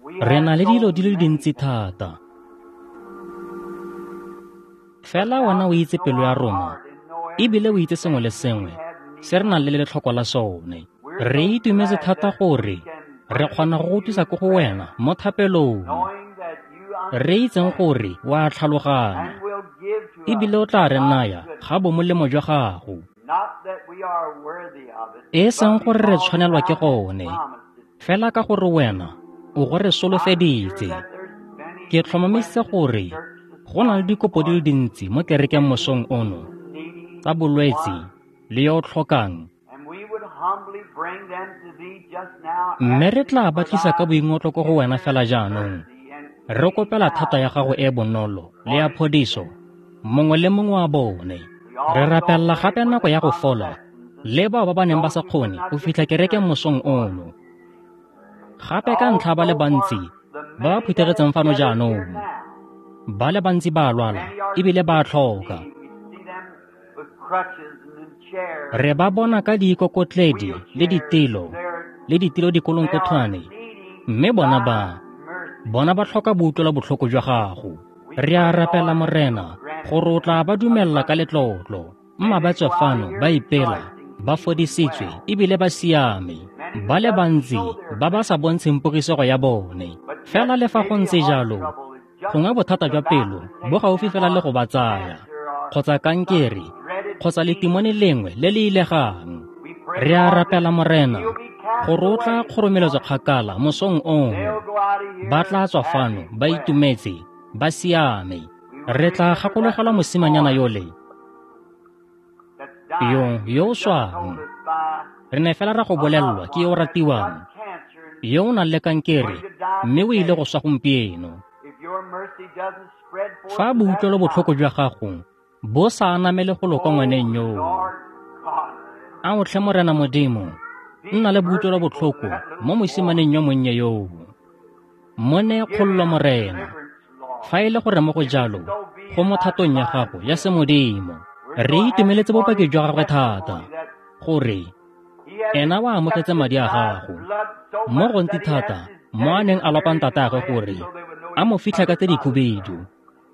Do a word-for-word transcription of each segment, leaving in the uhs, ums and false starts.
Re na le dilo di le dintsi thata. Fela wena o itse pelo ya rona, ebile o itse sengwe le sengwe se re nang le letlhoko la sone. Re itumetse thata gore re kgona go go tlisa ko go wena mo thapelong, re itseng gore o a tlhaloganya, ebile o tla re naya ga bomolemo jwa gago. E seng gore re tshwanelwa ke gone, fela ka gore wena o go re solofeditse. Ke tlhomamisitse gore go na le dikopo di le dintsi mo kerekeng mosong ono tsa bolwetse le yo o tlhokang, mme re tla ba tlisa ka boingotlo ko go wena fela jaanong. Re kopela thata ya gago e bonolo le ya phodiso mongwe le mongwe wa bone. Re rapelela gape nako ya go fola le bao ba ba neng ba sa kgone go fitlha kerekeng mosong ono. Gape ka ntlha ba le bantsi ba ba phuthegetseng fano jaanong, ba le bantsi ba a lwala ebile ba a tlhoka. Re ba bona ka diikokotledi le ditilo le ditilo dikolonkothwane, mme bona ba bona ba tlhoka boutlwelo botlhoko jwa gago. Re a rapela Morena gore o tla ba dumella ka letlotlo, mma ba tswe fano ba ipela, ba fodisitswe ebile ba siame. Ba le bantsi ba ba sa bontsheng pogisego ya bone. Fela le fa go ntse jalo, gongwe bothata jwa pelo bo gaufi fela le go ba tsaya, kgotsa kankere, kgotsa letimone lengwe le le ilegang. Re a rapela Morena gore o tla kgoromeletswa kgakala mosong ono. Ba tla tswa fano ba itumetse, ba siame. Re tla gakologelwa mosimanyana yole yo yo o swang. Re ne fela ra go bolelelwa ke yo o ratiwang, yo o nang le kankere, mme o ile go swa gompieno. Fa boutlwelo botlhoko jwa gago bo sa anamele go lo kwa ngwaneng yoo, a o tlhe Morena Modimo, nna le boutlwelo botlhoko mo mosimaneng yo monnye yoo. Mo neye kgololo Morena, fa e le gore mo go jalo go mo thatong ya gago ya semodimo. Re itumeletse bopaki jwa gagwe thata gore ena o amogetse madi a gago mo gontsi thata mo a neng a lopa ntatagwe gore a mo fitlha ka tse dikhubedu,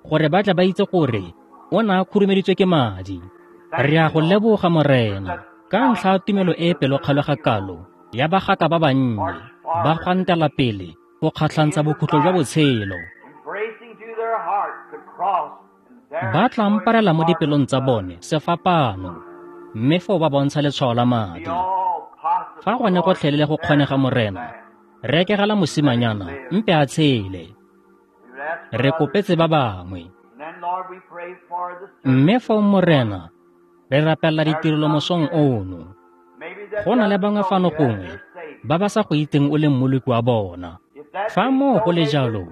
gore ba tle ba itse gore o ne a khurumeditswe ke madi. Re a go leboga Morena ka ntlha ya tumelo e e pelokgale ga kalo ya bagaka ba bannye ba gwantela pele go kgatlhantsha bokhutlo jwa botshelo. Ba tla mparela mo dipelong tsa bone sefapano, mme foo ba bontsha letshwao la madi. Fa gone gotlhelele go kgonega Morena, re rekegela mosimanyana mpe a tshele. Re kopetse ba bangwe. Mme foo Morena, re rapelela ditirelo mosong ono. Go na le bangwe fano gongwe ba ba sa go itseng o le mmoloki wa bona. Fa moo go le jalo,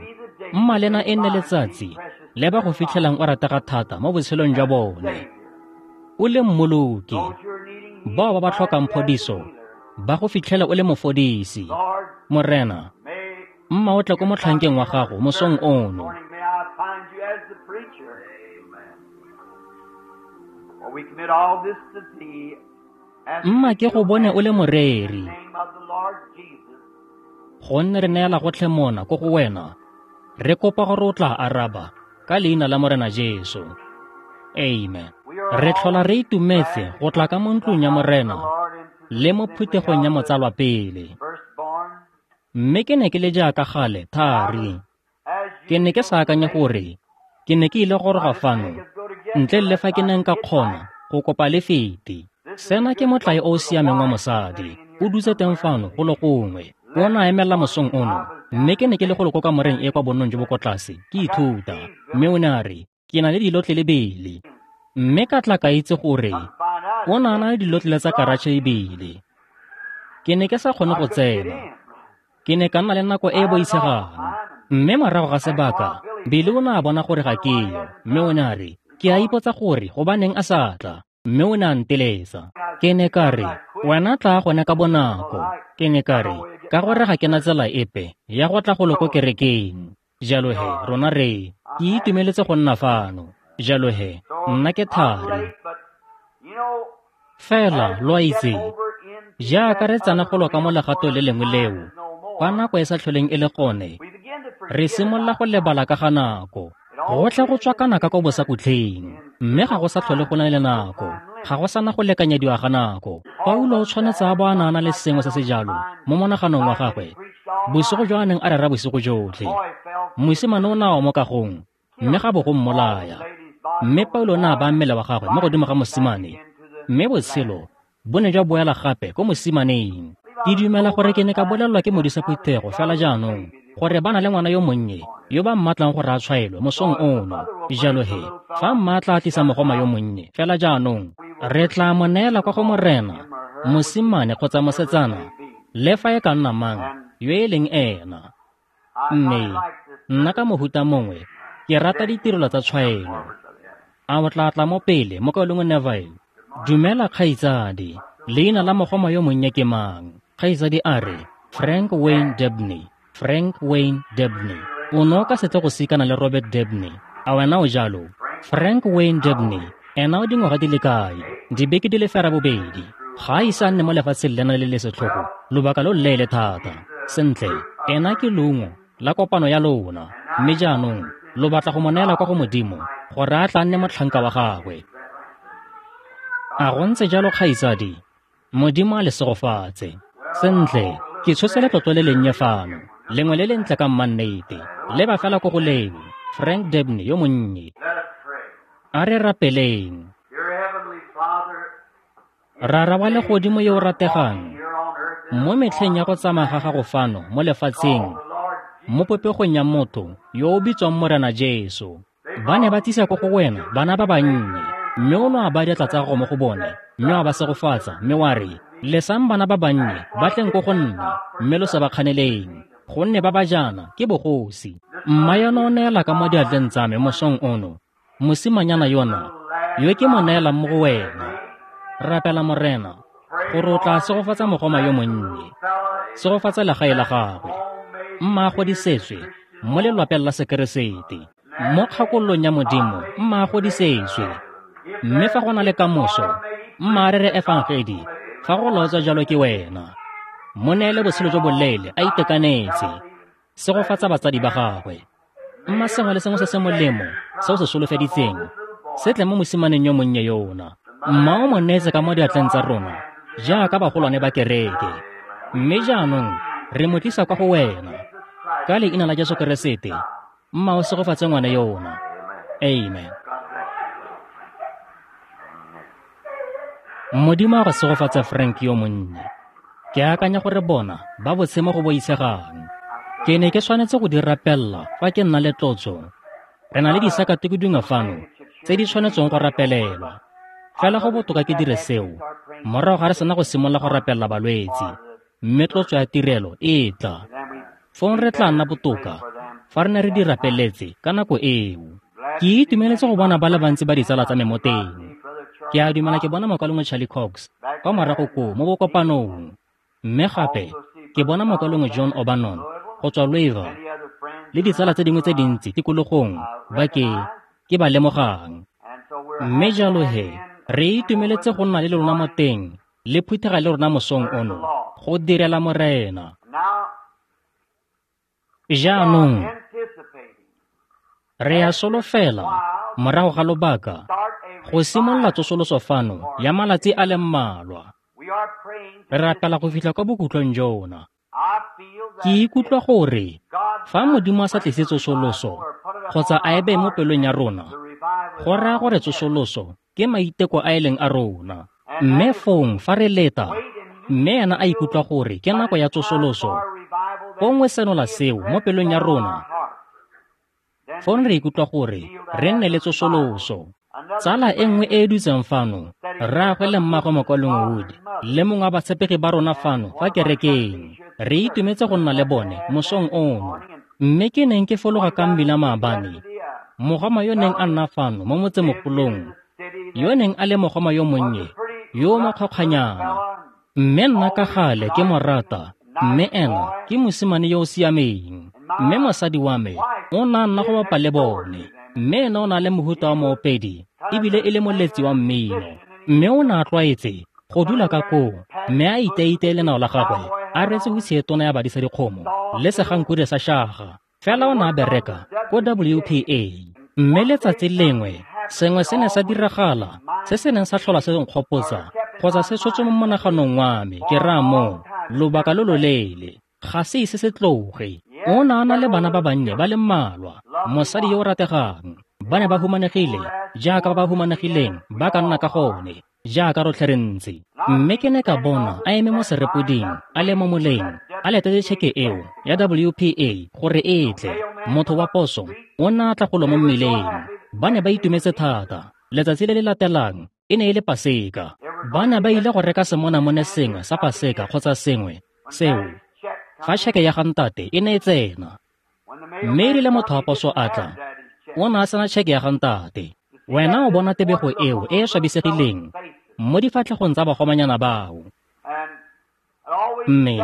mma lena e nne letsatsi le ba go fitlhelang o ratega thata mo botshelong jwa bone. O le mmoloki, bao ba ba tlhokang phodiso ba go fitlhela o le mofodisi. Morena, mma o tle ko motlhankeng wa gago mosong ono. Mma ke go bone o le moreri, gonne re neela gotlhe mona ko go wena. Re kopa gore o tla araba ka leina la Morena Jesu. Amen. Re tlhola re itumetse go tla ka mo ntlong ya Morena le mo phuthegong ya motsalwa pele. Mme ke ne ke le jaaka gale thari. Ke ne ke sa akanye gore ke ne ke ile goroga fano ntle le fa ke neng ka kgona go kopa lefiti. Sena ke motlae o o siameng wa mosadi. O dutse teng fano go le gongwe. O ne a emela mosong ono, mme ke ne ke le go le ko kamoreng e kwa bonnong jo bo ko tlase ke ithuta. Mme o ne a re, ke na le dilotlele bele. Mme ka tla ka itse gore o ne a na le dilotlele tsa karatšhe ebile. Ke ne ke sa kgone go tsena. Ke ne ka nna le nako e e boitshegang. Mme morago ga sebaka, Bili o ne a bona gore ga ke yo, mme o ne a re, ke a ipotsa gore gobaneng a sa tla. Mme o ne a nteletsa. Ke ne ka re, wena tla gone ka bonako. Ke ne ka re, ka gore ga ke na tsela epe ya go tla go lo ko kerekeng. Jalo he, rona re, ke itumeletse go nna fano. Jalo he, nna ke thari. Fela, lo a itse, jaaka re tsena go lo ka mo legatong le lengwe leo, fa nako e sa tlholeng e le gone, Re simolola go lebala ka ga nako. Gotlhe go tswakana ka ko bosakutlheng, mme ga go sa tlhole go na le nako. Ga go sana go lekanyediwa ga nako. Paulo o tshwanetse a bo a na le sengwe se se jalo mo monaganong wa gagwe bosigo jo a neng a rera bosigo jotlhe. Mosimane o ne a wa mo kagong, mme ga bo go mmolaya. Mme Paulo o ne a baya mmele wa gagwe mo godimo ga mosimane, mme botshelo bo ne jwa boela gape ko mosimaneng. Ke dumela gore ke ne ka bolelelwa ke modisa phuthego fela jaanong gore ba na le ngwana yo monnye yo ba mmatlang gore a tshwaelwe mosong ono. Jalo he, fa mma tla tlisa mogoma yo monnye fela jaanong, re tla mo neela kwa go Morena, mosimane kgotsa mosetsana, le fa e ka nna mang yo e leng ena. Mme nna ka mohuta mongwe ke rata ditirelo tsa tshwaelo. A o tla tla mo pele, mokaulengwe Neville? Dumela kgaitsadi, leina la mogoma yo monnye ke mang? Kgaitsadi a re, Frank Wayne Debney. Frank Wayne Debney. O ne o ka se tle go sikana le Robert Debney. A wena o jalo? Frank Wayne Debney, ena o dingwaga di le kae? Dibeke di le ferabobedi. Ga a ise a nne mo lefatsheng lena le le setlhogo lobaka lo leele thata. Sentle, ena ke leungo la kopano ya lona, mme jaanong lo batla go mo neela kwa go Modimo gore a tla nne motlhanka wa gagwe. A go ntse jalo kgaitsadi? Modimo a le segofatse. Sentle, ke tshotse letlotlo le lennye fano, lengwe le lentle ka mmannete. Leba fela ko go leo, Frank Debney yo monnye. A re rapeleng. Rara wa legodimo yo o rategang, mo metlheng ya go tsamaya ga gago fano mo lefatsheng, mo popegong ya motho yo o bitswang Morena Jesu, ba ne ba tlisa ko go wena bana ba bannye, mme o ne a baya diatla tsa gago mo go bone, mme wa ba segofatsa, mme wa re, lesang bana ba bannye ba tleng ko go nna, mme lo se ba kganeleng, gonne ba ba jaana ke bogosi. Mma yona o neela ka mo diatleng tsa me mosong ono, mosimanyana yona yo ke mo neelang mo go wena. Rapela Morena gore o tla segofatsa mogoma yo monnye, segofatsa legae la gagwe, mma a godisetswe mo lelwapeng la Sekeresete, mo kgakololong ya Modimo, mma a godisetswe. Mme fa go na le kamoso, mma a rere efangedi, fa go laotswa jalo ke wena. Mo neele botshelo jo boleele a itekanetse, segofatsa batsadi ba gagwe. Mma sengwe le sengwe se se molemo se o se solofeditseng se tle mo mosimaneng yo monnye yona. Mma o mo neetse ka mo diatleng tsa rona jaaka bagolwane ba kereke, mme jaanong re mo tlisa kwa go wena. Ka leina la Jesu Keresete, mma o segofatse ngwana yona. Amen. Modimo a go segofatse Frank yo monnye. Ke akanya gore bona ba botse mo go boitshegang. Ke ne ke tshwanetse go di rapella fa ke nna le tlotso. Re na le disakatuku dingwe fano tse di tshwanetseng go rapelelwa. Fela go botoka ke dire seo morago ga re sena go simolola go rapella balwetse, mme tlotso ya tirelo e tla. Fong re tla nna botoka fa re ne re di rapeletse ka nako eo. Ke itumeletse go bona ba le bantsi ba ditsala tsa me mo teng. Ke a dumela ke bona mokaulengwe Charlie Cox kwa morago koo mo bokopanong, mme gape ke bona mokaulengwe John O'Bannon go tswa Louisville le ditsala tse dingwe tse dintsi tikologong ba ke ke ba lemogang. Mme jalo he, re itumeletse go nna le lona mo teng le phuthega le rona mosong ono go direla Morena. Jaanong re a solofela morago ga lobaka go simolola tsosoloso fano ya malatsi a le mmalwa. Re rapela go fitlha kwa bokhutlong jona. Ke ikutlwa gore fa Modimo a sa tlise tsosoloso kgotsa a e beye mo pelong ya rona, go raya gore tsosoloso ke maiteko a e leng a rona. Mme fong fa re leta, mme ena a ikutlwa gore ke nako ya tsosoloso, gongwe senola seo mo pelong ya rona, fong re ikutlwa gore re nne le tsosoloso. Tsala e nngwe e e dutseng fano, rraagwe le mmagwe mokaulengwe Wood, le mongwe wa batshepegi ba rona fano fa kerekeng, re itumetse go nna le bone mosong ono. Mme ke neng ke fologa ka mmila maabane, mogoma yo neng a nna fano mo motsemogolong, yo neng a le mogoma yo monnye, yo o mokgokganyana. Mme nna ka gale ke mo rata, mme ena ke mosimane yo o siameng. Mme mosadi wa me o ne a nna go bapa le bone, mme ena o na le mohuta wa moopedi ebile e le moletsi wa mmino. Mme o ne a tlwaetse go dula ka koo, mme a iteiteye lenao la gagwe a rwetse hutshe e tona ya badisa dikgomo le segankure sa shaga. Fela o ne a bereka ko W P A. Mme letsatsi lengwe sengwe se ne sa diragala se se neng sa tlhola se nkgopotsa kgotsa se tshotse mo monaganong wa me, ke raya moo, lobaka lo loleele. Ga se ise se tloge. O ne a na le bana ba bannye ba le mmalwa, mosadi yo o rategang. Ba ne ba humanegile jaaka ba ba humanegileng ba ka nna ka gone, jaaka rotlhe re ntse. Mme ke ne ka bona a eme mo serepoding, a le mo moleng, a letetse tšheke eo ya W P A gore e tle. Motho wa poso o ne a tla golo mo mmileng. Ba ne ba itumetse thata. Letsatsi le le latelang e ne e le Paseka. Ba ne ba ile go reka semonamone sengwe sa Paseka kgotsa sengwe seo fa tšheke ya ga ntate e ne e tsena. Mme e rile motho wa poso a tla, o ne a sena tšheke ya ga ntate. Wena o bona tebego eo e e swabisegileng mo difatlhegong tsa bagomanyana bao. Mme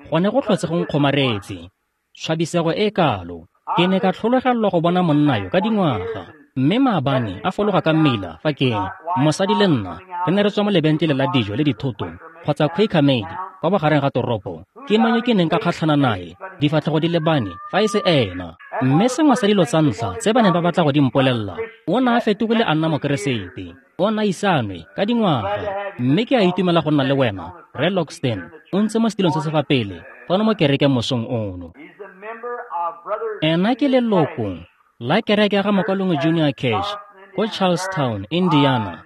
gone go tlhotse go nkgomaretse, swabisego e kalo. Ke ne ka tlhologelelwa go bona monna yo ka dingwaga. Mme maabane a fologa ka mmila fa ke mosadi le nna re ne re tswa mo lebenkeleng la dijo le dithoto kgotsa Quaker Maid kwa bogareng ga toropo. Ke mang yo ke neng ka kgatlhana nae, difatlhego di lebane fa e se ena. Mme sengwe sa dilo tsa ntlha tse ba neng ba batla go di mpolelela, o ne a fetogile a nna Mokeresete. O ne a isanwe ka dingwaga. Mme ke a itumela go nna le wena, Rre Logston, o ntse mo setilong se se fa pele fano mo kerekeng mosong ono. Ena ke leloko la kereke ya ga Mokalongwe Junior Cash ko Charlestown, Indiana.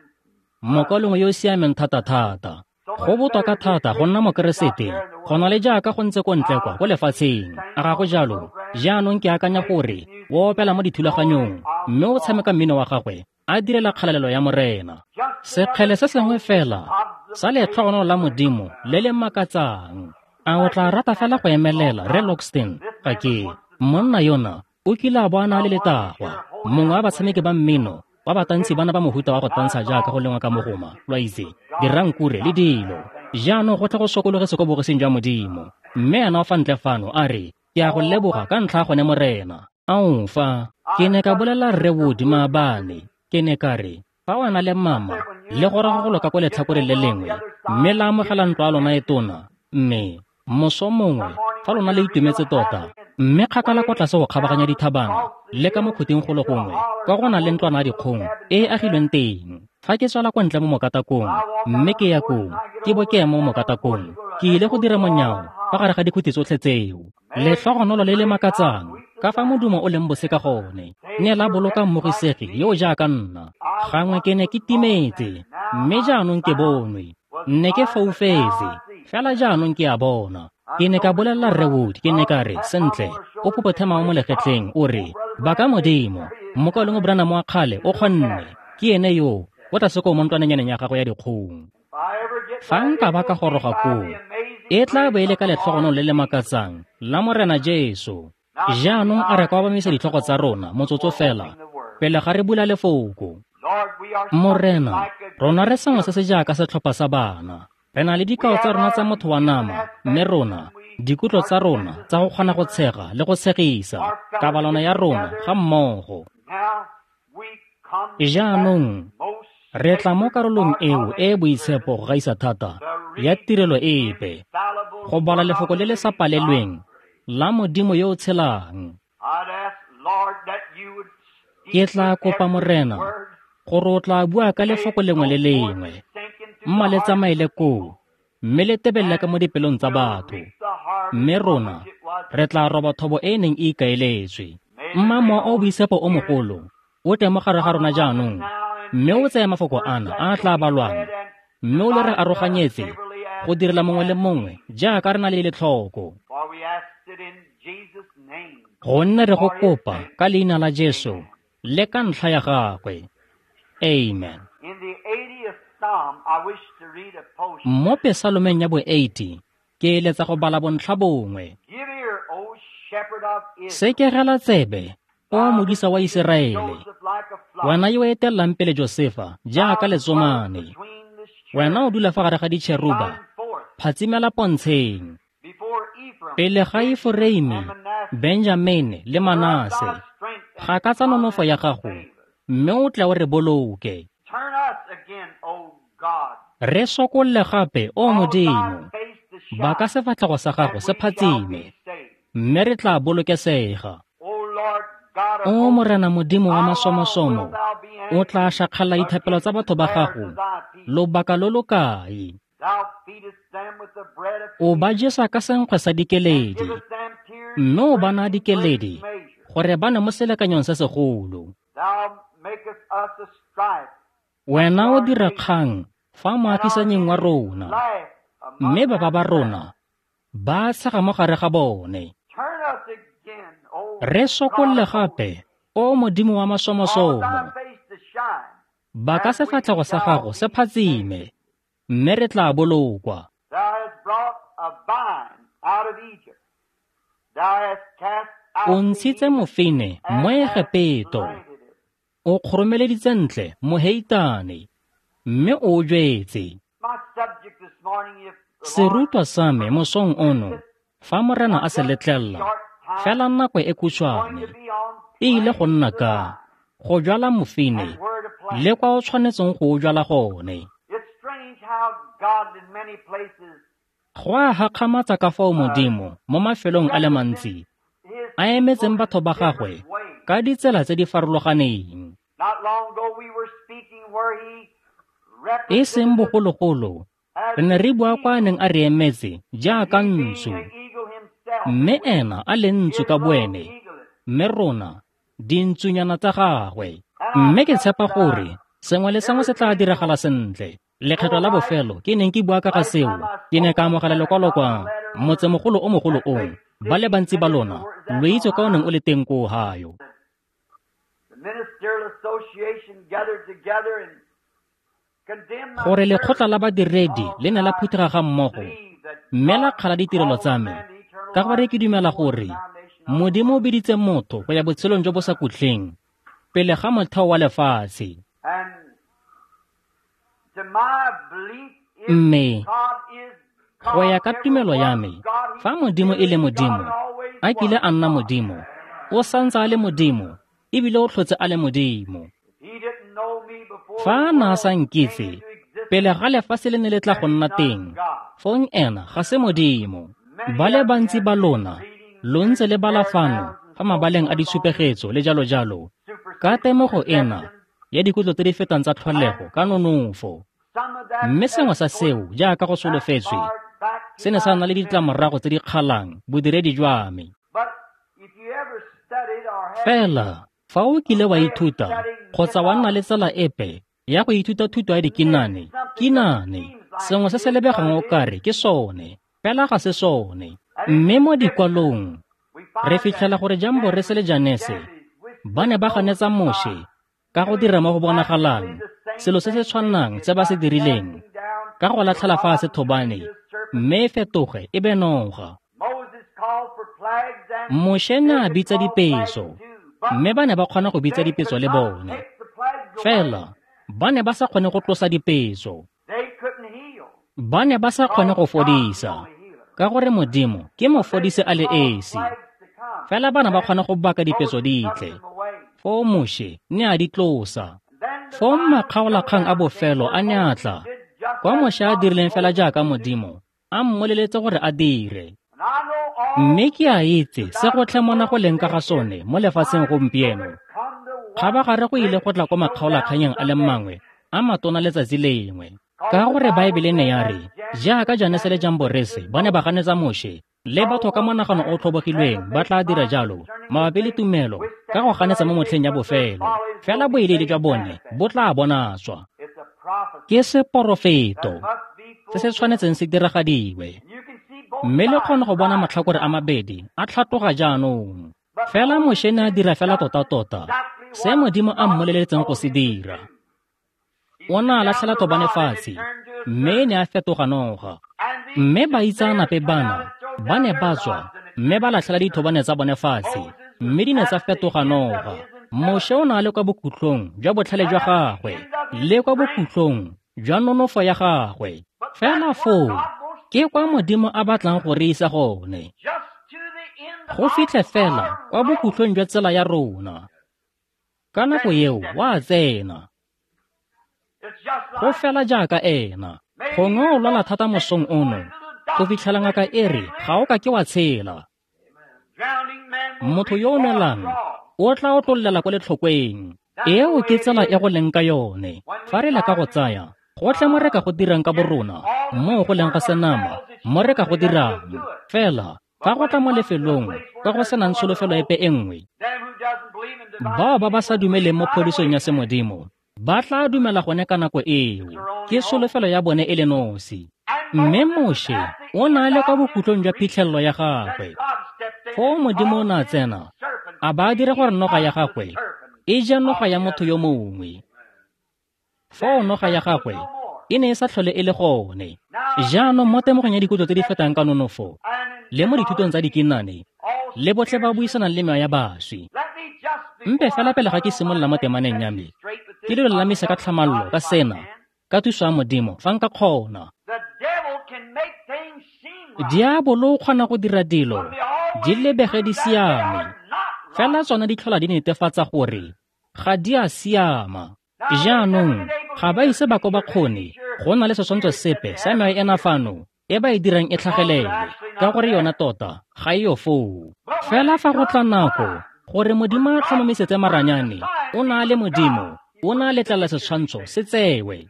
Mokalongwe yo o siameng thata-thata. Go botoka thata go nna Mokeresete go na le jaaka go ntse ko ntle kwa ko lefatsheng. A ga go jalo? Jaanong ke akanya gore o opela mo dithulaganyong mme o tshameka mmino wa gagwe a direla kgalalelo ya Morena. Sekgele se sengwe fela sa letlhogonolo la Modimo le le makatsang. A o tla rata fela go emelela, Rre Logston? Ga ke monna yona o kile a bo a na le letagwa, mongwe wa batshameki ba mmino ba batantsi bana ba mohuta wa go tantsha jaaka go lengwa ka mogoma, lo a itse, dirankure le dilo. Jaanong go tle go sokologetse ko bogosing jwa Modimo. Mme ena o fa ntle fano a re, ke a go leboga ka ntlha ya gone Morena. Ao fa, ke ne ka bolela Rre Wood maabane, ke ne ka re, fa wena le mama le goroga go loka ko letlhakoreng le lengwe, mme la amogela ntlo ya lona e tona, mme moso mongwe fa lona le itumetse tota, mme kgakala kwa tlase go kgabaganya dithabana le ka mo khuting golo gongwe kwa go na le ntlwana ya dikgong e e agilweng teng. Fa ke tswela kwa ntle mo mokatakong mme ke ya koo, ke bo ke ema mo mokatakong, ke ile go dira monyao fa gare ga dikhuti tsotlhe tseo. Letlhogonolo le le makatsang ka fa modumo o leng bose ka gone ne la boloka mmogisegi yo o jaaka nna. Gangwe ke ne ke timetse, mme jaanong ke bonwe. Nne ke foufetse, fela jaanong ke a bona. Ke ne ka bolelela Rre Wood, ke ne ka re, sentle, o phopothe mao mo legetleng, o re, baka Modimo, Mokalongwe Branham wa kgale o kgonne, ke ene yo, o tlase koo mo ntlwanenyaneng ya gagwe ya dikgong. Fa nka ba ka goroga koo, e tla bo e le ka letlhogonolo le le makatsang la Morena Jesu. Jaanong a re ka obamisa ditlhogo tsa rona motsotso fela pele ga re bula lefoko. Morena, rona re sengwe se se jaaka setlhopha sa bana. Re na le dikao tsa rona tsa motho wa nama, mme rona, dikutlo tsa rona tsa go kgona go tshega le go tshegisa, kabalano ya rona ga mmogo. Jaanong re tla mo karolong eo e e boitshepo go gaisa thata ya tirelo epe, go bala lefoko le le sa palelweng la Modimo yo o tshelang. Ke tla kopa Morena gore o tla bua ka lefoko lengwe le lengwe, mma le tsamaele koo, mme le tebelele ka mo dipelong tsa batho, mme rona re tla roba thobo e e neng e ikaeletswe. Mma mowa o boitshepo o mogolo o tle mo gare ga rona jaanong, mme o tseye mafoko ana a a tla balwang, mme o le re aroganyetse go direla mongwe le mongwe jaaka re na le letlhoko. Gonne re go kopa ka leina la Jesu le ka ntlha ya gagwe. Amen. Mo Pesalomeng ya bo eighty, ke eletsa go bala bontlha bongwe. Sekegela tsebe, o modisa wa Iseraele, wena yo o etellang pele Josefa jaaka letsomane, wena o dula fa gare ga ditšheruba, phatsimela pontsheng. Pele ga Eforeime, Benjamene le Manase, gakatsa nonofo ya gago, mme o tle o re boloke. Re sokolle gape, o Modimo, baka sefatlhego sa gago se phatsime, mme re tla bolokesega. O Morena Modimo wa masomosomo, o tla šakgala dithapelo tsa batho ba gago lobaka lo lo kae? O ba jesa ka senkgwe sa dikeledi, mme o ba naya dikeledi gore ba ne mo selekanyong se segolo. Wena o dira kgang fa moagisanying wa rona, mme baba ba rona ba tshega mo gare ga bone. Re sokolle gape, o Modimo wa masomosomo, ba ka sefatlhego sa gago se phatsime, mme re tla bolokwa. O ntshitse mofine mo Egepeto, o kgoromeleditse ntle moheitane, mme o jwetse. Serutwa sa me mosong ono, fa Morena a se letlelela, fela nako e khutshwane, e ile go nna ka go jwala mofine le kwa o tshwanetseng go o jwala gone. Go a gakgamatsa ka fao Modimo mo mafelong a le mantsi a emetseng batho ba gagwe ka ditsela tse di farologaneng. E seng bogologolo, re ne re bua kwa a neng a re emetse jaaka ntsu, mme ena a le ntsu ka boene, mme rona dintsunyana tsa gagwe. Mme ke tshepa gore sengwe le sengwe se tla diragala sentle. Lekgetho la bofelo ke neng ke bua ka ga seo, ke ne ka amogela lekwalo kwa motsemogolo o mogolo o, ba le bantsi ba lona lo itse ka o neng o le teng ko Ohio. Gore lekgotla la badiredi le ne la phuthega ga mmogo mme la kgala ditirelo tsa me, ka gore ke dumela gore Modimo o biditse motho go ya botshelong jo bo sa khutleng pele ga motheo wa lefatshe. Mme go ya ka tumelo ya me, fa Modimo e le Modimo, a kile a nna Modimo, o santse a le Modimo, ebile o tlhotse a le Modimo. Fa a na a sa nkitse pele ga lefatshe le ne le tla go nna teng, fong ena ga se Modimo. Ba le bantsi ba lona lo ntse le bala fano fa mabaleng a ditshupegetso le jalo jalo, ka temogo ena ya dikutlo tse di fetang tsa tlholego ka nonofo. Mme sengwe sa seo, jaaka go solofetswe, se ne sa nna le ditlamorago tse di kgalang bodiredi jwa me. Fela fa o kile wa ithuta kgotsa wa nna le tsela epe ya go ithuta thuto ya dikinane, kinane, sengwe se se lebegang o kare ke sone, fela ga se sone. Mme mo dikwalong re fitlhela gore Jamborese le Janese ba ne ba ganetsa Moshe ka go dira mo go bonagalang selo se se tshwanang se ba se dirileng ka go latlhela fatshe thobane mme e fetoge e be noga. Moshe ne a bitsa dipeso, mme ba ne ba kgona go bitsa dipeso le bone, fela ba ne ba sa kgone go tlosa dipeso. Ba ne ba sa kgone go fodisa, ka gore Modimo ke mofodisi a le esi. Fela ba ne ba kgona go baka dipeso di tle, foo Moshe ne a di tlosa. Foo makgaolakgang a bofelo a ne a tla, kwa Moshe a dirileng fela jaaka Modimo a mmoleletse gore a dire. Mme ke a itse se go tlhe mona go leng ka ga sone mo lefatsheng gompieno. Kgabagare go ile go tla kwa makgaolakganyeng a le mangwe a matona letsatsi lengwe, ka gore Baebele ne ya re jaaka Janese le Jamborese ba ne ba ganetsa Moshe, le batho ka monagano o tlhobogilweng ba tla dira jalo mabapi le tumelo ka go ganetsa mo motlheng ya bofelo, fela boidiidi jwa bone bo tla bonatswa. Ke seporofeto se se tshwanetseng se diragadiwe, mme le kgone go bona matlhakore a mabedi a tlhatloga jaanong. Fela Moshe ne a dira fela tota-tota se Modimo a mmoleletseng go se dira. O ne a latlhela thobane fatshe, mme e ne a fetoga noga. Mme baitseanape bana ba ne ba tswa mme ba latlhela dithobane tsa bone fatshe, mme di ne tsa fetoga noga. Moshe o ne a le kwa bokhutlong jwa botlhale jwa gagwe le kwa bokhutlong jwa nonofo ya gagwe. Fela foo ke kwa Modimo a batlang go re isa gone, go fitlhe fela kwa bokhutlong jwa tsela ya rona. Ka nako eo wa tsena, go fela jaaka ena. Gongwe o lwala thata mosong ono go fitlhela ngaka e re ga o ka ke wa tshela. Motho yo o nwelang o tla otlollela ko letlhokweng. Eo ke tsela e go leng ka yone. Fa re leka go tsaya gotlhe mo re ka go dirang ka borona, mo go leng ga senama, mo re ka go dirang. Fela fa go tla mo lefelong kwa go senang tsholofelo epe e nngwe, bao ba ba sa dumeleng mo phodisong ya semodimo ba tla dumela gone ka nako eo. Ke tsholofelo ya bone e le nosi. Mme Moshe o na le kwa bokhutlong jwa phitlhelelo ya gagwe. Foo Modimo o ne a tsena, a ba a dira gore noga ya gagwe e je noga ya motho yo mongwe. Foo noga ya gagwe e ne e sa tlhole e le gone. Jaanong mo temogong ya dikutlo tse di fetang ka nonofo, le mo dithutong tsa dikinane, le botlhe ba buisanang le mewa ya baswi. Mpe fela pele ga ke simolola mo temaneng ya me, ke le lolamise ka tlhamallo ka sena, ka thuso ya Modimo, fa nka kgona. Diabolo o kgona go dira dilo di lebege di siame, fela tsona di tlhola di netefatsa gore ga di a siama. Jaanong ga ba ise ba ko ba kgone go na le setshwantsho sepe sa mewa ena fano e ba e dirang e tlhagelele, ka gore yona tota ga e yo foo. Fela fa go tla nako gore Modimo a tlhomamisetse maranyane, o na le Modimo, o na letlela setshwantsho se tsewe.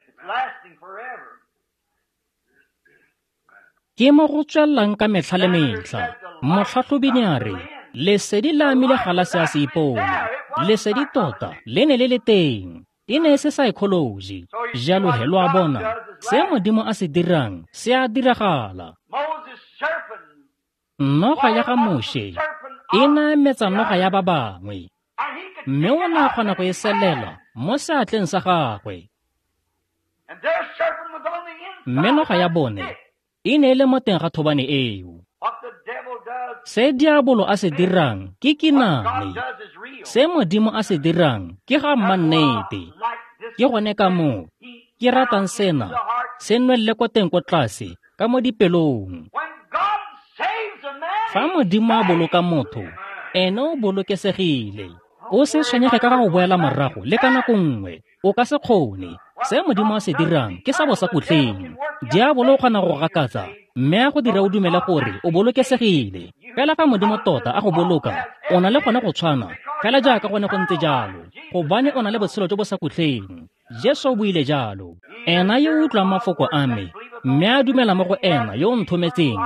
Ke mo go tswelelang ka metlha le metlha. Motlhatlhobi ne a re, lesedi le amile galase ya seipone. Lesedi tota le ne le le teng. E ne e se psychology. Jalo he lo a bona, se Modimo a se dirang se a diragala. Noga ya ga Moshe e nametsa noga ya ba bangwe, mme o ne a kgona go e selela mo seatleng sa gagwe. Mme noga ya bone e ne e le mo teng ga thobane eo. Se diabolo a se dirang ke kinane. Se Modimo a se dirang ke ga mmannete. Ke gone ka moo ke ratang sena se nwelele ko teng ko tlase ka mo dipelong. Fa Modimo a boloka motho, ene o bolokesegile. O se tshwenyege ka ga go boela morago le ka nako nngwe. O ka se kgone. Se Modimo a se dirang ke sa bosakhutleng. Diabolo o kgona go gakatsa mme a go dira o dumele gore o bolokesegile. Fela fa Modimo tota a go boloka, o na le gone go tshwana fela jaaka gone go ntse jalo, gobane o na le botshelo jo bo sa khutleng. Jesu o buile jalo. Ena yo o utlwang mafoko a me mme a dumela mo go ena yo o nthometseng,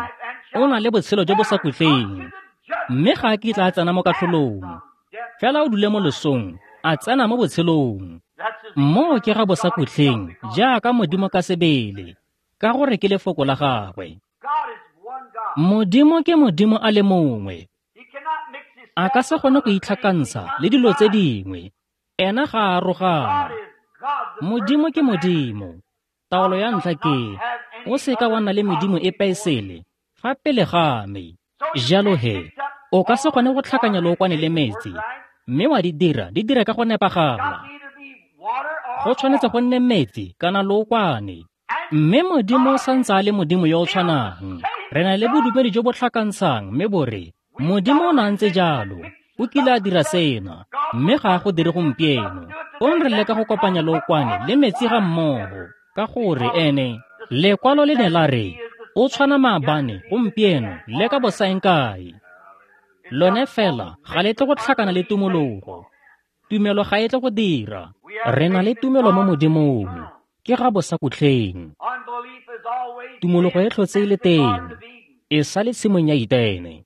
o na le botshelo jo bo sa khutleng, mme ga a kitla a tsena mo katlholong. Fela o dule mo losong, a tsena mo botshelong. Moo ke ga bosakhutleng jaaka Modimo ka sebele, ka gore ke lefoko la gagwe. Modimo ke Modimo a le mongwe. A ka se kgone go itlhakantsha le dilo tse dingwe. Ena ga a arogana. Modimo ke Modimo. Taolo ya ntlha ke, o seka wa nna le medimo epe e sele fa pele ga me. Jalo he, o ka se kgone go tlhakanya lookwane le metsi, mme wa di dira di dira ka go nepagala. Go tshwanetse go nne metsi kana lookwane. Mme Modimo o santse a le Modimo yo o tshwanang. Re na le bodumedi jo bo tlhakantshang mme bo re, Modimo o na ntse jalo, o kile a dira sena, mme ga a go dire gompieno. Fong re leka go kopanya lookwane le metsi ga mmogo, ka gore ene lekwalo le ne la re, o tshwana maabane, gompieno, le ka bosaengkae. Lone fela ga le tle go tlhakana le tumologo. Tumelo ga e tle go dira. Re na le tumelo mo Modimong, ke ga bosakhutleng. Tumologo e tlhotse e le teng, e sa le tshimong ya Etene.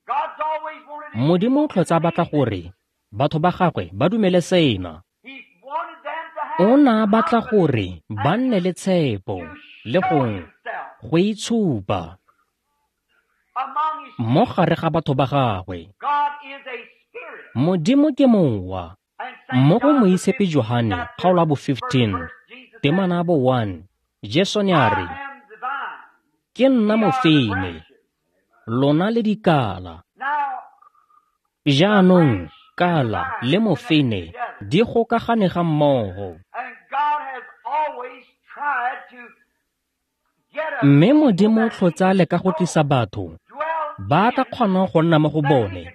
Modimo o tlhotse a batla gore batho ba gagwe ba dumele sena. O ne a batla gore ba nne le tshepo le go go itshupa mo gare ga batho ba gagwe. Modimo ke mowa. Mo go Moitshepi Johane kgaolo ya bo fifteen, temana ya bo one, Jesu ne a re, ke nna mofeine, lona le dikala. Jaanong kala le mofeine di gokagane ga mmogo. Mme Modimo o tlhotse a leka go tlisa batho ba ka kgonang go nna mo go bone,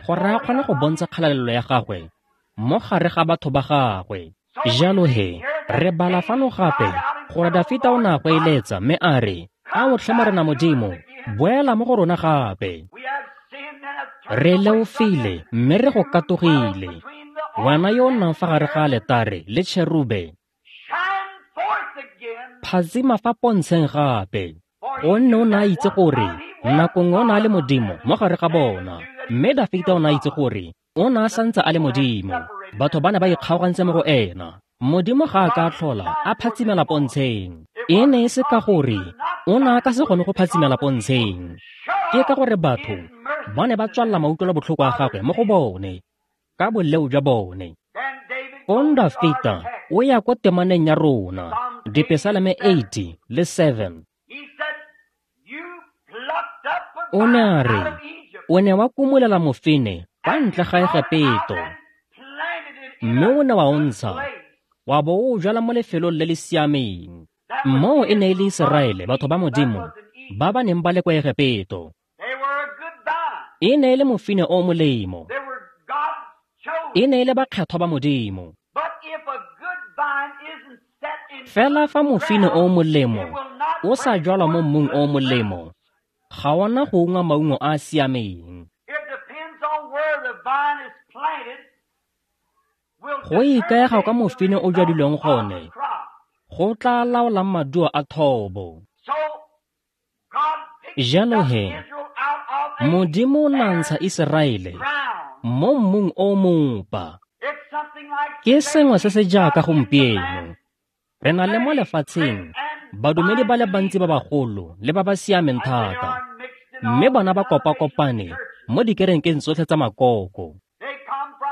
gore a kgone go bontsha kgalalelo ya gagwe mo gare ga batho ba gagwe. Jalo he, re bala fano gape gore Dafita o ne a go eletsa mme a re, a o tlhe Morena Modimo, boela mo go rona gape. Re leofile mme re go katogile. Wena yo o nnang fa gare ga aletare le tšherube, phatsima fa pontsheng gape, gonne o ne a itse gore nako nngwe o ne a le Modimo mo gare ga bona, mme Dafita o ne a itse gore o ne a santse a le Modimo. Batho ba ne ba ikgaogantse mo go ena. Modimo ga a ka a tlhola a phatsimela pontsheng. E ne e se ka gore o ne a ka se kgone go phatsimela pontsheng. Ke ka gore batho ba ne ba tswalela mautlwelobotlhoko a gagwe mo go bone ka boleo jwa bone. Fong Dafita o ya ko temaneng ya rona, Dipesaleme eighty le seven. O ne a re, o ne wa kumolela mofine kwa ntle ga Egepeto, mme o ne wa o ntsha, wa bo o jwala mo lefelong le le siameng. Moo e ne e le Iseraele, batho ba Modimo, ba ba neng ba le kwa Egepeto. E ne e le mofine o molemo. E ne e le bakgethwa ba Modimo. Fela fa mofine o molemo o sa jwalwa mo mmung o molemo, ga ona go ungwa maungo a a siameng. Go ikaega ka mofine o jwadilweng gone, go tla laolang maduo a thobo. Jalo he, Modimo o ne a ntsha Iseraele mo mmung o mopa. Ke sengwe se se jaaka gompieno. Re na le mo lefatsheng badumedi ba le bantsi ba bagolo le ba ba siameng thata, mme bona ba kopakopane mo dikerekeng tsotlhe tsa makoko.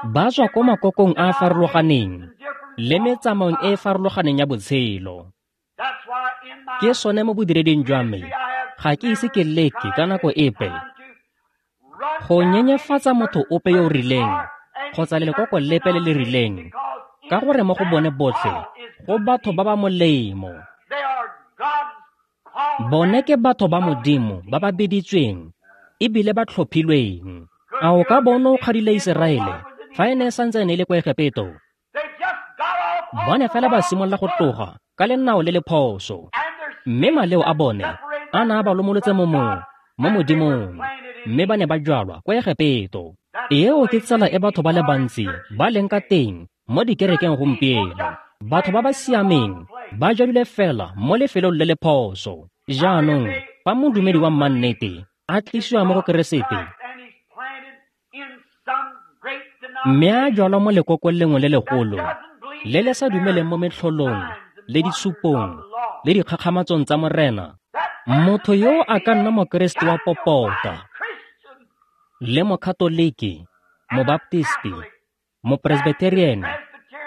Ba tswa ko makokong a a farologaneng le metsamaong e e farologaneng ya botshelo. Ke sone mo bodireding jwa me, ga ke ise ke leke ka nako epe go nyenyefatsa motho ope yo o rileng kgotsa lelekoko lepe le le rileng, ka gore mo go bone botlhe go batho ba ba molemo. Bone ke batho ba Modimo ba ba biditsweng ebile ba tlhophilweng. A o ka bona o kgadile Iseraele fa e ne e santse e ne e le kwa Egepeto? Bone fela ba simolola go tloga ka lenao le le phoso, mme maleo a bone a ne a ba lomolotse mo mong mo Modimong, mme ba ne ba jwalwa kwa Egepeto. Eo ke tsela e batho ba le bantsi ba leng ka teng mo dikerekeng gompieno. Batho ba ba siameng ba jadile fela mo lefelong le le phoso. Jaanong fa modumedi wa mannete a tlisiwa mo go Keresete, mme a jwalwa mo lekokong lengwe le legolo le le sa dumeleng mo metlholong le ditshupong le dikgakgamatsong tsa Morena, motho yo a ka nna Mokeresete wa popota le Mokatoliki, Mobaptisti, Mopresbyterian,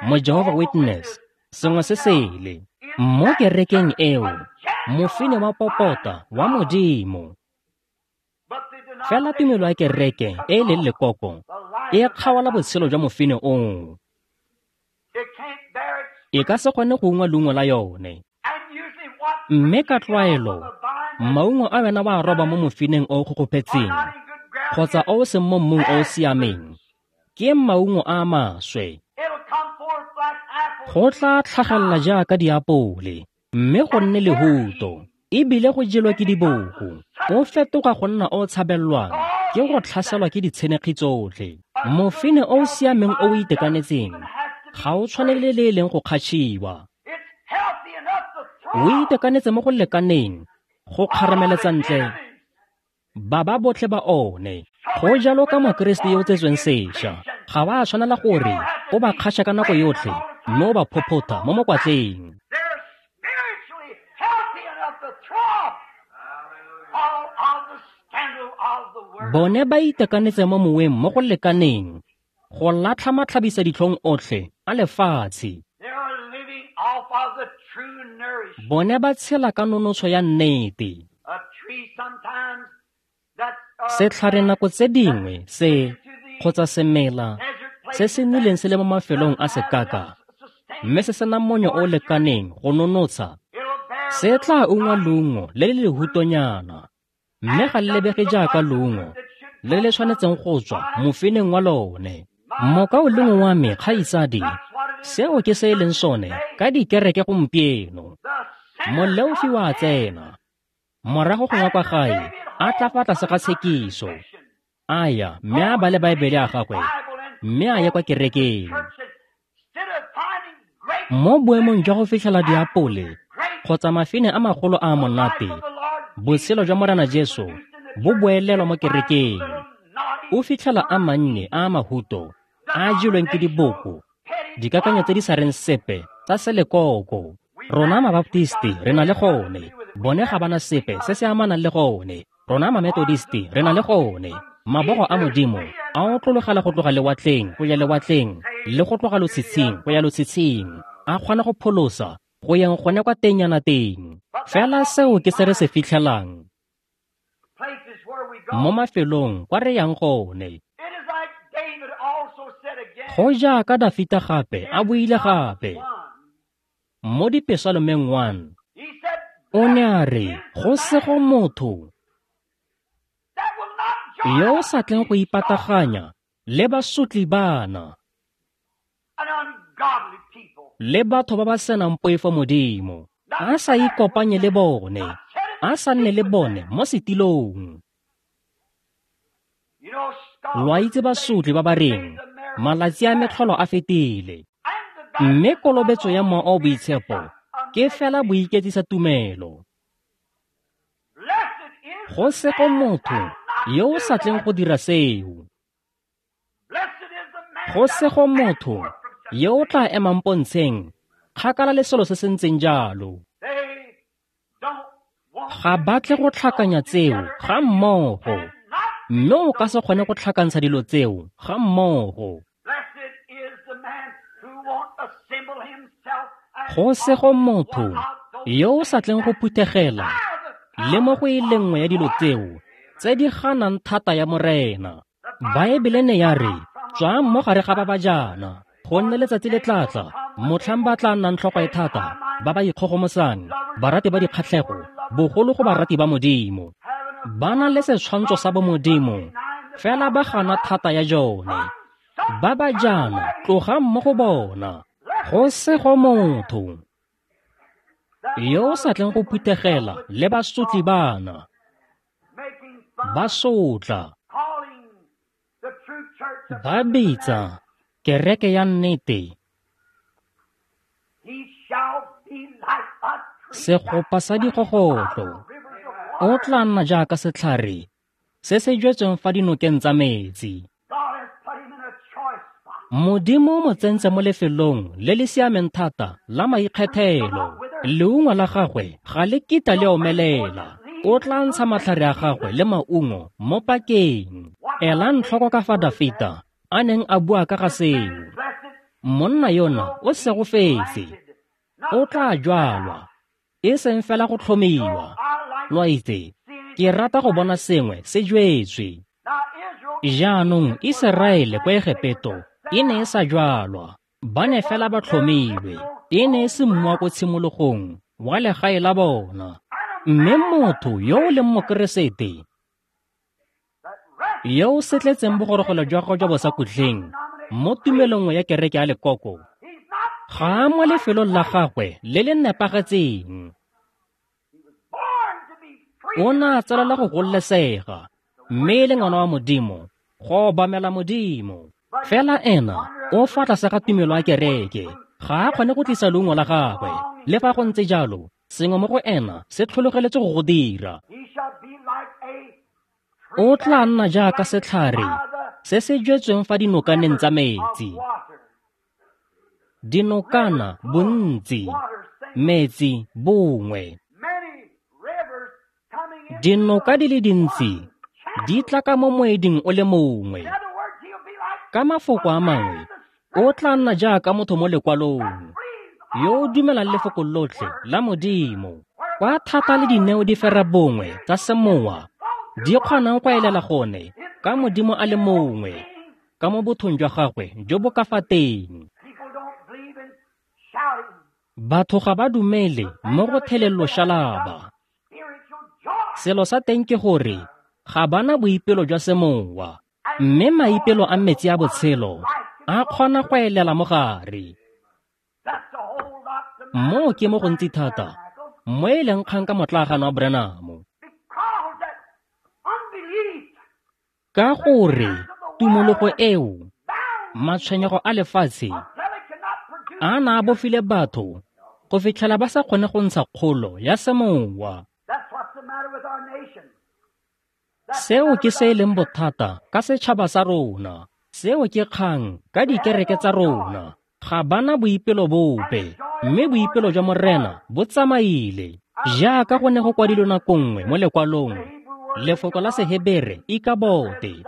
Mo-Jehovah Witness, sengwe se sele. Mo kerekeng eo, mofine wa popota wa Modimo. Fela tumelo ya kereke e e leng lekoko e kgaola botshelo jwa mofine oo. E ka se kgone go ungwa leungo la yone. Mme ka tlwaelo, maungo a wena wa a roba mo mofineng o o kgokgophetseng kgotsa o o seng mo mmung o o siameng, ke maungo a a maswe. Go tla tlhagelela jaaka diapole, mme go nne lehuto, ebile go jelwa ke diboko. O fetoga go nna o tshabelelwang ke go tlhaselwa ke ditshenekgi tsotlhe. Mofine o o siameng o o itekanetseng ga o tshwanele le e leng go kgatšhiwa. O itekanetse mo go lekaneng go kgarameletsa ntle ba ba botlhe ba one. Go jalo ka Mokeresete yo o tsetsweng sešwa, ga wa tshwanela gore o ba kgatšha ka nako yotlhe mme o ba phophotha mo mokwatleng. Bone ba itekanetse mo moweng mo go lekaneng go latlha matlhabisa ditlhong otlhe a lefatshe. Bone ba tshela ka nonotsho ya nnete. Setlhare nako tse dingwe se kgotsa semela se se nnileng se le mo mafelong a sekaka, mme se sena monyo o o lekaneng go nonotsha, se tla ungwa leungo le le lehutonyana, mme ga le lebege jaaka leungo le le tshwanetseng go tswa mofineng wa lone. Mokaulengwe wa me kgaitsadi, seo ke se e leng sone ka dikereke gompieno. Moleofi wa tsena, morago gongwe kwa gae a tla fa tlase ga tshekiso, A ya mme a bale Baebele ya gagwe mme a ye kwa kerekeng. Mo boemong jwa go fitlhela diapole kgotsa mafine a magolo a a monate, botshelo jwa Morena Jesu bo boelelwa mo kerekeng. O fitlhela a mannye a a mahuto a a jelweng ke diboko, dikakanyo tse di sa reng sepe tsa selekoko. Rona Mabaptisti re na le gone, bone ga ba na sepe se se amanang le gone. Rona Mametodisti re na le gone. Mabogo a Modimo a otlologela go tloga lewatleng go ya lewatleng le go tloga lotshitshing go ya lotshitshing, a kgona go pholosa go yang gone kwa tengnyana teng. Fela seo ke se re se fitlhelang mo mafelong kwa re yang gone. Go jaaka Dafita gape a buile gape mo Dipesalomeng one, o ne a re go sego motho yo o sa tleng go ipataganya le basotli bana le batho ba ba senang poifo Modimo, a sa ikopanye le bone, a sa nne le bone mo setilong. Lo a itse basotli ba ba reng malatsi a metlholo a fetile, mme kolobetso ya Mowa o o Boitshepo ke fela boiketsisa tumelo. Go sego motho yo o sa tleng go dira seo. Go sego motho yo o tla emang pontsheng kgakala le selo se se ntseng jalo. Ga ba tle go tlhakanya tseo ga mmogo, mme o ka se kgone go tlhakantsha dilo tseo ga mmogo. Go sego motho yo o sa tleng go phuthegela le mo go e le nngwe ya dilo tseo tse di ganang thata ya Morena. Baebele ne ya re, tswang mo gare ga ba ba jaana, gonne letsatsi le tla tla motlhang ba tla nnang tlhogo e thata, ba ba ikgogomosang, barati ba dikgatlhego, bogolo go barati ba Modimo. Ba na le setshwantsho sa bomodimo, fela ba gana thata ya jone. Ba ba jaana, tlogang mo go bona. Go sego motho yo o sa tleng go phuthegela le basotli bana, ba sotla, ba bitsa kereke ya nnete segopa sa digogotlo. O tla nna jaaka setlhare se se jetsweng fa dinokeng tsa metsi. Modimo o mo tsentse mo lefelong le le siameng thata la maikgethelo. Leungo la gagwe ga le kitla le omelela. O tla ntsha matlhare a gagwe le maungo mo pakeng. Elang tlhoko ka fa Dafita a neng a bua ka ga seo. Monna yona o segofetse, o tla jwalwa, e seng fela go tlhomiwa. Lo a itse, ke rata go bona sengwe se jwetswe. Jaanong Iseraele kwa Egepeto e ne e sa jwalwa, ba ne fela ba tlhomilwe. E ne e se mmu wa ko tshimologong wa legae la bona. Mme motho yo o leng Mokeresete, yo o setletseng bogorogelo jwa gagwe jwa bosakhutleng mo tumelong ya kereke ya lekoko, ga a mo lefelong la gagwe le le nepagetseng. O ne a tsalela go gololesega, mme e le ngwana wa Modimo, go obamela Modimo. Fela ena o fa tlase ga tumelo ya kereke, ga a kgone go tlisa leungo la gagwe. Le fa go ntse jalo, sengwe mo go ena se tlhologeletse go go dira. O tla nna jaaka setlhare se se jetsweng fa dinokaneng tsa metsi. Dinokana bontsi, metsi bongwe. Dinoka di le dintsi di tla ka mo moeding o le mongwe. Ka mafoko a mangwe, o tla nna jaaka motho mo lekwalong yo o dumelang lefoko lotlhe la Modimo. Kwa thata le dineo di fera bongwe tsa semowa di kgonang go elela gone ka Modimo a le mongwe, ka mo bothong jwa gagwe jo bo ka fa teng. Batho ga ba dumele mo go thelelo shalaba. Selo sa teng ke gore ga ba na boipelo jwa semowa, mme maipelo a metsi a botshelo a kgona go elela mo gare. Moo ke mo gontsi thata mo e leng kgang ka motlaagana wa Branham. Ka gore tumologo eo, matshwenyego a lefatshe a na a bofile batho go fitlhela ba sa kgone go ntsha kgolo ya semowa. Seo ke se e leng bothata ka setšhaba sa rona. Seo ke kgang ka dikereke tsa rona. Ga bana boipelo bope, mme boipelo jwa Morena bo tsamaile. Jaaka go ne go kwadilwe nako nngwe mo lekwalong, lefoko la Sehebere ikabote,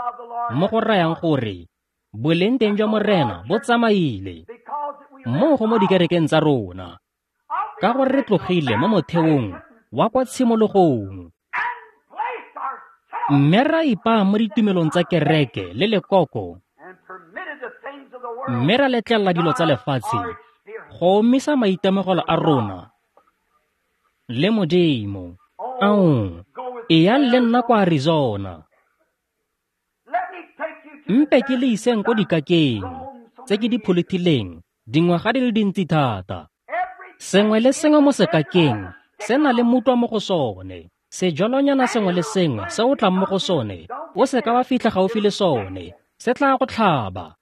mo go rayang gore boleng teng jwa Morena bo tsamaile. Moo go mo dikerekeng tsa rona, ka gore re tlogile mo motheong wa kwa tshimologong, mme ra ipaa mo ditumelong tsa kereke le lekoko, mme ra letlelela dilo tsa lefatshe go omisa maitemogelo a rona le Modimo. Ao, eyang le nna kwa Arizona. Mpe ke le iseng ko dikakeng tse ke di pholothileng dingwaga di le dintsi thata. Sengwe le sengwe mo sekakeng se na le mutlwa mo go sone. Sejwalonyana sengwe le sengwe se o tlang mo go sone, o se ka wa fitlha gaufi le sone, se tla go tlhaba.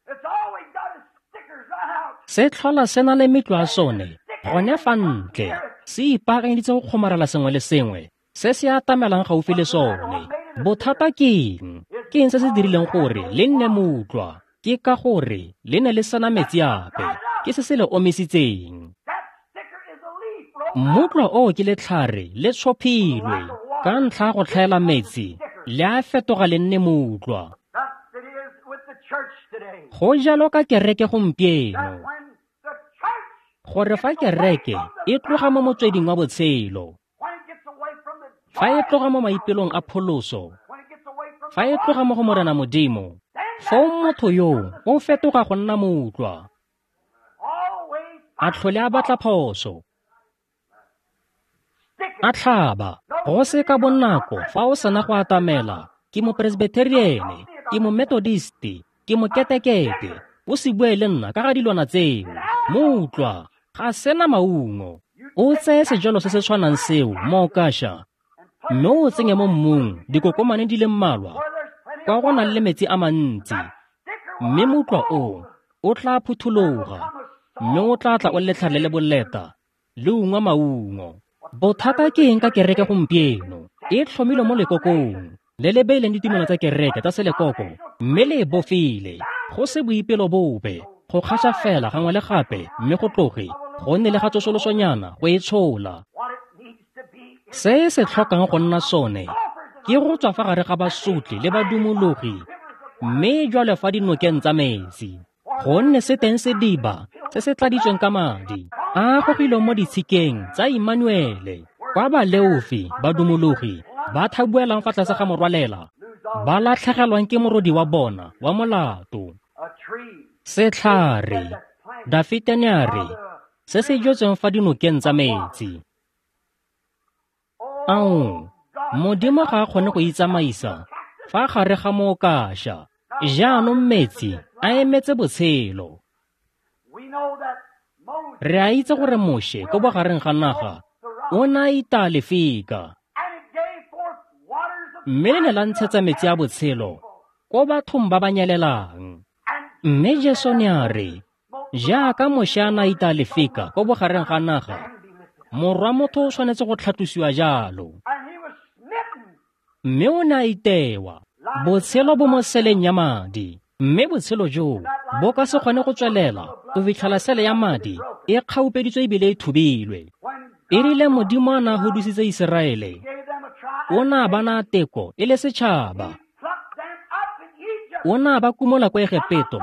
Se tlhola se na le metlwa ya sone gone fa ntle, se ipaakanyeditse go kgomarela sengwe le sengwe se se atamelang gaufi le sone. Bothata ke eng? Ke eng se se dirileng gore le nne mutlwa? Ke ka gore le ne le sena metsi ape, ke se se le omisitseng. Mutlwa oo ke letlhare le tshophilwe ka ntlha ya go tlhaela metsi, le a fetoga le nne mutlwa. Go jalo ka kereke gompieno, gore fa kereke e tloga mo motsweding wa botshelo, fa e tloga mo maipelong a pholoso, fa e tloga mo go Morena Modimo, foo motho yoo o fetoga go nna mutlwa, a tlhole a batla phoso, a tlhaba. Go se ka bonako fa o sena go atamela, ke mopresbitheriene, ke mometodisti, ke moketekete, o se bue le nna ka ga dilwana tseo. Mutlwa ga sena maungo. O tseye sejalo se se tshwanang seo mookasha, mme o tsenye mo mmung dikokomane di le mmalwa kwa go nang le metsi a mantsi, mme mutlwa o o tla phuthologa, mme o tla tla o letlhare le le boleta le ungwa maungo. Bothata ke eng ka kereke gompieno? E tlhomilwe mo lekokong le le beileng ditumelo tsa kereke tsa selekoko, mme le e bofile go se boipelo bope, go kgaša fela gangwe le gape, mme go tloge go nne le ga tsosolosonyana go e tshola. Se se tlhokang go nna sone ke go tswa fa gare ga basotli le badumologi, mme jwale fa dinokeng tsa metsi, gonne se teng sediba se se tladitsweng ka madi a gogilweng mo ditshikeng tsa Immanuele, kwa baleofi badumologi ba thabuelang fa tlase ga morwalela, ba latlhegelwang ke morodi wa bona wa molato. Setlhare, Dafite ne a re, se se jetsweng fa dinokeng tsa metsi. Ao, Modimo ga a kgone go itsamaisa fa gare ga mookasha. Jaanong metsi a emetse botshelo. Re a itse gore Moshe ko bogareng ga naga o ne a itaya lefika, mme le ne la ntshetsa metsi a botshelo ko bathong ba ba nyelelang. Mme Jesu ne a re, jaaka Moshe a ne a itaya lefika ko bogareng ga naga, Morwa motho o tshwanetse go tlhatlosiwa jalo. Mme o ne a itewa. Botshelo bo mo seleng ya madi, mme botshelo joo bo ka se kgone go tswelela go fitlhela sele ya madi e kgaupeditswe ebile e thubilwe. E rile Modimo a na hudusitse Iseraele, o ne a ba naya teko e le setšhaba. O ne a ba kumola kwa Egepeto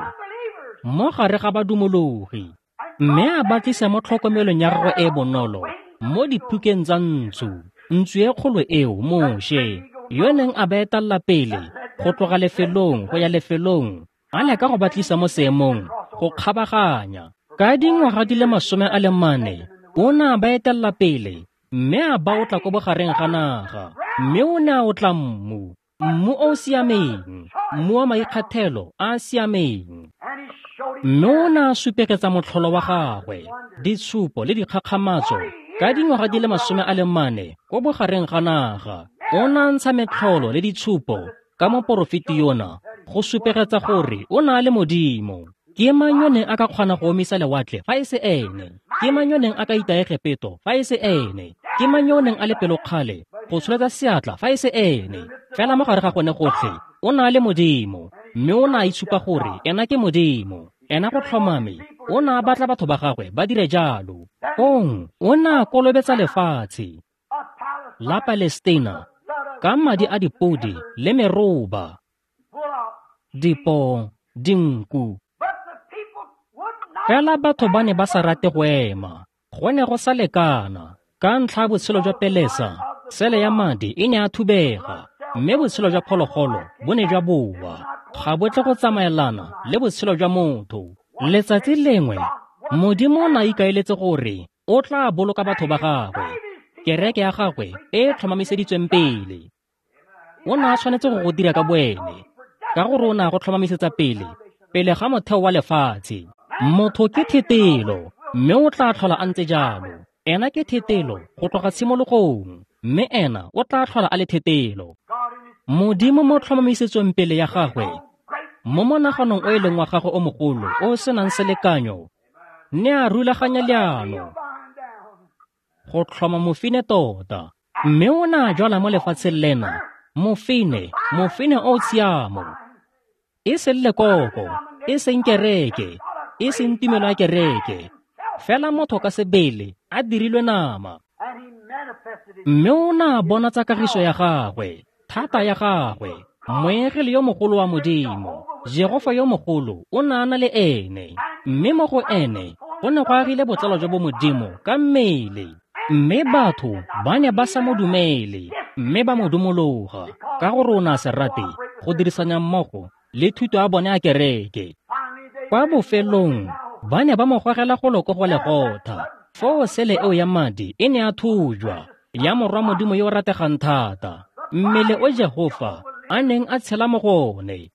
mo gare ga badumologi, mme a ba tlisa mo tlhokomelong ya gagwe e e bonolo mo diphukeng tsa ntsu. Ntsu e kgolo eo Moshe, yo neng a ba etella pele go tloga lefelong go ya lefelong, a leka go ba tlisa mo seemong go kgabaganya. Ka dingwaga di le masome a le mane o ne a ba etella pele, mme a ba otla ko bogareng ga naga, mme o ne a otla mmu, mmu o o siameng, mmu wa maikgathelo a a siameng. Mme o ne a supegetsa motlholo wa gagwe, ditshupo le dikgakgamatso ka dingwaga di le masome a le mane ko bogareng ga naga. O ne a ntsha metlholo le ditshupo ka moporofeti yona, go supegetsa gore o na le Modimo. Ke mang yo neng a ka kgona go omisa lewatle fa e se ene? Ke mang yo neng a ka itaya Egepeto fa e se ene? Ke mang yo neng a le pelokgale go tsholetsa seatla fa e se ene? Fela mo gare ga gone gotlhe, o na le Modimo, mme o na a itshupa gore ena ke Modimo. Ena go tlhomame, o na a batla batho ba gagwe ba dire jalo. Fong o na a kolobetsa lefatshe la Palestina ka madi a dipodi le meroba, dipoo, dinku. Fela batho ba ne ba sa rate go ema, go ne go sa lekana. Ka ntlha ya botshelo jwa pelesa, sele ya madi e ne a thubega, mme botshelo jwa phologolo bo ne jwa boa. Ga bo tle go tsamaelana le botshelo jwa motho. Letsatsi lengwe, Modimo o ne a ikaeletse gore o tla boloka batho ba gagwe, kereke ya gagwe e e tlhomamiseditsweng pele. O ne a tshwanetse go go dira ka boene, ka gore o ne a go tlhomamisetsa pele, pele ga motheo wa lefatshe. Motho ke thetelo, mme o tla tlhola a ntse jalo. Ena ke thetelo go tloga tshimologong, mme ena o tla tlhola a le thetelo. Modimo mo tlhomamisetsong pele ya gagwe, mo monaganong o e leng wa gagwe o mogolo o o senang selekanyo, ne a rulaganya leano go tlhoma mofine tota. Mme o ne a jwala mo lefatsheng lena mofine, mofine o o tshiamo, e seng lekoko, e seng kereke, e seng tumelo ya kereke, fela motho ka sebele a dirilwe nama. Mme o ne a bonatsa kagiso ya gagwe, thata ya gagwe, moengele yo mogolo wa Modimo, Jehofa yo mogolo o ne a na le ene, mme mo go ene go ne go agile botsalo jwa bo Modimo ka mmele. Mme batho ba ne ba sa mo dumele, mme ba mo dumologa, ka gore o ne a se rate go dirisanya mmogo le thuto ya bone ya kereke. Kwa bofelong, ba ne ba mo gogela golo ko Golegotha, foo sele eo ya madi e ne ya thujwa, ya morwa Modimo yo o rategang thata, mmele o Jehofa a neng a tshela mo go one.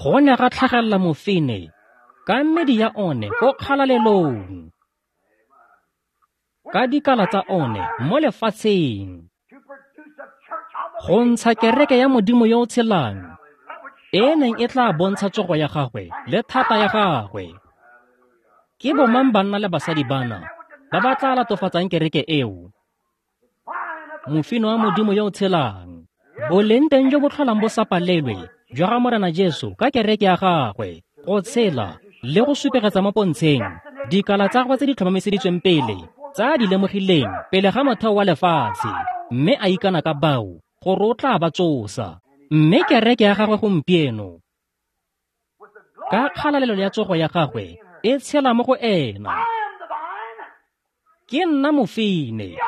Go ne ga tlhagelela mofine ka medi ya one ko kgalalelong, ka dikala tsa one mo lefatsheng, go ntsha kereke ya Modimo yo o tshelang, e neng e tla bontsha tsogo ya gagwe le thata ya gagwe. Ke bomang banna le basadi bana ba ba tla latofatsang kereke eo? Mofino wa Modimo yo o tshelang, boleng teng jo bo tlholang bo sa palelwe jwa ga Morena Jesu ka kereke ya gagwe, go tshela le go supegetsa mo pontsheng dikala tsa gagwe tse di tlhomamiseditsweng pele, tsa di lemogileng pele ga motheo wa lefatshe, mme a ikana ka bao gore o tla ba tsosa. Mme kereke ya gagwe gompieno, ka kgalalelo ya tsogo ya gagwe, e tshela mo go ena. Ke nna mofine,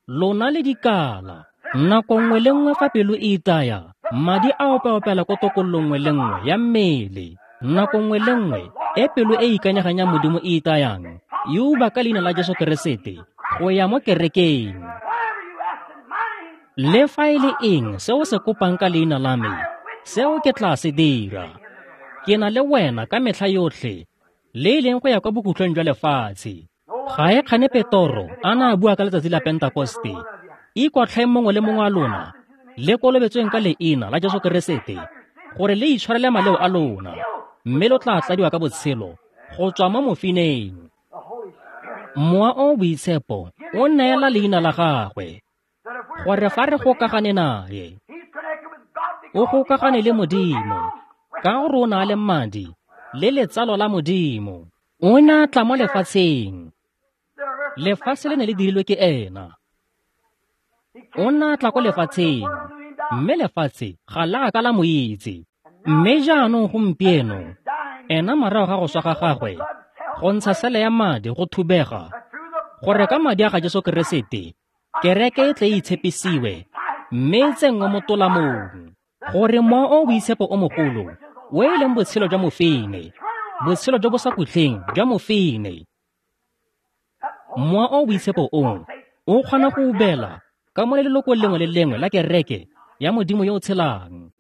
lona le dikala. Nako nngwe le nngwe fa pelo e itaya, madi a opeopela ko tokololong nngwe le nngwe ya mmele. Nako nngwe le nngwe e pelo e ikanyegang ya Modimo e itayang, e uba ka leina la Jesu Keresete go ya mo kerekeng. Le fa e le eng se o se kopang ka leina la me, seo ke tla se dira. Ke na le wena ka metlha yotlhe, le e leng go ya kwa bokhutlong jwa lefatshe. Ga e kgane Petoro a na a bua ka letsatsi la Pentekoste, ikwatlhaeng mongwe le mongwe wa lona, le kolobetsweng ka leina la Jesu Keresete, gore le itshwarele maleo a lona, mme lo tla tladiwa ka botshelo go tswa mo mofineng. Mowa o o Boitshepo o neela leina la gagwe, gore fa re gokagane naye, o gokagane le Modimo, ka gore o na le madi le letsalo la Modimo. O ne a tla mo lefatsheng, lefatshe le ne le dirilwe ke ena. O ne a tla ko lefatsheng, mme lefatshe ga la ka la mo itse. Mme jaanong gompieno, ena morago ga go swa ga gagwe, go ntsha sele ya madi go thubega, gore ka madi a ga Jesu Keresete kereke e tle e itshepisiwe mme e tsenngwe mo tolamong, gore Mowa o o Boitshepo o mogolo, o e leng botshelo jwa mofine, botshelo jo bo sa khutleng jwa mofine, Mowa o o Boitshepo o o kgona go ubela ka mo lelokong lengwe le lengwe la kereke ya Modimo yo o tshelang.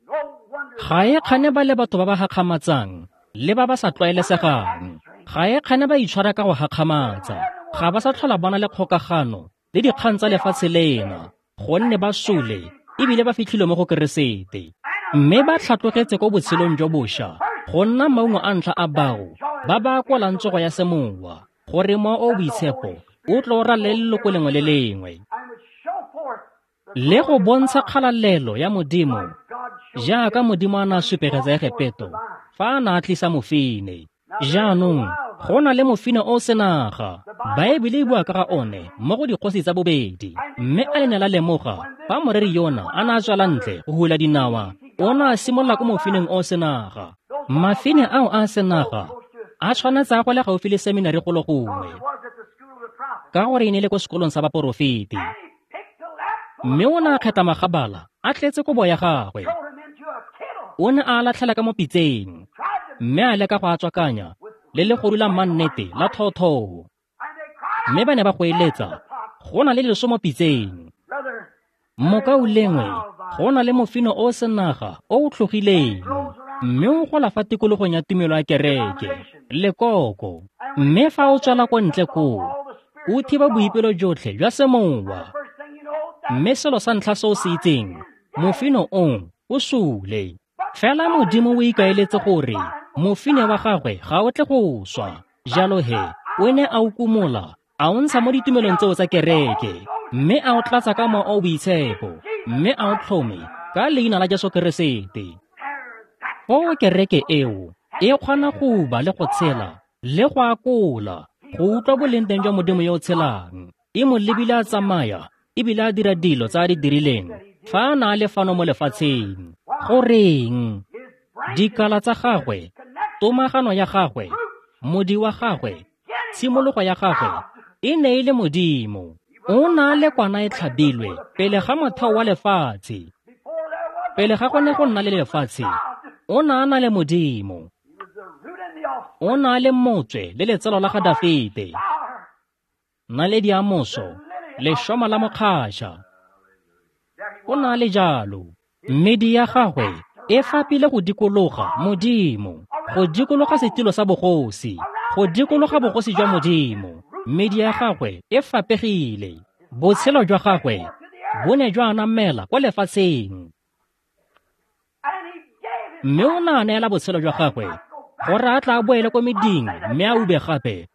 Ga e kgane ba le batho ba ba gakgamatsang le ba ba sa tlwaelesegang. Ga e kgane ba itshwara ka go gakgamatsa. Ga ba sa tlhola ba na le kgokagano le dikgang tsa lefatshe lena, gonne ba sule ebile ba fitlhile mo go Keresete. Mme ba tlhatlogetse ko botshelong jo bošwa go nna maungo a ntlha a bao ba ba kwalang tsogo ya semowa, gore Mowa o o Boitshepo o tlo ralele leloko lengwe le lengwe le go bontsha kgalalelo ya Modimo jaaka Modimo a ne a supegetsa Egepeto fa a ne a tlisa mofine. Jaanong go na le mofine o senaga. Baebele e bua ka ga one mo go Dikgosi tsa Bobedi. Mme a le ne la lemoga fa moreri yona a ne a tswela ntle go hula dinawa, o ne a simolola ko mofineng o senaga. Mafine ao a senaga a tshwanetse a gole gaufi le seminari golo gongwe, ka gore e ne le ko sekolong sa baporofeti. Mme o ne a kgetha magabala a tletse kobo ya gagwe. O ne a latlhela ka mo pitseng, mme a leka go a tswakanya le legodu la mannete la thoothoo. Mme ba ne ba goeletsa, go na le leso mo pitseng. Mokaulengwe, go na le mofino o senaga o o tlhogileng, mme o gola fa tikologong ya tumelo ya kereke, lekoko. Mme fa o tswela ko ntle koo, o thiba boipelo jotlhe jwa semowa. Mme selo sa ntlha se o se itseng, mofino o o sule. Fela Modimo o ikaeletse gore mofine wa gagwe ga o tle go swa. Jalo he, o ne a o kumola, a o ntsha mo ditumelong tseo tsa kereke, mme a o tlatsa ka Mowa o o Boitshepo, mme a o tlhome ka leina la Jesu Keresete. Foo kereke eo e kgona go uba le go tshela le go akola, go utlwa boleng teng jwa Modimo yo o tshelang. E mo lebile a tsamaya ebile a dira dilo tsa a di dirileng fa a na a le fano mo lefatsheng. Goreng? Dikala tsa gagwe, tomagano ya gagwe, modi wa gagwe, tshimologo ya gagwe e ne e le Modimo. O na le kwana e tlhabilwe pele ga motheo wa lefatshe. Pele ga go ne go nna le lefatshe, o na a na le Modimo. O na le motswe le letsalo la ga Dafite, naledi ya moso, lešoma la mokgatšha. O na le jalo. Medi ya gagwe e fapile go dikologa Modimo, go dikologa setilo sa bogosi, go dikologa bogosi jwa Modimo. Medi ya gagwe e fapegile. Botshelo jwa gagwe bo ne jwa anamela kwa lefatsheng. Mme o ne a neela botshelo jwa gagwe gore a tla boele ko meding mme a ube gape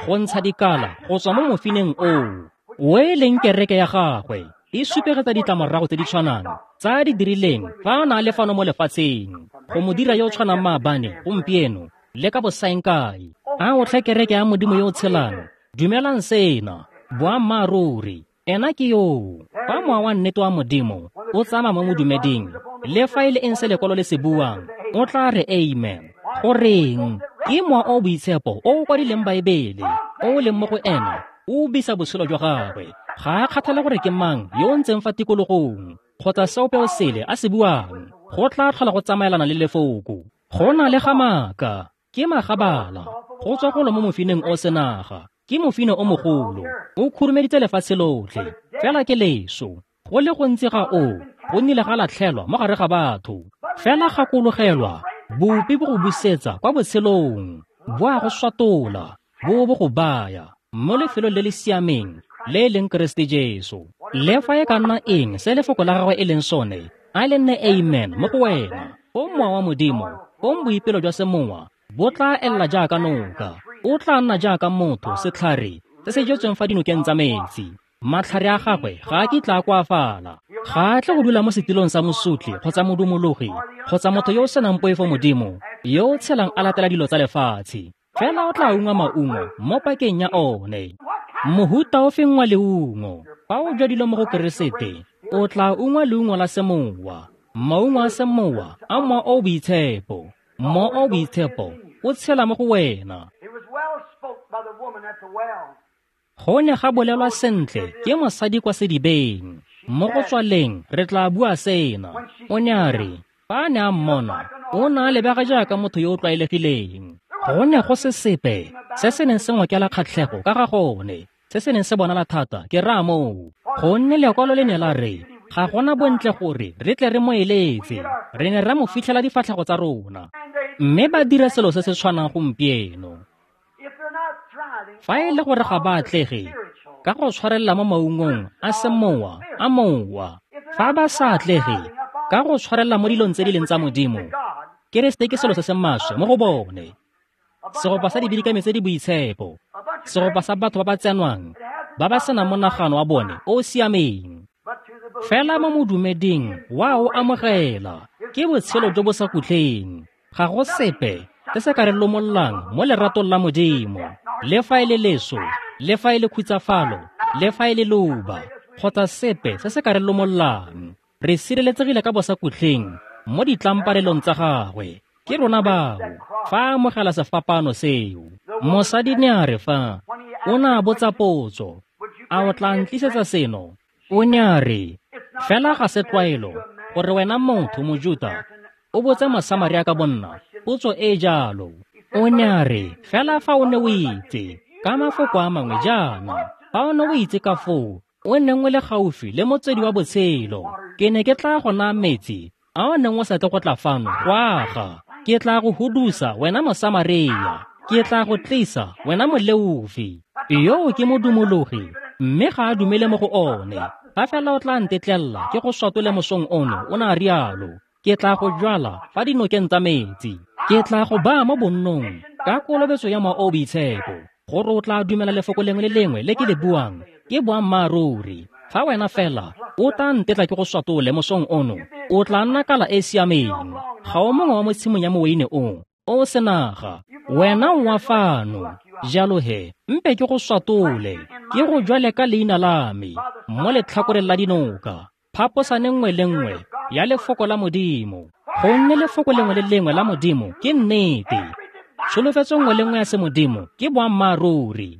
go ntsha dikala go tswa mo mofineng oo, o e leng kereke ya gagwe. E supegetsa ditlamorago tse di tshwanang tsa di dirileng fa a na le fano mo lefatsheng, go mo dira yo o tshwanang maabane, gompieno le ka bosaengkae. A o tlhe kereke ya Modimo yo o tshelang, dumelang sena, boammaaruri, ena ke yoo. Fa mowa wa nnete wa Modimo o tsamaya mo modumeding, le fa e le eng se lekwalo le se buang, o tla re amen. Goreng? Ke Mowa o o Boitshepo o o kwadileng Baebele, o o leng mo go ena, o bisa botshelo jwa gagwe. Ga a kgathale gore ke mang yo o ntseng fa tikologong kgotsa seope o sele a se buang, go tla tlhola go tsamaelana le lefoko. Go na le ga maaka, ke magabala, go tswa golo mo mofineng o senaga, ke mofine o mogolo, o khurumeditse lefatshe lotlhe, fela ke leso. Go le gontsi ga o, go nnile ga latlhelwa mo gare ga batho. Fela gakologelwa, bopi bo go busetsa kwa botshelong, bo a go swatola, bo bo go baya mo lefelong le le siameng le e leng Keresete Jesu. Le fa e ka nna eng se lefoko la gagwe e leng sone, a le nne amen mo go wena. Foo Mowa wa Modimo, foo boipelo jwa semowa bo tla elela jaaka noka. O tla nna jaaka motho setlhare se se jetsweng fa dinokeng tsa metsi. Matlhare a gagwe ga a kitla a koafala. Ga a tle go dula mo setilong sa mosotli kgotsa modumologi kgotsa motho yo o senang poifo Modimo, yo o tshelang a latela dilo tsa lefatshe. Fela o tla ungwa maungo mo pakeng ya one. Mohuta o feng wa leungo, fa o jwadilwe mo go Keresete, o tla ungwa leungo la semowa. Maungo a semowa a Mowa o o Boitshepo. Mowa o o Boitshepo o tshela mo go wena. Go ne ga bolelwa sentle ke mosadi kwa sedibeng. Mo go tswaleng re tla bua sena. O ne a re, fa a ne a mmona, o ne a lebega jaaka motho yo o tlwaelegileng. Go ne go se sepe se se neng se ngokela kgatlhego ka ga gone, se se neng se bonala thata ke raya moo. Gonne lekwalo le ne la re, ga gona bontle gore re tle re mo eletse, re ne ra mo fitlhela difatlhego tsa rona. Mme ba dira selo se se tshwanang gompieno. Fa e le gore ga ba atlege ka go tshwarelela mo maungong a semowa a mowa, Fa ba sa atlege ka go tshwarella mo dilong tse di leng tsa Modimo, Keresete ke selo se se maswe mo go bone. Segopa sa dibidikami tse di boitshepo, segopa sa batho ba ba tsenwang, ba ba senang monagano wa bone o o siameng. Fela mo modumeding wa o amogela, ke botshelo jo bo sa khutleng. Ga go sepe se se ka re lomollang mo leratong la Modimo, le fa e le leso, le fa e le khutsafalo, le fa e le leuba, kgotsa sepe se se ka re lomollang. Re sireletsegile ka bosakhutleng mo ditlamparelong tsa gagwe. Ke rona bao fa a amogela sefapano seo. Mosadi ne a re fa o ne a botsa potso, a o tla ntlisetsa seno? O ne a re, fela ga se tlwaelo gore wena motho Mojuta o botse Mosamaria ka bonna potso e jalo. O ne a re, fela fa o ne o itse, ka mafoko a mangwe jaana, fa o ne o itse ka foo o neng o le gaufi le motswedi wa botshelo, ke ne ke tla go naya metsi a o neng o sa tle go tla fano go aga. Ke tla go hudusa wena Mosamaria, ke tla go tlisa wena moleofi. Yoo ke modumologi, mme ga a dumele mo go one. Fa fela o tla ntetlela ke go swatole mosong ono, o ne a rialo, ke tla go jwala fa dinokeng tsa metsi. Ke tla go baya mo bonnong ka kolobetso ya Mowa o o Boitshepo, gore o tla dumela lefoko lengwe le lengwe le ke le buang ke boammaaruri. Fa wena fela o tla ntetla ke go swatole mosong ono, o tla nna kala e siameng. Ga o mongwe wa mo tshimong ya moweine o o senaga, wena o wa fano. Jalo he, mpe ke go swatole, ke go jwale ka leina la me mo letlhakoreng la dinoka, phaposane nngwe le nngwe ya lefoko la Modimo. Gonne lefoko lengwe le lengwe la Modimo ke nnete, tsholofetso nngwe le nngwe ya semodimo ke boammaaruri.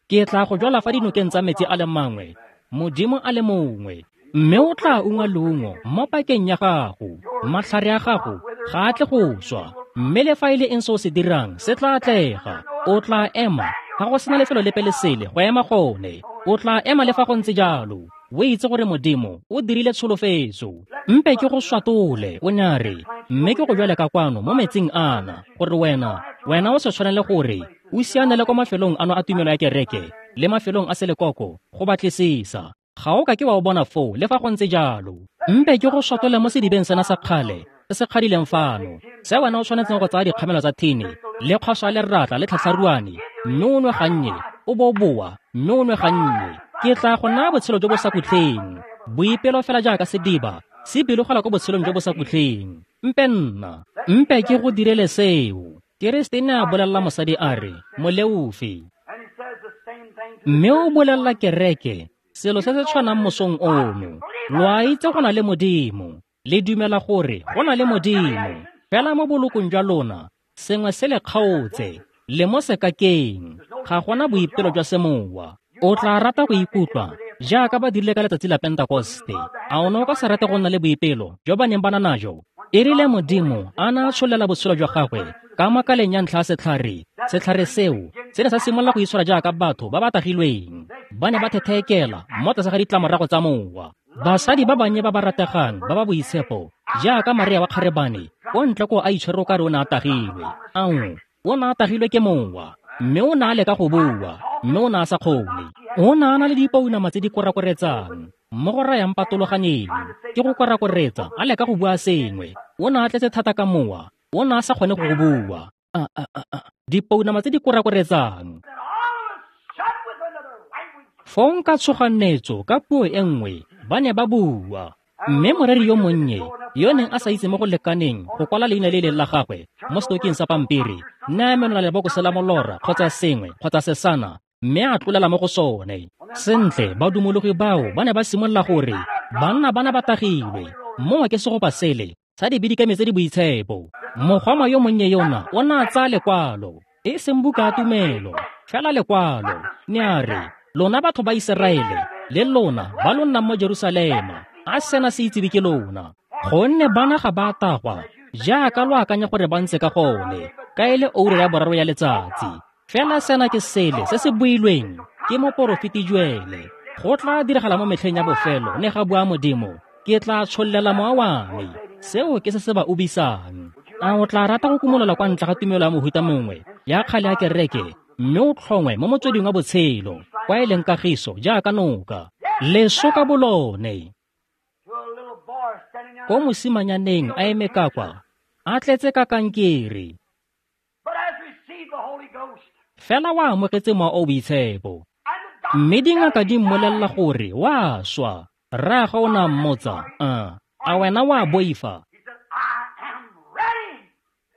Ke tla go jwala fa dinokeng tsa metsi a le mangwe, Modimo a le mongwe, mme o tla ungwa leungo mo pakeng ya gago. Matlhare a gago ga a tle go swa, mme le fa e le eng se o se dirang se tla atlega. O tla ema, ga go sena lefelo lepe le sele go ema gone. O tla ema le fa go ntse jalo, o itse gore Modimo o dirile tsholofetso. Mpe ke go swatole, o ne a re, mme ke go jwale ka kwano mo metsing ana, gore wena wena o se tshwanele gore o sianele kwa mafelong ano a tumelo ya kereke le mafelong a selekoko go batlisisa. Ga o ka ke wa o bona foo le fa go ntse jalo. Mpe ke go swatole mo sedibeng sena sa kgale se se kgadileng fano, se wena o tshwanetseng go tsaya dikgamelo tsa thini le kgwaso ya leratla le tlhatlharuane, mme o nwe gannye, o bo boa, mme o nwe gannye. Ke tla go naya botshelo jo bo sa khutleng, boipelo fela jaaka sediba se bilogela ko botshelong jo bo sa khutleng. Mpe nna, mpe ke go direle seo. Keresete ne a bolelela mosadi a re, moleofi. Mme o bolelela kereke selo se se tshwanang mosong ono. Lo a itse go na le Modimo, le dumela gore go na le Modimo, fela mo bolokong jwa lona sengwe se le kgaotse, le mo sekakeng, ga gona boipelo jwa semowa. O tla rata go ikutlwa jaaka ba dirile ka letsatsi la Pentekoste. A o ne o ka se rate go nna le boipelo jo ba neng ba na najo? E rile Modimo a na a tsholela botshelo jwa gagwe ka makaleng ya ntlha ya setlhare, setlhare seo se ne sa simolola go itshwara jaaka batho ba ba tagilweng. Ba ne ba thetheekela mo tlase ga ditlamorago tsa mowa. Basadi ba bannye ba ba rategang ba ba boitshepo jaaka Maria wa kgarebane o ntle ko a itshwere o kare o ne a tagilwe. Ao, o ne a tagilwe ke mowa, mme o ne a leka go bua, mme o ne a sa kgone. O ne a na le dipounama tse di korakoretsang mo go rayang patologaneng ke go korakoretsa a leka go bua sengwe. O ne a tletse thata ka mowa, o ne a sa kgone go go bua. A, a, a, a. Dipounama tse di korakoretsang. Fong ka tshoganetso ka puo e nngwe ba ne ba bua. Mme moreri yo monnye yo neng a sa itse mo go lekaneng go kwala leina le leng la gagwe mo setoking sa pampiri, ne a menola lebokose la molora kgotsa sengwe kgotsa sesana, mme a tlolela mo go sone. Sentle, badumologi bao ba ne ba simolola gore banna bana ba tagilwe, mongwe ke segopa sele sa dibidikami tse di boitshepo. Mogoma yo monnye yona o ne a tsaya lekwalo, e seng buka ya tumelo, fela lekwalo. Ne a re, lona batho ba Iseraele le lona ba lo nnang mo Jerusalema, a sena se itsiwe ke lona, gonne bana ga ba tagwa jaaka lo akanya gore ba ntse ka gone, ka e le oura ya boraro ya letsatsi. Fela sena ke sele se se builweng ke moporofeti Joele. Go tla diragala mo metlheng ya bofelo, ne ga bua Modimo, ke tla tshollela mowa wa me. Seo ke se se ba ubisang. A o tla rata go kumolola kwa ntle ga tumelo ya mohuta mongwe ya kgale ya kereke, mme o tlhongwe mo motsweding wa botshelo, kwa e leng kagiso jaaka noka? Leso ka bolone. Ko mosimanyaneng a eme ka kwa, a tletse ka kankere. Fela wa amogetse Mowa o o Boitshepo. Mme dingaka di mmolelela gore wa swa. Rraagwe o ne a mmotsa, a, a wena wa boifa?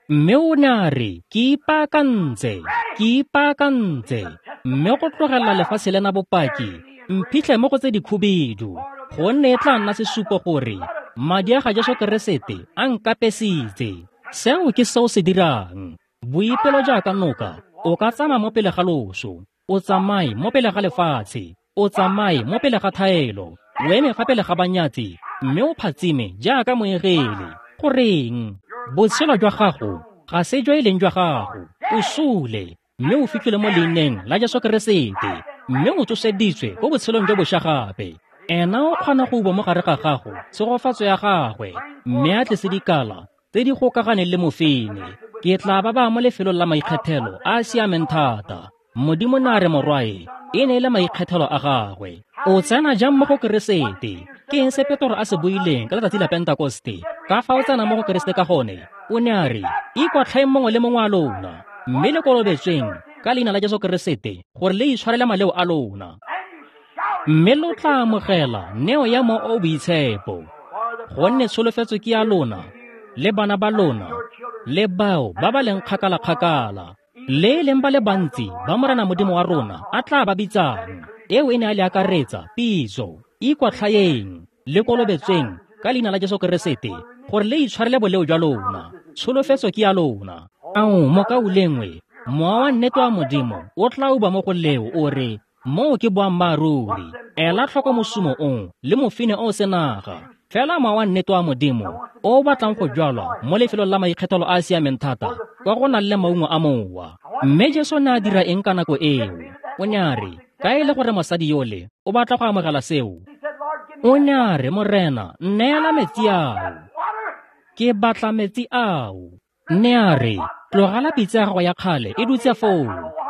Mme o ne a re, ke ipaakantse, ke ipaakantse. Mme go tlogelela lefatshe lena bopaki, mphitlhe mo go tse dikhubidu, gonne e tla nna sesupo gore madi a ga Jesu Keresete a nkapesitse. Seo ke seo se dirang. Boipelo jaaka noka, o ka tsamaya mo pele ga loso, o tsamaye mo pele ga lefatshe, o tsamaye mo pele ga thaelo, o eme fa pele ga banyatsi, mme o phatsime jaaka moengele. Goreng? Botshelo jwa gago ga se jo e leng jwa gago. O sule, mme o fitlhile mo leineng la Jesu Keresete, mme o tsoseditswe ko botshelong jo bošwa gape. Ena o kgona go uba mo gare ga gago tshegofatso ya gagwe, mme a tlise dikala tse di gokaganeng le mofine. Ke tla ba ba mo lefelong la maikgethelo a a siameng thata. Modimo ne a re morwae e ne e le maikgethelo a gagwe. O tsena jang mo go Keresete? Ke eng se Petro a se buileng ka letsatsi la Pentekoste? Ka fa o tsena mo go Keresete ka gone, o ne a re, ikwatlhaeng mongwe le mongwe a lona, mme le kolobetsweng ka leina la Jesu Keresete gore le itshwarele maleo a lona. Mme lo tla amogela neo ya Mowa o o Boitshepo, gonne tsholofetso ke ya lona le bana ba lona le bao ba ba leng kgakala-kgakala, le e leng ba le bantsi ba Morena Modimo wa rona a tla ba bitsang. Eo e ne a le akaretsa pitso. Ikwatlhaeng le kolobetsweng ka leina la Jesu Keresete gore le itshwarele boleo jwa lona. Tsholofetso ke ya lona. Ao, mokaulengwe, Mowa wa nnete wa Modimo o tla uba mo go leo o re, moo ke boammaaruri. Ela tlhoko mosumo o le mofine o senaga. Fela Mowa wa nnete wa Modimo o o batlang go jwalwa mo lefelong la maikgethelo a a siameng thata kwa go nang le maungo a mowa. Mme Jesu ne a dira eng ka nako eo? O ne a re, ka e le gore mosadi yole o batla go amogela seo. O ne a re, Morena, nneela metsi ao. Ke batla metsi ao. Ne a re, tlogela pitsa ya gago ya kgale e dutse foo.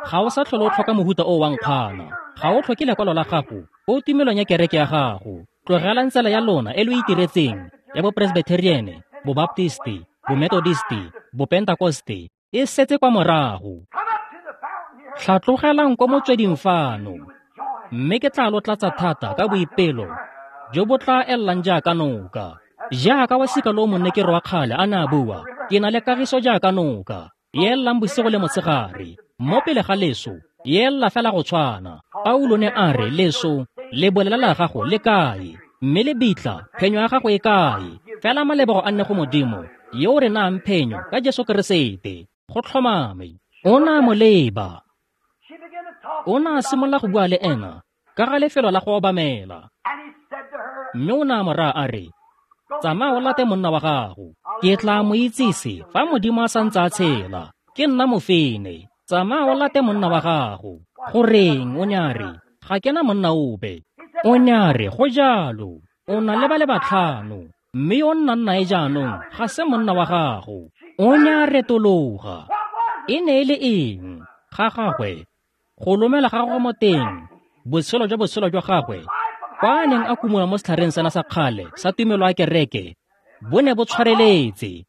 Ga o sa tlhole o tlhoka mohuta o wa nkgwana. Ga o tlhoke lekwalo la gago ko tumelong ya kereke ya gago. Tlogelang tsela ya lona e lo itiretseng ya bopresbyteriane, bobaptisti, bomethodisti, bopentakoste e setse kwa morago. Tlhatlogelang ko motsweding fano, mme ke tla lo tlatsa thata ka boipelo jo bo tla ellang jaaka noka. Jaaka wa sika lo monnekero wa kgale a ne a bua, ke na le kagiso jaaka noka, e ellang bosigo le motshegare. Mo pele ga leso, e ella fela go tshwana. Paulo ne a re, leso, lebolela la gago le kae? Mme lebitla, phenyo ya gago e kae? Fela malebogo a nne go Modimo, yo o re nayang phenyo ka Jesu Keresete. Go tlhomame. O ne a mo leba. O ne a simolola go bua le ena ka ga lefelo la go obamela. Mme o ne a mo raya a re, tsamaya o late monna wa gago. Ke tla mo itsise fa Modimo a santse a tshela. Ke nna mofine. Tsamaya o late monna wa gago. Goreng? O ne a re, ga ke na monna ope. O ne a re, go jalo. O na le ba le batlhano, mme yo o nnang nae jaanong ga se monna wa gago. O ne a retologa. E ne e le eng? Ga gagwe, go lomela ga gagwe mo teng, botshelo jwa botshelo jwa gagwe, kwa a neng a kumola mo setlhareng sena sa kgale sa tumelo ya kereke, bo ne bo tshwareletse.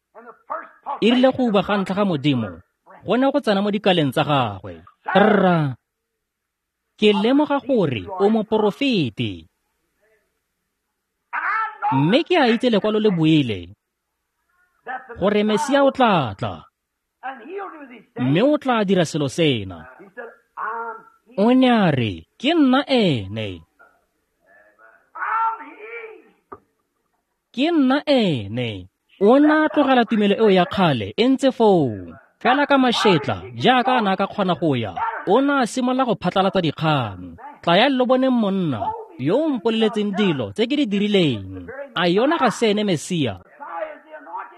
E rile go uba ga ntlha ga Modimo, go ne go tsena mo dikaleng tsa gagwe. Rra, ke lemoga gore o moporofeti. Mme ke a itse lekwalo le buile gore Mesia o tla tla, mme o tla dira selo sena. O ne a re, ke nna ene. Ke nna ene. O ne a tlogela tumelo eo ya kgale e ntse foo. Fela ka mašetla, jaaka a ne a ka kgona go ya, o ne a simolola go phatlalatsa dikgang. Tlayang lo boneng monna yo o mpoleletseng dilo tse ke di dirileng. A yona ga se ene Mesia?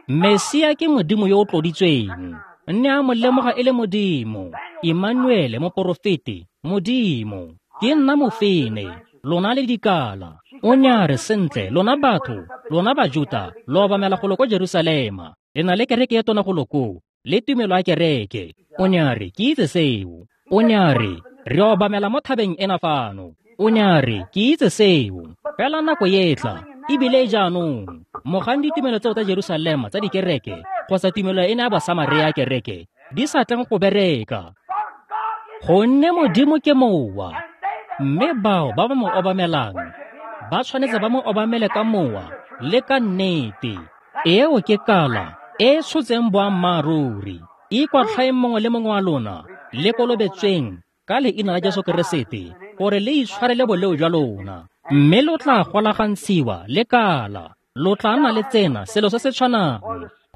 Mesia ke Modimo yo o tloditsweng. Nne a mo lemoga e le Modimo, Emmanuele moporofeti, Modimo. Ke nna mofine, lona le dikala. O ne a re, sentle, lona batho, lona Bajuta, lo obamela golo ko Jerusalema. Le na le kereke e tona golo koo, le tumelo ya kereke. O ne a re, ke itse seo. O ne a re, re obamela mo thabeng ena fano. O ne a re, ke itse seo, fela nako e tla, ebile jaanong, mogang ditumelo tseo tsa Jerusalema tsa dikereke, kgotsa tumelo e ne ya Basamaria ya kereke, di sa tleng go bereka. Gonne Modimo ke mowa, mme bao ba ba mo obamelang, ba tshwanetse ba mo obamele ka mowa le ka nnete. Eo ke kala e e tshotseng boammaaruri. Ikwatlhaeng mongwe le mongwe wa lona, le kolobetsweng ka leina la Jesu Keresete, gore le itshwarele boleo jwa lona, mme lo tla golagantshiwa le kala. Lo tla nna le tsena selo se se tshwanang,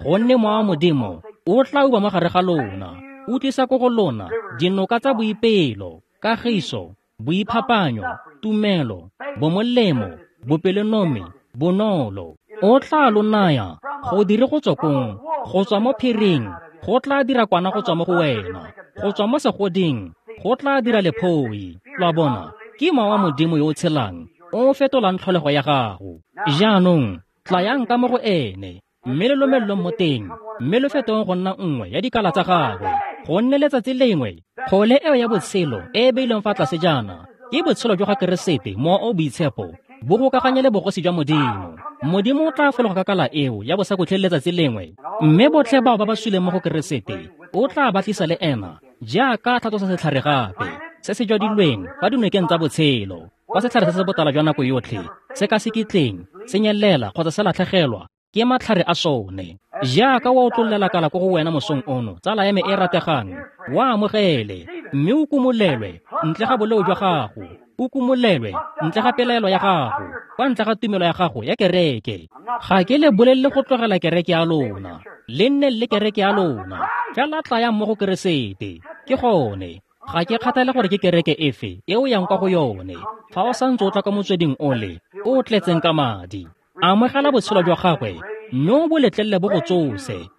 gonne mowa wa Modimo o tla uba mo gare ga lona, o tlisa ko go lona dinoka tsa boipelo, kagiso, boiphapanyo, tumelo, bomolemo, bopelonomi, bonolo. O tla lo naya go dire go tswa kong, go tswa mo phiring, go tla dira kwana go tswa mo go wena, go tswa mo segoding, go tla dira lephoi. Lo a bona, ke mowa wa Modimo yo o tshelang, o fetolang tlholego ya gago. Jaanong, tlayang ka mo go ene, mme le lomelelong mo teng, mme lo fetong go nna nngwe ya dikala tsa gagwe. Gonne letsatsi lengwe, kgole eo ya botshelo e e beilweng fa tlase jaana, ke botshelo jwa ga Keresete, mowa o boitshepo, bo gokaganye le bogosi jwa Modimo. Modimo o tla fologa ka kala eo ya bosakhutleng letsatsi lengwe, mme botlhe bao ba ba suleng mo go Keresete o tla ba tlisa le ena, jaaka tlhatlosa setlhare gape se se jwadilweng fa dinokeng tsa botshelo, kwa setlhare se se botala jwa nako yotlhe se ka se kitleng se nyelela kgotsa se latlhegelwa ke matlhare a sone. Jaaka wa otlollela kala ko go wena mosong ono, tsala ya me e rategang, wa amogele, mme o kumolelwe ntle ga boleo jwa gago, o kumolelwe ntle ga pelaelo ya gago, kwa ntle ga tumelo ya gago ya kereke. Ga ke le bolelele go tlogela kereke ya lona, le nne le kereke ya lona, fela tlayang mo go Keresete. Ke gone, ga ke kgathale gore ke kereke efe e o yang kwa go yone, fa o santse o tla kwa motsweding ole o tletseng ka madi, amogela botshelo jwa gagwe, mme o bo letlelele bo go tsose,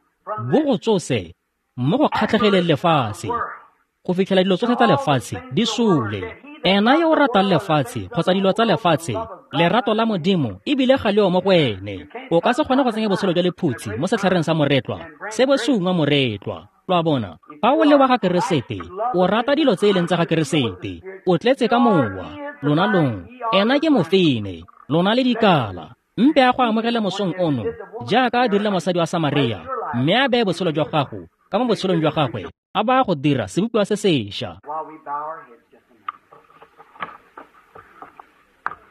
bo go tsose mo go kgatlhegeleng lefatshe, go fitlhela dilo tsotlhe tsa lefatshe di sule. Ena yo o ratang lefatshe kgotsa dilo tsa lefatshe, lerato la Modimo ebile ga leo mo go ene. O ka se kgone go tsenya botshelo jwa lephutshi mo setlhareng sa moretlwa, se bo se ungwa moretlwa. Lo a bona, fa o le wa ga Keresete, o rata dilo tse e leng tsa ga Keresete, o tletse ka mowa. Lona long, ena ke mofine, lona le dikala. Mpe a go amogele mosong ono, jaaka a dirile mosadi wa Samaria, mme a beye botshelo jwa gago ka mo botshelong jwa gagwe, a ba go dira sebopiwa se sešwa.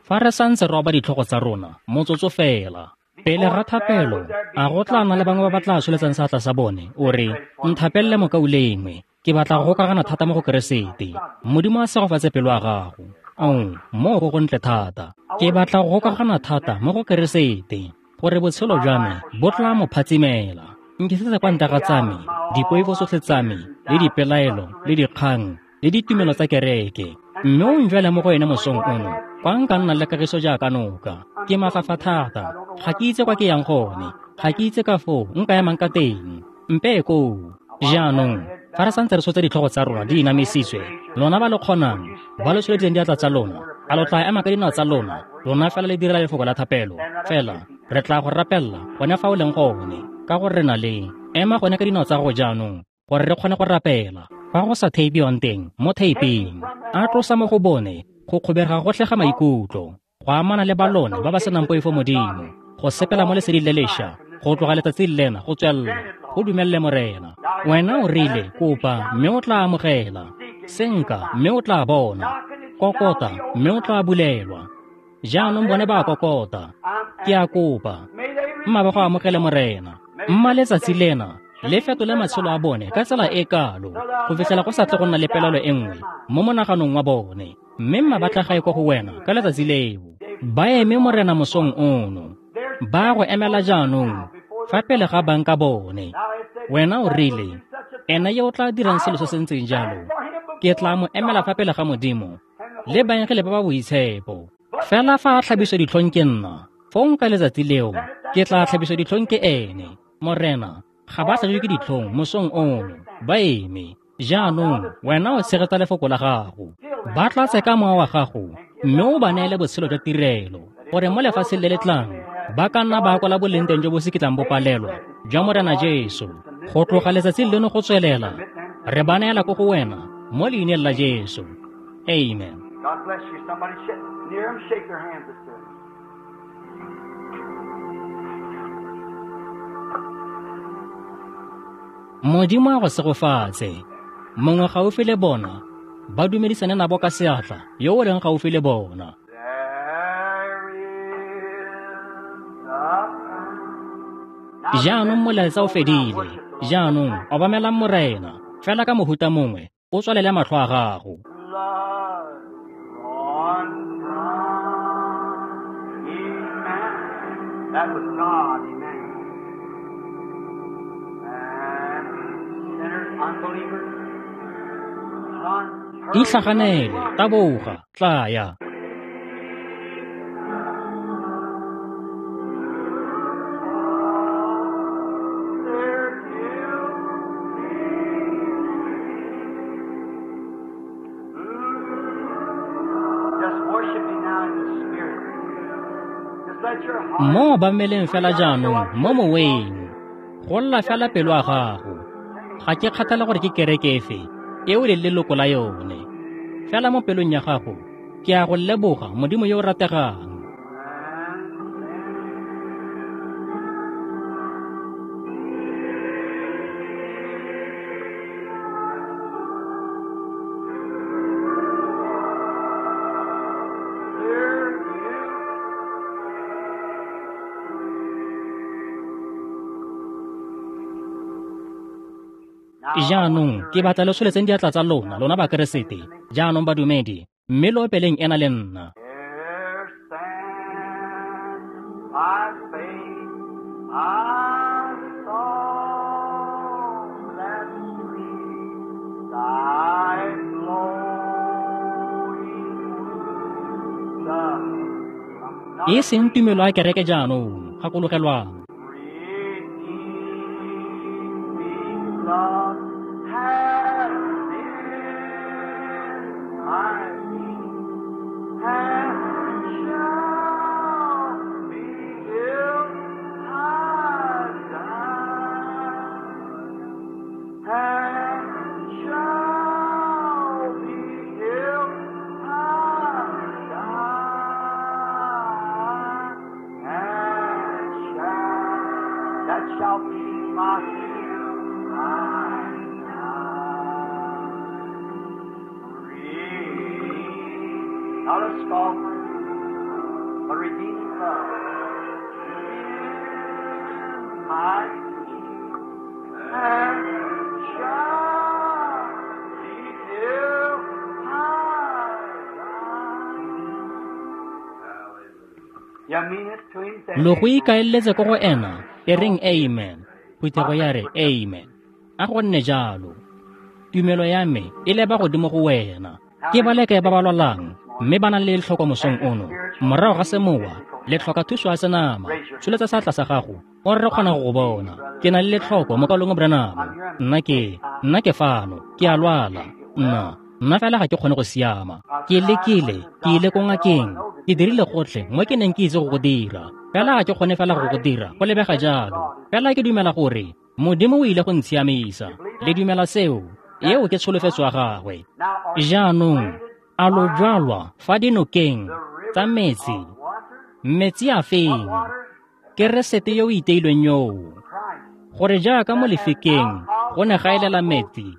Fa re santse re oba ditlhogo tsa rona, motsotso fela. Pele ga thapelo, a go tla nna le bangwe ba ba tla tsholetsang seatla sa bone, o re, nthapelele mokaulengwe, ke batla go gokagana thata mo go Keresete. Modimo a segofatse pelo ya gago. Oh, moo go gontle thata. Ke batla go gokagana thata mo go Keresete, gore botshelo jwa me bo tla mo phatsimela. Nkisetse kwa ntle ga tsa me, dipoifo tsotlhe tsa me, le dipelaelo, le dikgang, le ditumelo tsa kereke. Mme o njwele mo go ene mosong ono, kwa nka nna le kagiso jaaka noka. Ke mafafa thata, ga ke itse kwa ke yang gone, ga ke itse ka foo nka emang ka teng. Mpe koo. Jaanong, fa re santse re tshotse ditlhogo tsa rona di inamisitswe, lona ba lo kgonang, ba lo tsholeditseng diatla tsa lona, a lo tla ema ka dinao tsa lona, lona fela le direla lefoko la thapelo. Fela, re tla go rapella gone fa o leng gone, ka gore re na le. Ema gone ka dinao tsa gago jaanong, gore re kgone go rapela. Fa go sa theipiwang teng, mo theiping, a tlosa mo go bone go kgobega gotlhe ga maikutlo, go amana le ba lone ba ba senang poifo Modimo, go sepela mo leseding le lešwa, go tloga letsatsing lena go tswelela, go dumelele Morena. Wena o rile, kopa, mme o tla amogela, senka, mme o tla bona, kokota, mme o tla bulelwa. Jaanong bone ba kokota, ke a kopa, mma ba go amogele Morena. Mma letsatsi lena le fetole matshelo a bone ka tsela e kalo, go fitlhela go sa tle go nna le pelaelo e nngwe mo monaganong wa bone, mme mma ba tla gae kwa go wena ka letsatsi leo. Ba eme Morena mosong ono, ba go emela jaanong fa pele ga bang ka bone. Wena o rile, ena yo o tla dirang selo se se ntseng jalo, ke tla mo emela fa pele ga Modimo le baengele ba ba boitshepo. Fela fa a tlhabiswa ditlhong ke nna, fong ka letsatsi leo ke tla tlhabiswa ditlhong ke ene. Morena, ga ba tlhabiwe ke ditlhong mosong ono, ba eme. Jaanong wena o tshegetsa lefoko la gago, ba tlatse ka mowa wa gago, mme o ba neele botshelo jwa tirelo, gore mo lefatsheng le le tlang ba ka nna ba akola boleng teng jo bo se kitlang bo palelwa jwa Morena Jesu. Go tloga letsatsing leno go tswelela, re ba neela ko go wena mo leineng la Jesu. Amen. God bless you. Somebody near them, shake their hands this time. Modimo a go segofatse. Mongwe gaufi le bona, ba dumedisane nabo ka seatla, yo o leng gaufi le bona. Jaanong molaetsa o fedile. Jaanong obamelang Morena, fela ka mohuta mongwe, o tswalele matlho a gago. That was God, amen. And sinners, unbelievers, Itlhaganele, taboga, tlaya. Mo obameleng fela jaanong mo moweng, go lla fela pelo a gago. Ga ke kgathale gore ke kereke efe e o leng leloko la yone. Fela mo pelong ya gago, ke a go leboga Modimo yo o rategang. Jaanong ke batla le tsholetseng diatla tsa lona, lona Bakeresete, jaanong badumedi, mme lo opeleng ena le nna. E seng tumelo ya kereke jaanong, gakologelwang. Lo go ikaeletse ko go ena, e reng amen. Phuthego ya re amen. A go nne jalo. Tumelo ya me e leba godimo go wena. Ke ba lekae ba ba lwalang, mme ba nang le letlhoko mosong ono. Morago ga semowa, le tlhoka thuso ya senama. Tsholetsa seatla sa gago, o re re kgona go go bona. Ke na le letlhoko mo kalong Branham. Nna ke, nna ke fano, ke a lwala. Nna, nna fela ga ke kgone go siama. Ke lekile, ke ile ko ngakeng. Ke dirile gotlhe mo ke neng ke itse go go dira. Fela ga ke kgone fela go go dira, go lebega jalo. Fela ke dumela gore Modimo o ile go ntshiamisa. Le dumela seo? Eo ke tsholofetso ya gagwe. Jaanong, a lo jwalwa fa dinokeng tsa metsi? Metsi a feng? Keresete yo o iteilweng yoo. Gore jaaka mo lefikeng go ne ga elela metsi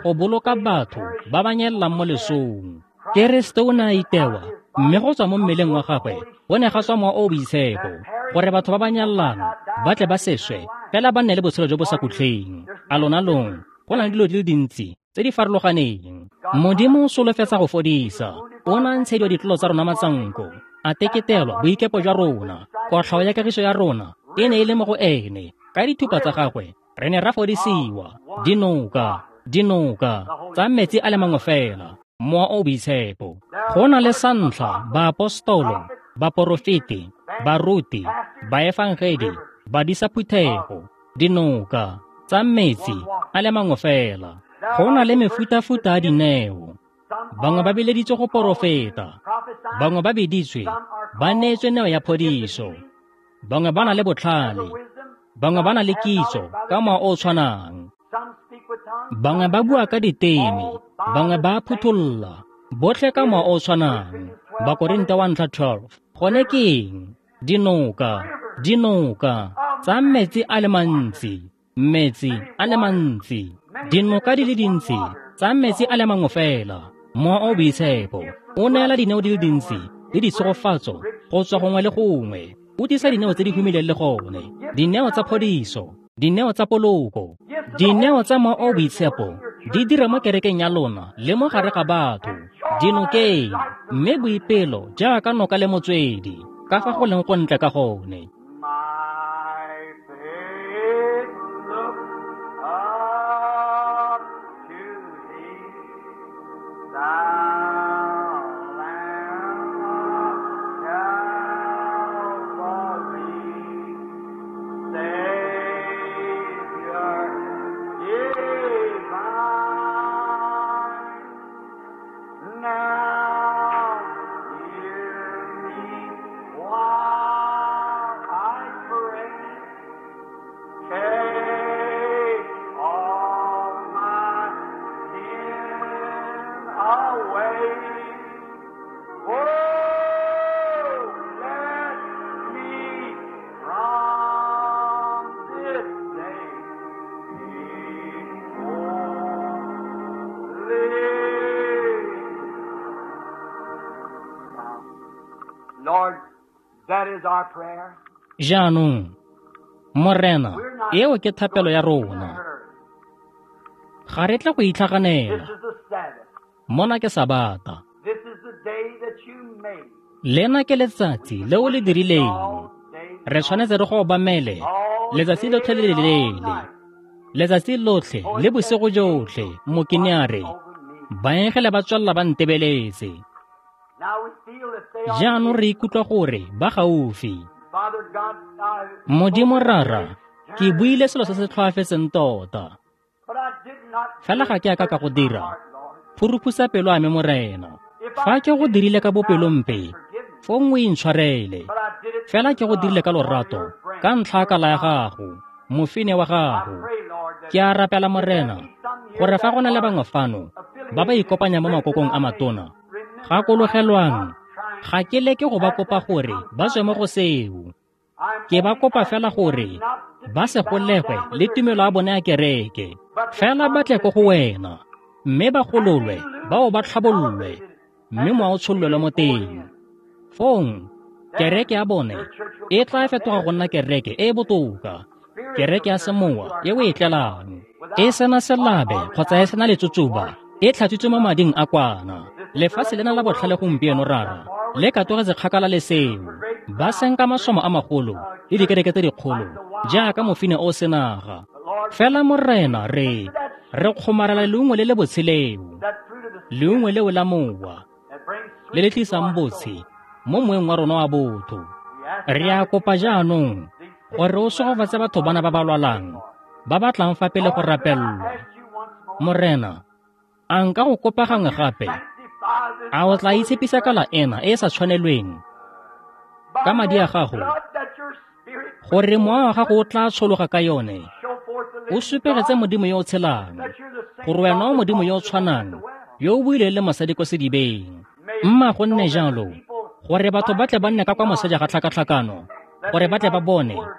go boloka batho ba ba nyelelang mo lesong. Keresete o ne a itewa, mme go tswa mo mmeleng wa gagwe go ne ga tswa mowa o o boitshepo, gore batho ba ba nyalelang ba tle ba seswe, fela ba nne le botshelo jo bo sa khutleng. A lona long, go na le dilo di le dintsi tse di farologaneng. Modimo o solofetsa go fodisa. O ne a ntshediwa ditlolo tsa rona matsanko, a teketelwa boikepo jwa rona. Kotlhao ya kagiso ya rona e ne e le mo go ene. Ka dithupa tsa gagwe re ne ra fodisiwa. Dinoka, dinoka tsa metsi a le mangwe fela, mowa o boitshepo. Go na le sa ntlha baapostolo, baporofeti, baruti, baefangedi, badisa phuthego, dinoka tsa metsi a le mangwe fela. Go na le mefutafuta ya dineo. Bangwe ba bileditswe go porofeta, bangwe ba biditswe ba neetswe neo ya phodiso, bangwe ba na le botlhale, bangwe ba na le kitso ka mowa o o tshwanang, bangwe ba bua ka diteme, bangwe ba phutholla, Botlhe ka mowa o o tshwanang. Bakorinte wa ntlha twelve. Gone ke eng? Dinoka, dinoka tsa metsi a le mantsi, metsi a le mantsi, dinoka di le dintsi tsa metsi a le mangwe fela. Mowa o Boitshepo o neela dineo di le dintsi le ditshegofatso go tswa gongwe le gongwe. O tlisa dineo tse di humileng le gone, dineo tsa phodiso, dineo tsa poloko, dineo tsa Mowa o Boitshepo di dira mo kerekeng ya lona le mo gare ga batho, dinokeng, mme boipelo jaaka noka le motswedi, ka fa go leng go ntle ka gone. My faith look up to thee, thou Lamb of Calvary, Savior divine. Now hear me while I pray. Take all my sin away. Oh, let me from this day be holy. Lord, that is our prayer. Jaanong, Morena, We're not eo ke thapelo ya going in a rona. hurry. Ga re tla go This itlhaganela. is the Sabbath. Mona ke Sabata. This is the day that you made. Lena ke letsatsi le o le dirileng. All day Re tshwanetse re go obamele all letsatsi day lotlhe le le and all leele. night. Letsatsi lotlhe For le it bosigo says, jotlhe, mokene a re, over me. baengele ba tswelela ba ntebeletse. Now we feel that they are Jaanong near. re ikutlwa gore ba gaufi. Father God, I Modimo spoke Rara, very ke buile selo se se tlhoafetseng tota. but I did not Fela ga ke a ka ka go my dira. heart, Lord. Phuruphusa pelo a me, Morena. If Fa I ke go did dirile ka now, bopelompe, forgive me. fong o intshwarele. But I did it Fela ke through go dirile love ka for lorato, your friend, ka ntlha ya your kala ya God. gago, mofine wa I gago. pray, Lord, that Ke a rapela if there Morena, be some here gore fa that go na le are bangwe fano ba ba affiliated in ikopanya mo great makokong a matona, denominations, remember I am gakologelwang, not trying ga ke leke go ba to ask kopa them to gore come ba tswe mo go contact. seo. I'm Ke ba only kopa fela asking them gore not to ba be se bound golegwe down with le their tumelo ya creed, bone ya kereke, but to fela ba come tle to ko go thee wena, mme ba and be gololwe, bao loosed ba and tlhabololwe, elevated mme and the mowa o tshololelwe mo Spirit poured teng. in. Fong, kereke Then ya bone their church will e tla become a fetoga better go nna church, kereke e e botoka, kereke spiritual ya church semowa which you are e o e coming tlelang. E without sena spot selabe or kgotsa e without sena wrinkle, letsotsoba, washed e tlhatswitswe mo mading a kwana. This is the Lefatshe lena la rest of the botlhale world gompieno today, rara, far le away katogetse kgakala le seo. for great Ba crowds, senka great masomo a magolo uh, le dikereke churches tse like dikgolo the wild jaaka ox. mofine o senaga. But Lord, Fela we Morena cling re to that re sweet kgomarela fruit, leungo le le botsheleo, that fruit of the leungo Spirit leo la mowa that brings le le sweetness to tlisang our botshe soul. mo moeng wa rona wa botho. We ask Re now a that you kopa bless jaanong these sick gore o people that are segofatse coming batho bana forward ba ba to be prayed lwalang, for. ba ba tlang fa pele go Lord, could I rapellwa. ask you once more? Morena, a nka go kopa Would gangwe you gape? sanctify this A o tla unworthy itshepisa flesh kala ena e e sa tshwanelweng by ka madi your a gago, blood that your Spirit would gore pour mowa wa gago o into it? tla tshologa ka yone, Show forth the o living supegetse God, Modimo yo o tshelang, that you're the same gore wena God o that Modimo yo o talked to the woman at tshwanang the well. yo o buileng le mosadi ko sedibeng. May it Mma be go so nne that the jalo, people gore batho ba might tle ba see nne ka kwa beyond moseja ga this, tlhakatlhakano, that gore they ba tle ba might see bone where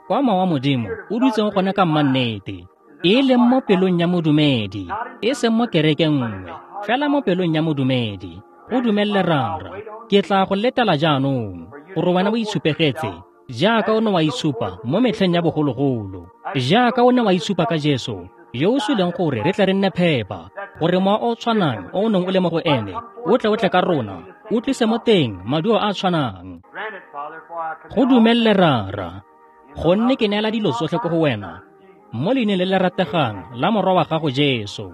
kwa mowa wa the Modimo Spirit of o God dutseng gone really ka lies mmannete, is in e the leng mo heart of pelong ya modumedi, not in e some seng mo church, kerekeng but in nngwe, the heart fela mo of pelong ya modumedi. Go Grant it, dumelele Father, I'll Rara, wait on ke you tla go letela jaanong, for you gore to wena show o forth itshupegetse yourself jaaka as o ne you wa show itshupa forth mo metlheng ya yourself, bogologolo, as you jaaka show o ne wa forth itshupa ka yourself Jesu in Jesus yo o died suleng that we gore re might tle re be nne clean, phepa, that the gore mowa same o o Spirit that tshwanang was o o in neng o him le mo go might ene come o forth tle o to tle us ka rona, bringing the o same tlise mo result. teng maduo a a tshwanang. Grant it, Father, for I Go commit all dumelele things Rara, in the gonne lovely ke neela name dilo of tsotlhe ko thy go wena, Son, Jesus. mo leineng le le rategang la Morwa wa gago Jesu.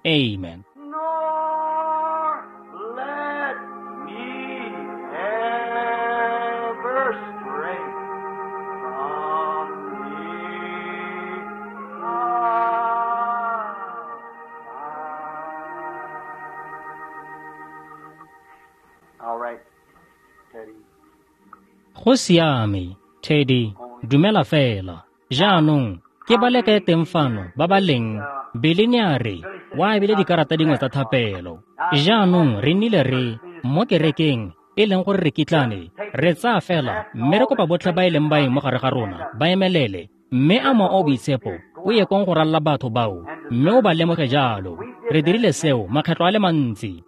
Amen. Nor let me ever stray from thee. Ah. All right, Teddy. Go siame, Teddy, dumela fela. Jaanong, ke ba le kae teng fano ba ba leng Billy ne a re, O abile dikarata dingwe tsa thapelo. Jaanong re nnile re mo kerekeng e leng gore re kitlane, re tsaya fela mme re kopa botlhe ba e leng baeng mo gare ga rona ba emelele, mme a Mowa o o Boitshepo o ye kong go ralla batho bao mme o ba lemoge jalo. Re dirile seo makgetlo a le mantsi.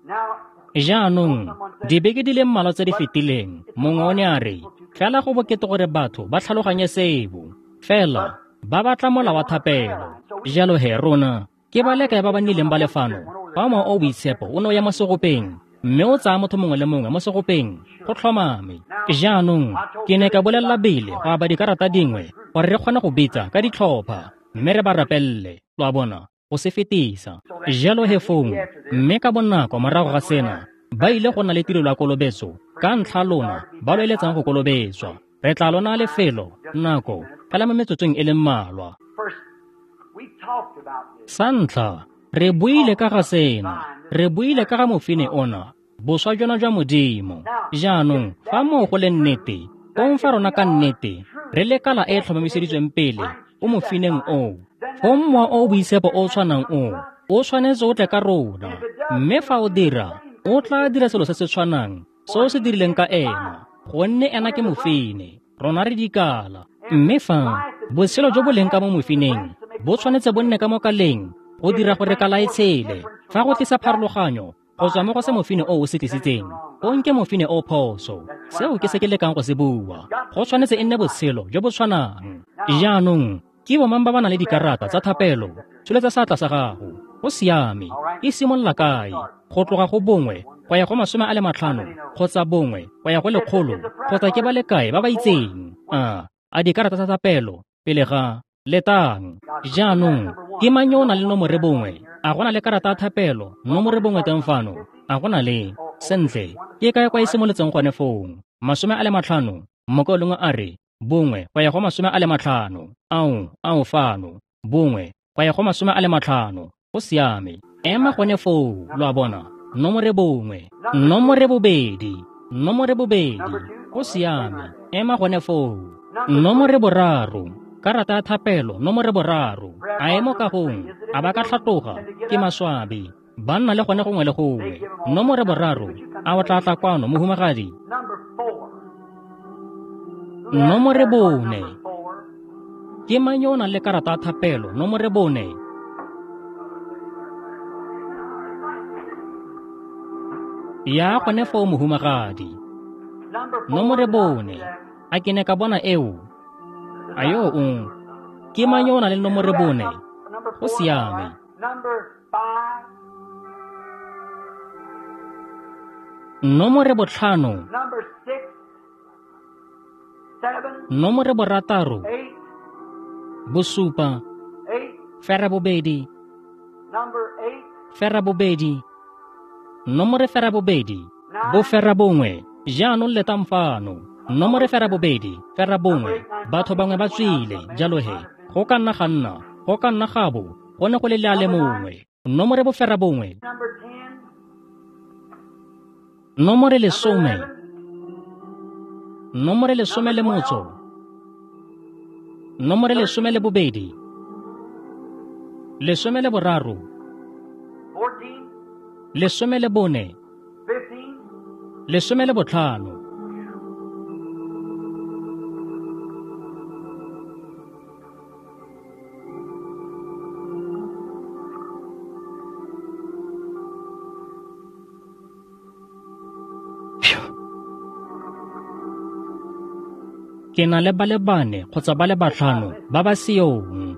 Jaanong dibeke di le mmalwa tse di fetileng mongwe o ne a re fela go bokete gore batho ba tlhaloganye seo, fela ba batla mola wa thapelo. Jalo he rona ke ba le kae ba ba nnileng ba le fano fa Mowa o o Boitshepo o ne o ya mo segopeng mme o tsaya motho mongwe le mongwe mo segopeng go tlhomame. Jaanong ke ne ka bolelela pele go aba dikarata dingwe gore re kgone go bitsa ka ditlhopha mme re ba rapelele, lo a bona, go se fetisa. Jalo he fong mme ka bonako morago ga sena ba ile go nna le tirelo ya kolobetso ka ntlha lona ba lo eletsang go kolobetswa. Re tla lona lefelo nako fela mo metsotsong e le mmalwa. Sa ntlha re buile ka ga sena, re buile ka ga mofine ona, boswa jona jwa Modimo. Jaanong fa moo go le nnete, kong fa rona ka nnete re le kala e e tlhomamiseditsweng pele o mofineng oo, fong Mowa o o Boitshepo o o tshwanang oo o tshwanetse o tle ka rona, mme fa o dira o tla dira selo se se tshwanang se o se dirileng ka ena, gonne ena ke mofine, rona re dikala. Mme fa botshelo jo bo leng ka mo mofineng bo tshwanetse bo nne ka mo kaleng go dira gore kala e tshele, fa go tlisa pharologanyo go tswa mo go se mofine o o se tlisitseng, o nke mofine o phoso. Seo ke se ke lekang go se bua. Go tshwanetse e nne botshelo jo bo tshwanang. Jaanong ke bomang ba ba nang le dikarata tsa thapelo? Tsholetsa seatla sa gago. Go siame. E simolola kae? Go tloga go bongwe go ya go masome a le matlhano kgotsa bongwe go ya go lekgolo, kgotsa ke ba le kae ba ba itseng? A a dikarata tsa thapelo pele ga letang. Jaanong ke mang yo o nang le nomore bongwe? A go na le karata ya thapelo nomore bongwe teng fano? A go na le? Sentle, ke kae kwa e simolotseng gone fong? Masome a le matlhano. Mokaulengwe a re bongwe go ya go masome a le matlhano. Ao, ao fano. Bongwe go ya go masome a le matlhano. Go siame. Ema gone foo, lo a bona. Nomore bongwe, nomore bobedi, nomore bobedi. Go siame. Ema gone foo. Nomore boraro. Karata ya thapelo nomore boraro. A e mo kagong, a ba ka tlhatloga, ke maswabi. Ba nna le gone gongwe le gongwe. Nomore boraro, a o tla tla kwano mohumagadi? Nomore bone. Ke mang yo o nang le karata ya thapelo nomore bone? Ya gone foo mohumagadi. Nomore bone. A ke ne ka bona eo? A yo o? Ke mang yo o nang le nomore bone? Go siame. Nomore botlhano. Nomore borataro. Bosupa. Fera bobedi. Fera bobedi. Nomore fera bobedi. Bofera bongwe. Jaanong letang fano. Nomore fera bobedi, fera bongwe. Batho bangwe ba tswile, jalo he go ka nna ga nna, go ka nna ga bo go ne go le le a le mongwe. Nomore bofera bongwe. Nomore lesome. Nomore lesome le motso. Nomore lesome le bobedi. Lesome le boraro. Lesome le bone. Lesome le botlhano. Ke na le ba le bane kgotsa ba le batlhano ba ba seong.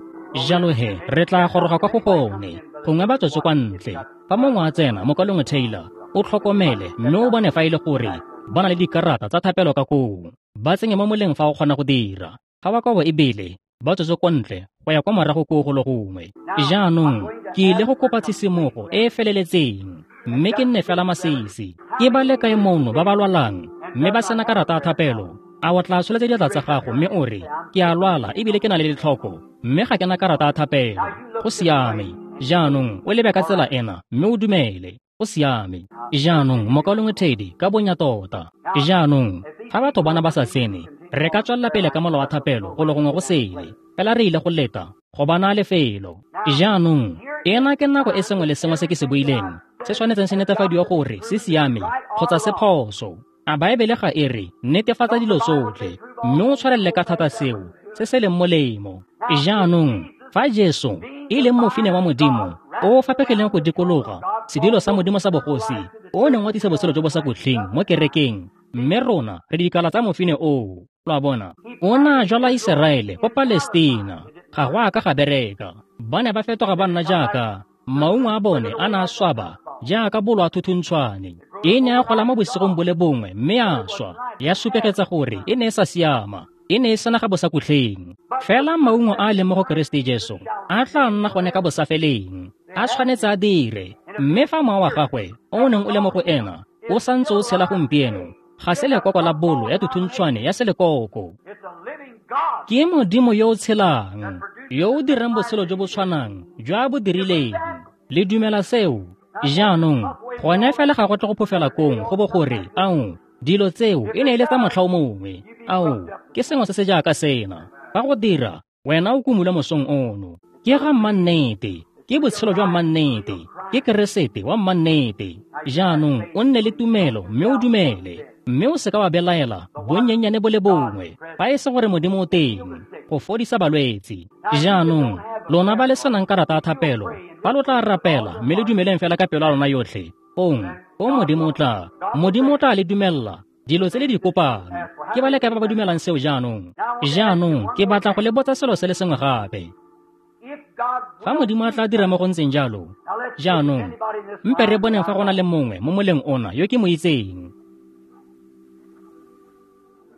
Jalo he re tla goroga kwa go bone, gongwe ba tswetse kwa ntle. Fa mongwe a tsena, mokaulengwe Taylor, o tlhokomele mme o bone fa e le gore ba na le dikarata tsa thapelo ka koo. Ba tsenye mo moleng fa o kgona go dira. Ga ba kobo ebile ba tswetse kwa ntle go ya kwa morago koo go le gongwe. Jaanong ke ile go kopa tshisimogo e e feleletseng mme ke nne fela masisi. Ke ba le kae mono ba ba lwalang mme ba sena karata ya thapelo? A o tla tsholetsa diatla tsa gago mme o re, ke a lwala ebile ke na le letlhoko mme ga ke na karata ya thapelo. Go siame. Jaanong o lebe ka tsela ena mme o dumele. Go siame. Jaanong mokaulengwe Teddy ka bonya tota. Jaanong fa batho bana ba sa tsene, re ka tswelela pele ka mola wa thapelo go le gongwe go sele. Fela re ile go leta go ba naya lefelo. Jaanong Ena ke nako e sengwe le sengwe se ke se buileng se tshwanetseng se netefadiwa gore se siame kgotsa se phoso. A Baebele ga e re netefatsa dilo tsotlhe, mme o tshwarelele ka thata seo se se leng molemo. Jaanong fa Jesu e leng mofine wa Modimo o o fapegileng go dikologa sedilo sa Modimo sa bogosi o neng wa tlisa botshelo jo bo sa khutleng mo kerekeng, mme rona re dikala tsa mofine oo. Lo a bona, o ne a jwala Iseraele ko Palestina, ga go a ka ga bereka. Ba ne ba fetoga ba nna jaaka maungo a bone a ne a swaba jaaka bolo a thuthuntshwane. E ne ya gola mo bosigong bo le bongwe mme ya swa, ya supegetsa gore e ne e sa siama, e ne e sena ga bosakhutleng. Fela maungo a a leng mo go Keresete Jesu a tla nna gone ka bosafeleng, a tshwanetse a dire. Mme fa mowa wa gagwe o o neng o le mo go ena o santse o tshela gompieno, ga se lekoko la bolo ya thuntshwane ya selekoko. It's a living God. Ke Modimo yo o tshelang, yo o dirang botshelo jo bo tshwanang jo a bo dirileng. Le dumela seo? Jaanong, gone fela ga go tle go phofela kong go bo gore, ao, dilo tseo e ne e le tsa motlha o mongwe. Ao, ke sengwe se se jaaka sena. Fa go dira, wena o kumula mosong ono. Ke ga mmannete, ke botshelo jwa mmannete, ke Keresete wa mmannete. Jaanong, o nne le tumelo mme o dumele, mme o seka wa belaela bonnyennyane bo le bongwe, fa e se gore Modimo o teng go fodisa balwetse. Jaanong, lona ba le senang karata ya thapelo, fa lo tla rapela mme le dumeleng fela ka pelo ya lona yotlhe, fong, fong Modimo o tla, Modimo o tla le dumella dilo tse le di kopang. Ke ba le kae ba ba dumelang seo jaanong? Jaanong, ke batla go le botsa selo se le sengwe gape. If God Fa Modimo a tla dira mo go ntseng jalo, Now let's see if jaanong, anybody in this mpe re line boneng fa go na le mongwe mo moleng ona yo ke mo itseng.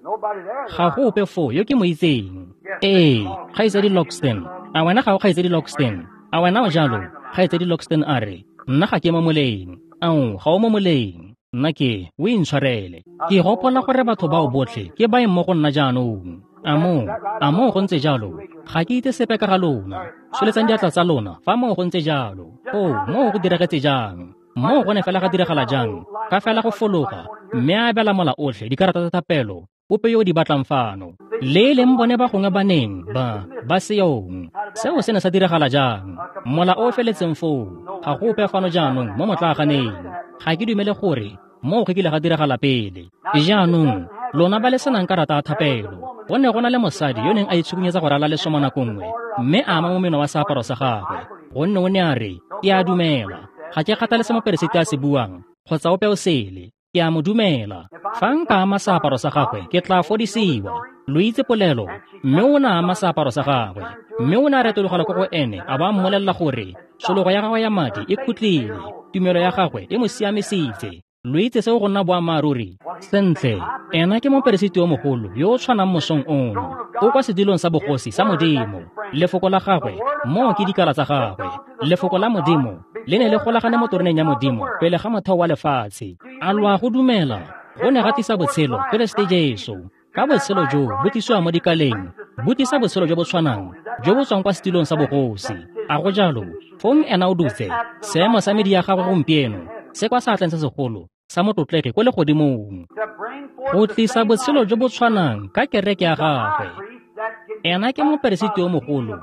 Nobody there. Ga go ope foo yo ke mo itseng. Ee, Kgaitsadi Loxton. A wena ga o Kgaitsadi Loxton? A wena o jalo? Kgaitsadi Loxton a re, nna ga ke mo moleng. Ao, ga o mo moleng. Nna ke, o intshwarele. Ke gopola gore batho bao botlhe ke baeng mo go nna jaanong. A moo, a moo go ntse jalo? Ga ke itse sepe ka ga lona. Tsholetsang diatla tsa lona fa moo go ntse jalo. O, moo go diragetse jang? Moo go ne fela ga diragala jang? Ka fela go fologa, mme a abela mola otlhe dikarata tsa thapelo, ope yo o di batlang fano. Le e leng bone ba gongwe ba neng ba ba seyong. Seo se ne sa diragala jang? Mola o o feletseng foo, ga go ope fano jaanong mo motlaaganeng. Ga ke dumele gore moo go kile ga diragala pele. Jaanong, lona ba le senang karata ya thapelo, go ne go na le mosadi yo neng a itshukunyetsa go rala lesomo nako nngwe, mme a ama momeno wa seaparo sa gagwe, gonne o ne a re, ke a dumela. Ga ke kgathale se moperesiti a se buang, kgotsa ope o sele, ke a mo dumela. Fa nka ama seaparo sa gagwe, ke tla fodisiwa. Lo itse polelo, mme o ne a ama seaparo sa gagwe, mme o ne a retologela ko go ene a ba a mmolelela gore tshologo ya gagwe ya madi e khutlile, tumelo ya gagwe e mo siamisitse. Lo itse seo go nna boammaaruri? Sentle, ena ke moperesiti yo mogolo yo o tshwanang mosong ono, o kwa sedilong sa bogosi sa Modimo. Lefoko la gagwe, moo ke dikala tsa gagwe. Lefoko la Modimo le ne le golagane mo teroneng ya Modimo pele ga motheo wa lefatshe. A lo a go dumela? Go ne ga tlisa botshelo, Keresete Jesu. Ka botshelo jo bo tlisiwa mo dikaleng, bo tlisa botshelo jo bo tshwanang jo bo tswang kwa setilong sa bogosi. A go jalo? Fong ena o dutse seemo sa medi ya gagwe gompieno se kwa seatleng se segolo sa motlotlegi ko legodimong, To bring forth go the tlisa same botshelo life jo bo tshwanang ka kereke ya the high gagwe. priest that can Ena ke moperesiti yo mogolo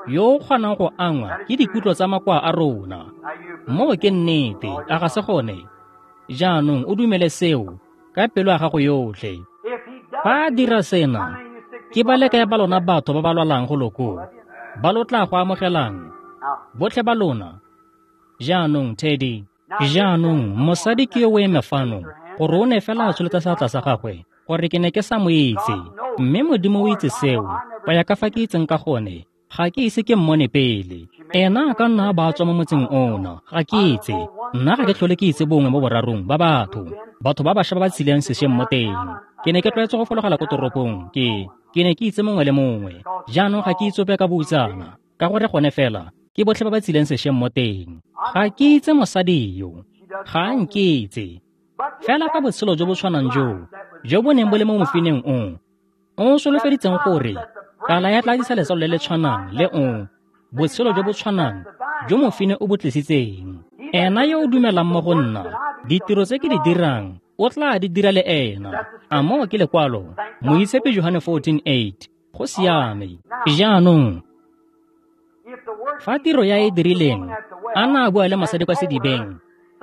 yo o kgonang go angwa ke dikutlo tsa makoa a rona. Now you Moo ke nnete, a ga se gone? Jaanong o dumele seo ka pelo ya gago yotlhe. If he does Fa a dira this, sena, how many of you sick ke people ba le are kae ba lona batho ba ba lwalang go loko, ba lo tla go amogelang? Now, Botlhe ba lona. Jaanong, Teddy. Jaanong, mosadi ke yo o eme fano, gore o ne fela a tsholetsa seatla sa gagwe, gore ke ne ke sa mo itse. Mme Modimo o itse seo, go ya ka fa ke itseng ka gone, ga ke ise ke mmone pele. Ena a ka nna a ba tswa mo motseng ona, ga ke itse. Nna ga ke tlhole ke itse bongwe mo borarong ba batho, batho ba bašwa ba ba tshileng sešweng mo teng. Ke ne ke tlwaetse go fologela ko toropong, ke ke ne ke itse mongwe le mongwe. Jaanong ga ke itse ope ka boutsana, ka gore gone fela ke botlhe ba ba tsileng sešweng mo teng. Ga ke itse mosadi yo, ga a nkitse. Fela ka botshelo jo bo tshwanang joo, jo bo neng bo le mo mofineng o, o solofeditseng gore kala ya tla tlisa letsalo le le tshwanang le o, botshelo jo bo tshwanang jo mofine o bo tlisitseng. Ena yo o dumelang mo go nna, ditiro tse ke di dirang, o tla di dira le ena. A moo ke lekwalo, Moitshepi Johane fourteen eight. Go siame. Jaanong, if the word Fa tiro ya e dirileng, a na a bua le mosadi kwa sedibeng,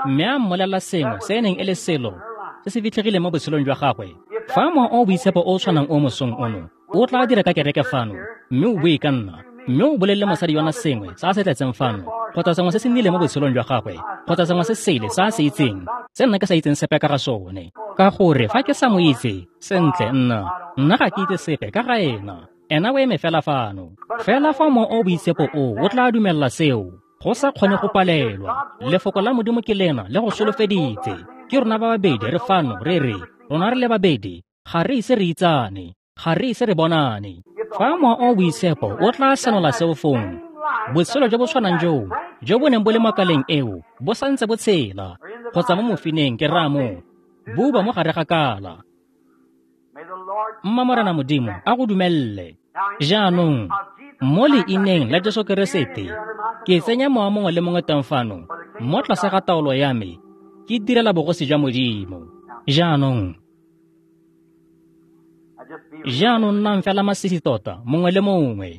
mme a mmolelela sengwe se e neng e le selo se se fitlhegileng mo botshelong jwa gagwe. Fa Mowa o o Boitshepo o o tshwanang o mosong ono o tla dira ka kereke fano, mme o bue ka nna, mme o bolelele mosadi yona sengwe se a se tletseng fano, kgotsa sengwe se se nnileng mo botshelong jwa gagwe, kgotsa sengwe se sele se a se itseng, se nna ke sa itseng sepe ka ga sone. Ka gore fa ke sa mo itse, sentle nna, nna ga ke itse sepe ka ga ena. Ena o eme fela fano. Fela fa Mowa o o Boitshepo o o tla dumella seo, go sa kgone go palelwa. Lefoko la Modimo ke lena le go solofeditse. Ke rona ba babedi re fano re re, rona re le babedi, ga re ise re itsane, ga re ise re bonane. Fa Mowa o o Boitshepo o tla senola seo fong, botshelo jo bo tshwanang joo, jo bo neng bo le mo kaleng eo, bo santse bo tshela, kgotsa mo mofineng ke raya moo, bo uba mo gare ga kala. Mma Morena Modimo a go dumelle. Jaanong, mo leineng la Jesu Keresete, ke tsenya mowa mongwe le mongwe teng fano, mo tlase ga taolo ya me, ke direla bogosi jwa Modimo. Jaanong, jaanong nnang fela masisi tota, mongwe le mongwe.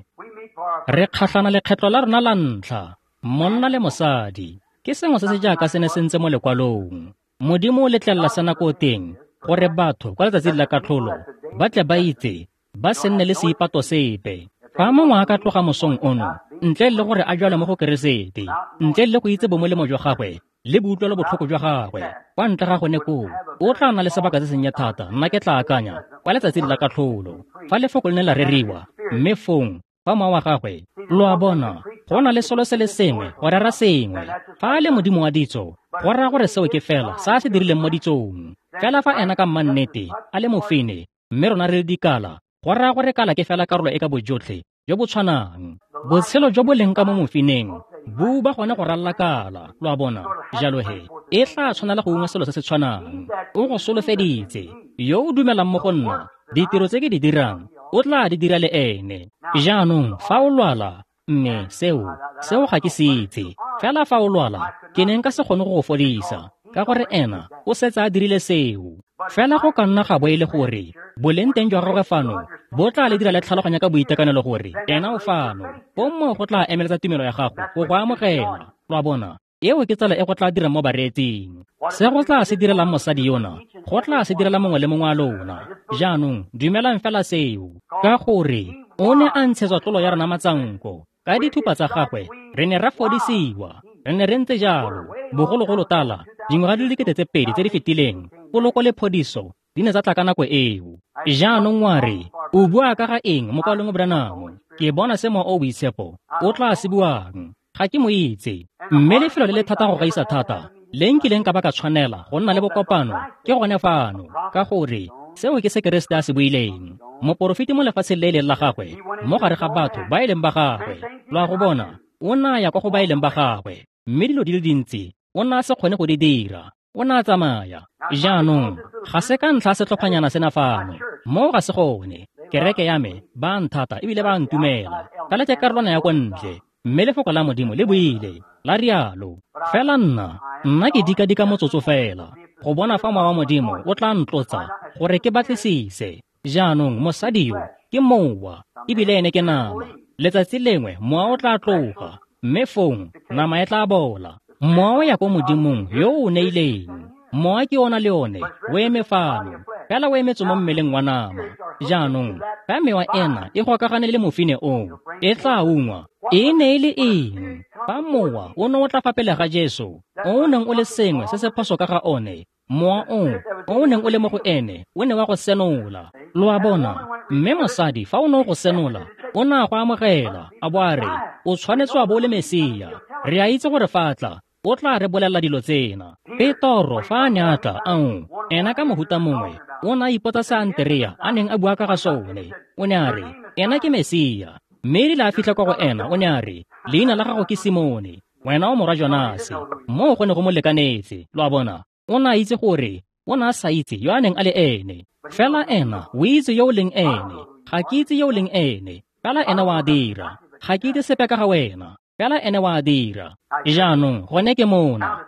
Re kgatlhana lekgetlo la rona la ntlha, monna le mosadi. Ke sengwe se se jaaka se ne se ntse mo lekwalong. Modimo o letlelela sena ko teng, gore batho kwa letsatsing la katlholo ba tle ba itse, ba se nne le seipato sepe. Fa mongwe a ka tloga mosong ono, ntle le gore a jwale mo go Keresete, ntle le go itse bomolemo jwa gagwe le boutlwelo botlhoko jwa gagwe, kwa ntle ga gone koo, o tla nna le sebaka se sennye thata, nna ke tla akanya, kwa letsatsing la katlholo, fa lefoko le ne la reriwa, mme fong, fa mowa wa gagwe, lo a bona, go na le selo se le sengwe, go rera sengwe. Fa a le Modimo wa ditso, go raya gore seo ke fela se a se dirileng mo ditsong. Fela fa ena ka mmannete a le mofine, mme rona re le dikala, go raya gore kala ke fela karolo e ka bojotlhe jo bo tshwanang. Botshelo jo bo leng ka mo mofineng bo ba gone go ralla kala, lo a bona. Jalo he, e tla tshwanela go ungwa selo se se tshwanang. O go solofeditse, yo o dumelang mo go nna, ditiro tse ke di dirang, o tla di dira le ene. Jaanong, fa o lwala, mme seo, seo ga ke se itse. Fela fa o lwala, ke ne nka se kgone go go fodisa, ka gore ena o setse a dirile seo. Fela go ka nna ga bo e le gore boleng teng jwa gagwe fano bo tla le dira le tlhaloganya ka boitekanelo gore ena o fano. Fong moo go tla emeletsa tumelo ya gago go go amogela. Lo a bona, eo ke tsela e go tla dirang mo bareetsing. Se go tla se direlang mosadi yona, go tla se direla mongwe le mongwe wa lona. Jaanong, dumelang fela seo, ka gore o ne a ntshetswa tlolo ya rona matsanko. Ka dithupa tsa gagwe re ne ra fodisiwa. Re ne re ntse jalo bogologolo tala, dingwaga di le dikete tse pedi tse di fetileng, poloko le phodiso di ne tsa tla ka nako eo. Jaanong wa re, o bua ka ga eng mokwalong Branham? Ke bona se Mowa o o Boitshepo o tla se buang. Ga ke mo itse. Mme lefelo le le thata go gaisa thata le nkileng ka ba ka tshwanela go nna le bokopano ke gone fano, ka gore seo ke se Keresete a se buileng. Moporofeti mo lefatsheng le e leng la gagwe, mo gare ga batho ba e leng ba gagwe. Lo a go bona, o na ya kwa go ba e leng ba gagwe, mme dilo di le dintsi o na a se kgone go di dira. O na a tsamaya. Jaanong, ga se ka ntlha setlhophanyana sena fano. Moo ga se gone. Kereke ya me ba nthata ebile ba ntumela. Fela ke karolwana ya kwa ntle, mme lefoko la Modimo le buile, la rialo. Fela nna, nna ke dika-dika motsotso fela, go bona fa Mowa wa Modimo o tla ntlotsa gore ke batlisise. Jaanong, mosadi yo ke mowa, ebile ene ke nama. Letsatsi lengwe mowa o tla tloga, mme fong nama e tla bola. Mowa o ya ko Modimong yo o neileng. Mowa ke ona le one, o eme fano, fela o emetse mo mmeleng wa nama. Jaanong, fa mewa ena e gokagane le mofine oo, e tla ungwa. E ne e le eng? Fa mowa o ne o tla fa pele ga Jesu, o o neng o le sengwe se se phoso ka ga one, mowa o o neng o le mo go ene, o ne wa go senola. Lo a bona? Mme mosadi fa o ne o go senola, o ne a go amogela, a bo a re, o tshwanetse wa bo o le Mesia. Re a itse gore fa a tla, o tla re bolelela dilo tsena. Petoro fa a ne a tla, ao, ena ka mohuta mongwe, o ne a ipotsa se Anterea a neng a bua ka ga sone. O ne a re, ena ke Mesia. Mme erile a fitlha kwa go ena, o ne a re, leina la gago ke Simone, wena o morwa Jonase. Moo go ne go mo lekanetse. Lo a bona? O ne a itse gore o ne a sa itse yo a neng a le ene. Fela ena o itse yo o leng ene. Ga ke itse yo o leng ene. Fela ena wa dira. Ga ke itse sepe ka ga wena. Fela ene wa dira. Jaanong gone ke mona.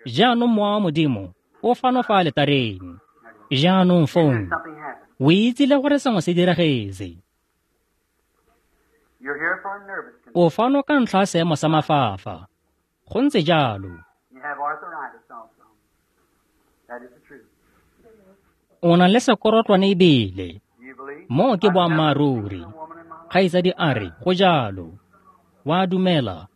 Jaanong Mowa wa Modimo o fano fa aletareng. Jaanong fong, o itsile gore sengwe se diragetse. O fano ka ntlha ya seemo sa mafafa. Go ntse jalo. O na le sekorotlwane ebile. Moo ke boammaaruri. Kgaitsadi a re, go jalo. Wa dumela.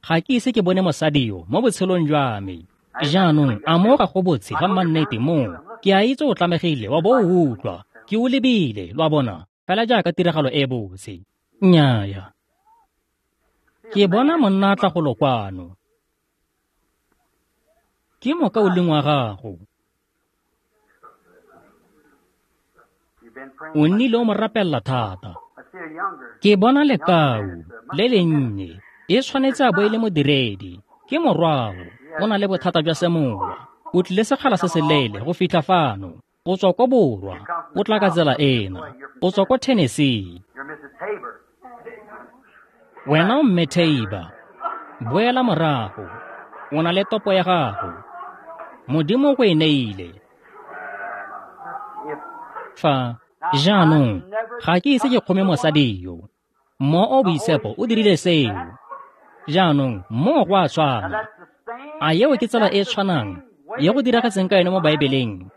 Ga ke ise ke bone mosadi yo mo botshelong jwa me. Jaanong a mo ga go botse ga mannete moo. Ke a itse o tlamegile wa bo o utlwa. Ke o lebile, lo a bona, fela jaaka tiragalo e botse. Nnyaya. Ke bona monna a tla golo kwano. Ke mokaulengwe wa gago. O nnile o mo rapelela thata. Ke bona lekau le lennye. E tshwanetse a bo e le modiredi. Ke morwao. O na le bothata jwa semowa. O tlile sekgala se seleele go fitlha fano. O tswa ko borwa. O tla ka tsela ena. O tswa ko Tennessee. Wena o mme Tabor. Boela morago. O na le topo ya gago. Modimo o go e neile. Fa jaanong ga ke ise ke kgome mosadi yo. Mo o boitshepo o dirile seo. Jaanong mo go a tshwana. A eo ke tsela e e tshwanang ye go diragetseng ka yone mo Baebeleng?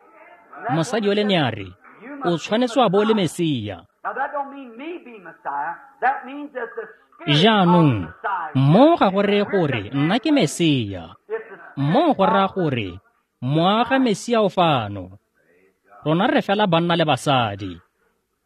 Mosadi o le ne a re, o tshwanetse wa bo o le Mesia. Jaanong mo ga go reye gore nna ke Mesia. Mo go raya gore mowa ga Mesia o fano. Rona re fela banna le basadi.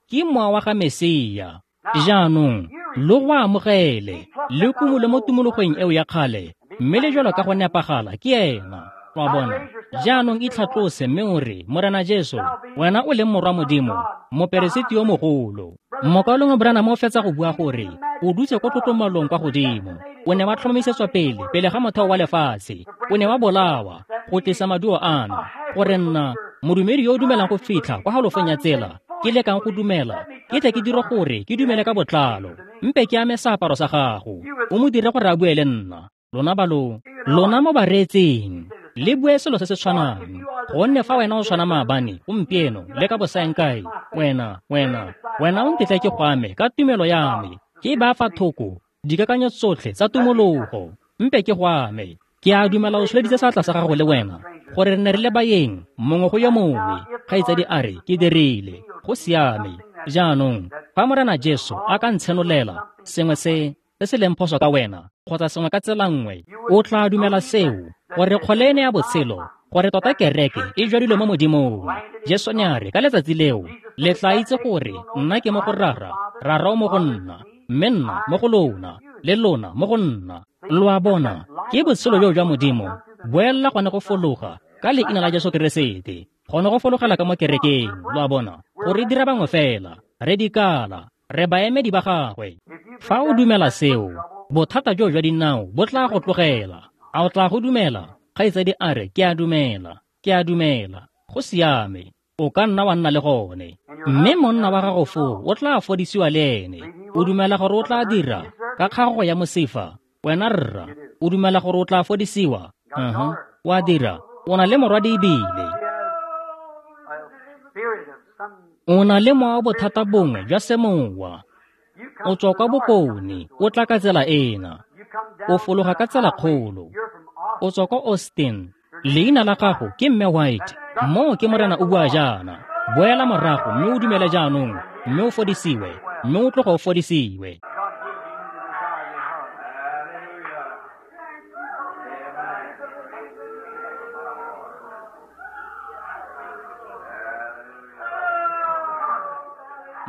Ke mowa wa ga Mesia. Jaanong lo go amogele le kumole mo tumologong eo ya kgale, mme le jalo ka go nepagala ke ena. Wa bona? Jaanong itlhatlose mme o re, Morena Jesu, wena o leng morwa Modimo, moperesiti yo mogolo. Mokaulengwe Branham o fetsa go bua gore o dutse ko tlotlomalong kwa godimo. O ne wa tlhomamisetswa pele pele ga motheo wa lefatshe. O ne wa bolawa go tlisa maduo ano, gore nna modumedi yo o dumelang go fitlha kwa halofong ya tsela ke lekang go dumela, ke tle ke dire gore ke dumele ka botlalo. Mpe ke ame seaparo sa gago, o mo dire gore a bue le nna. Lona balo, lona mo bareetseng, le bue selo se se tshwanang. Gonne fa wena o tshwana maabane, gompieno, le ka bosaengkae, wena, wena, wena o ntetla ke go ame ka tumelo ya me. Ke ba fa thoko dikakanyo tsotlhe tsa tumologo. Mpe ke go ame. Ke a dumela o tsholeditse seatla sa gago le wena, gore re ne re le baeng mongwe go yo mongwe. Kgaitsadi a re, ke dirile. Go siame. Jaanong fa Morena Jesu a ka ntshenolela sengwe se se se leng phoso ka wena, kgotsa sengwe ka tsela nngwe, o tla dumela seo, gore kgole ene ya botshelo, gore tota kereke e jwadilwe mo Modimong. Jesu ne a re ka letsatsi leo, le tla itse gore nna ke mo go Rara, Rara o mo go nna, mme nna mo go lona, le lona mo go nna. Lo a bona, ke botshelo jo jwa Modimo boelela gone go fologa ka leina la Jesu Keresete, gone go fologela ka mo kerekeng. Lo a bona, gore dira bangwe fela, re dikala, re baemedi ba gagwe. Fa o dumela seo, bothata jo jwa dinao bo tla go tlogela. A o tla go dumela? Kgaitsadi a re, ke a dumela, ke a dumela. Go siame, o ka nna wa nna le gone. Mme monna wa gago foo o tla fodisiwa le ene. O dumela gore o tla dira ka kgagogo ya mosifa? Wena rra, o dumela gore o tla fodisiwa? Uh-huh. Wa dira. O na le morwadi ebile. O na le mowa wa bothata bongwe jwa semowa. O tswa kwa bokone, o tla ka tsela ena. O fologa ka tsela kgolo. O tswa kwa Austin. Leina la gago ke Mme White. Moo ke Morena o bua jaana. Boela morago mme o dumele jaanong, mme o fodisiwe, mme o tloga o fodisiwe.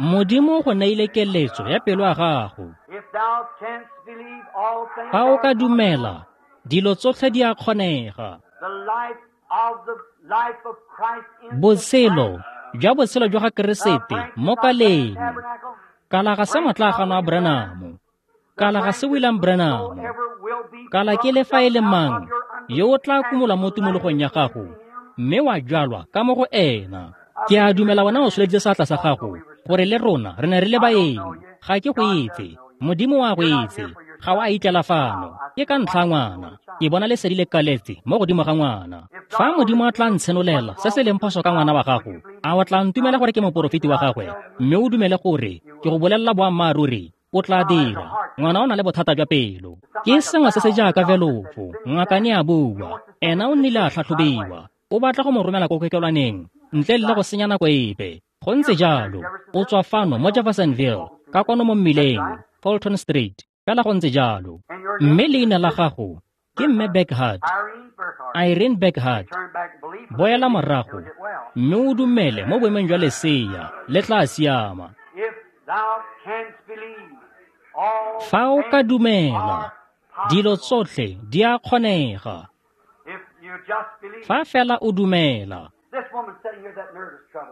Modimo go neile keletso ya pelo ya gago. Fa o ka dumela, dilo tsotlhe di a kgonega. Botshelo jwa botshelo jwa ga Keresete mo kaleng. Kala ga se motlagano wa Branham, kala ga se William Branham, kala ke le fa e le mang yo o tla kumola mo tumologong ya gago mme wa jwalwa ka mo go ena. Ke a dumela wena o tsholeditse seatla sa gago gore le rona re ne re le baeng. Ga ke go itse, Modimo wa go itse, ga o a itlela fano. Ke ka ntlha ngwana, ke bona lesedi le kaletse mo godimo ga ngwana. Fa Modimo a tla ntshenolela se se leng phoso ka ngwana wa gago, a o tla ntumela gore ke moporofeti wa gagwe, mme o dumele gore ke go bolelela boammaaruri? O tla dira. Ngwana o na le bothata jwa pelo. Ke sengwe se se jaaka velofo. Ngaka ne a bua. Ena o nnile a tlhatlhobiwa. O batla go mo romela ko kokelwaneng ntle le go senya nako epe. Go ntse jalo. O tswa fano mo Jeffersonville, ka kwano mo mmileng, Fulton Street. Fela go ntse jalo. Mme leina la gago ke Mme Beckhart. Irene Beckhart. Boela morago mme o dumele mo boemong jwa lesea, le tla siama. Fa o ka dumela, dilo tsotlhe di a kgonega. Fa fela o dumela.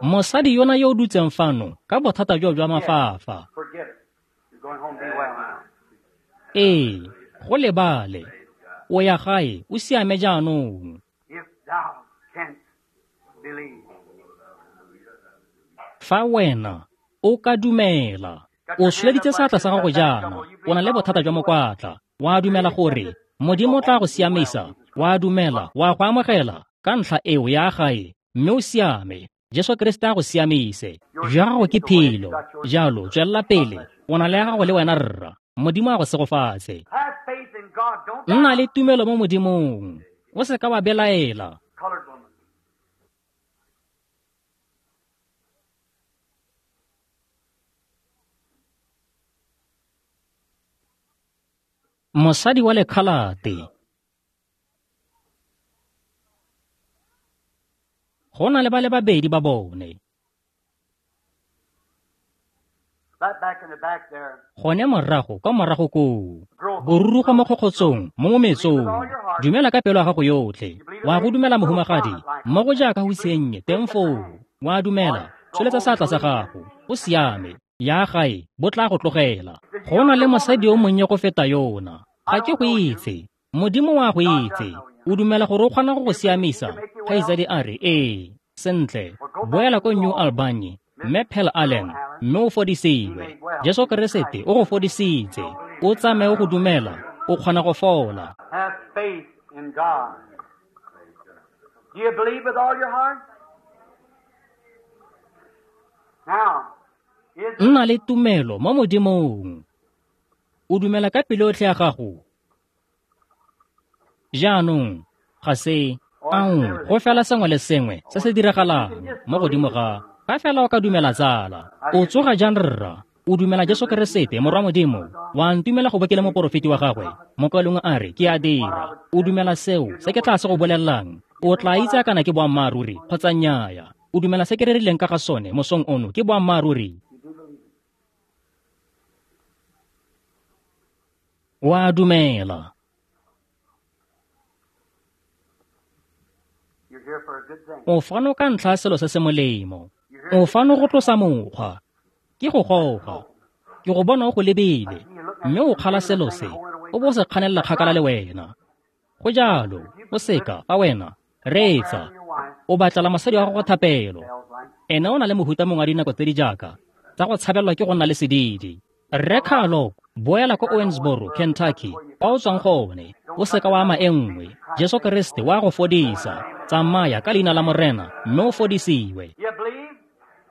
Mosadi yona yo o dutseng fano ka bothata jo jwa mafafa. Ee, go lebale. O ya gae, o siame jaanong. Fa wena o ka dumela, o tsholeditse seatla sa gago jaana, o na le bothata jwa mokwatla, wa dumela gore Modimo o tla go siamisa, wa dumela, wa go amogela ka ntlha eo ya gae, mme o siame. Jesu Kriste a go siamise. Jwa gago ke phelo. Jalo tswelela pele, o na le ya gago le wena rra. Modimo a go segofatse. Nna le tumelo mo Modimong. O se ka wa belaela. Mosadi wa lekhalate. Go na le ba le babedi ba bone. Gone morago kwa morago koo, borurugo mo kgokgotsong mo mometsong. Dumela ka pelo ya gago yotlhe. Wa go dumela mohumagadi, mmogo jaaka go isennye teng foo. Wa dumela, tsholetsa seatla sa gago. O siame. Ya gae, bo tla go tlogela. Go na le mosadi yo monnye go feta yona. Ga ke go itse. Modimo wa go itse. O dumela gore o kgona go go siamisa? Kgaitsadi a re, ee. Sentle, boela ko New Albany, mme Pearl Allen, mme o fodisiwe. Jesu Keresete o go fodisitse. O tsamaye o go dumela, o kgona go fola. Have faith in God. Do you believe with all your heart? Now, nna le tumelo mo Modimong. O dumela ka pelo yotlhe ya gago. Jaanong, ga se ao go fela sengwe le sengwe se se diragalang mo godimo ga fa fela o ka dumela tsala. O tsoga jang rra? O dumela Jesu Keresete morwa Modimo? Wa ntumela go bo ke le moporofeti wa gagwe? Mokwalong a re, ke a dira. O dumela seo se ke tla se go bolelelang? O tla itse kana ke boammaaruri kgotsa nnyaya. O dumela se ke rerileng ka ga sone mosong ono ke boammaaruri? Wa dumela. O fano ka ntlha selo se se molemo. O fano go tlosa mokgwa. Ke go goga. Ke go bona o go lebile, mme o kgala selo se, o bo se kganelela kgakala le wena. Go jalo, o seka fa wena reetsa. O batlela mosadi wa gago thapelo. Ene o na le mohuta mongwe wa dinako tse di jaaka tsa go tshabelwa ke go nna le sedidi. Rre Carlo, boela ko Owensboro, Kentucky, kwa o tswang gone. O seka wa ama e nngwe. Jesu Kriste wa go fodisa. Tsamaya ka leina la Morena mme o fodisiwe.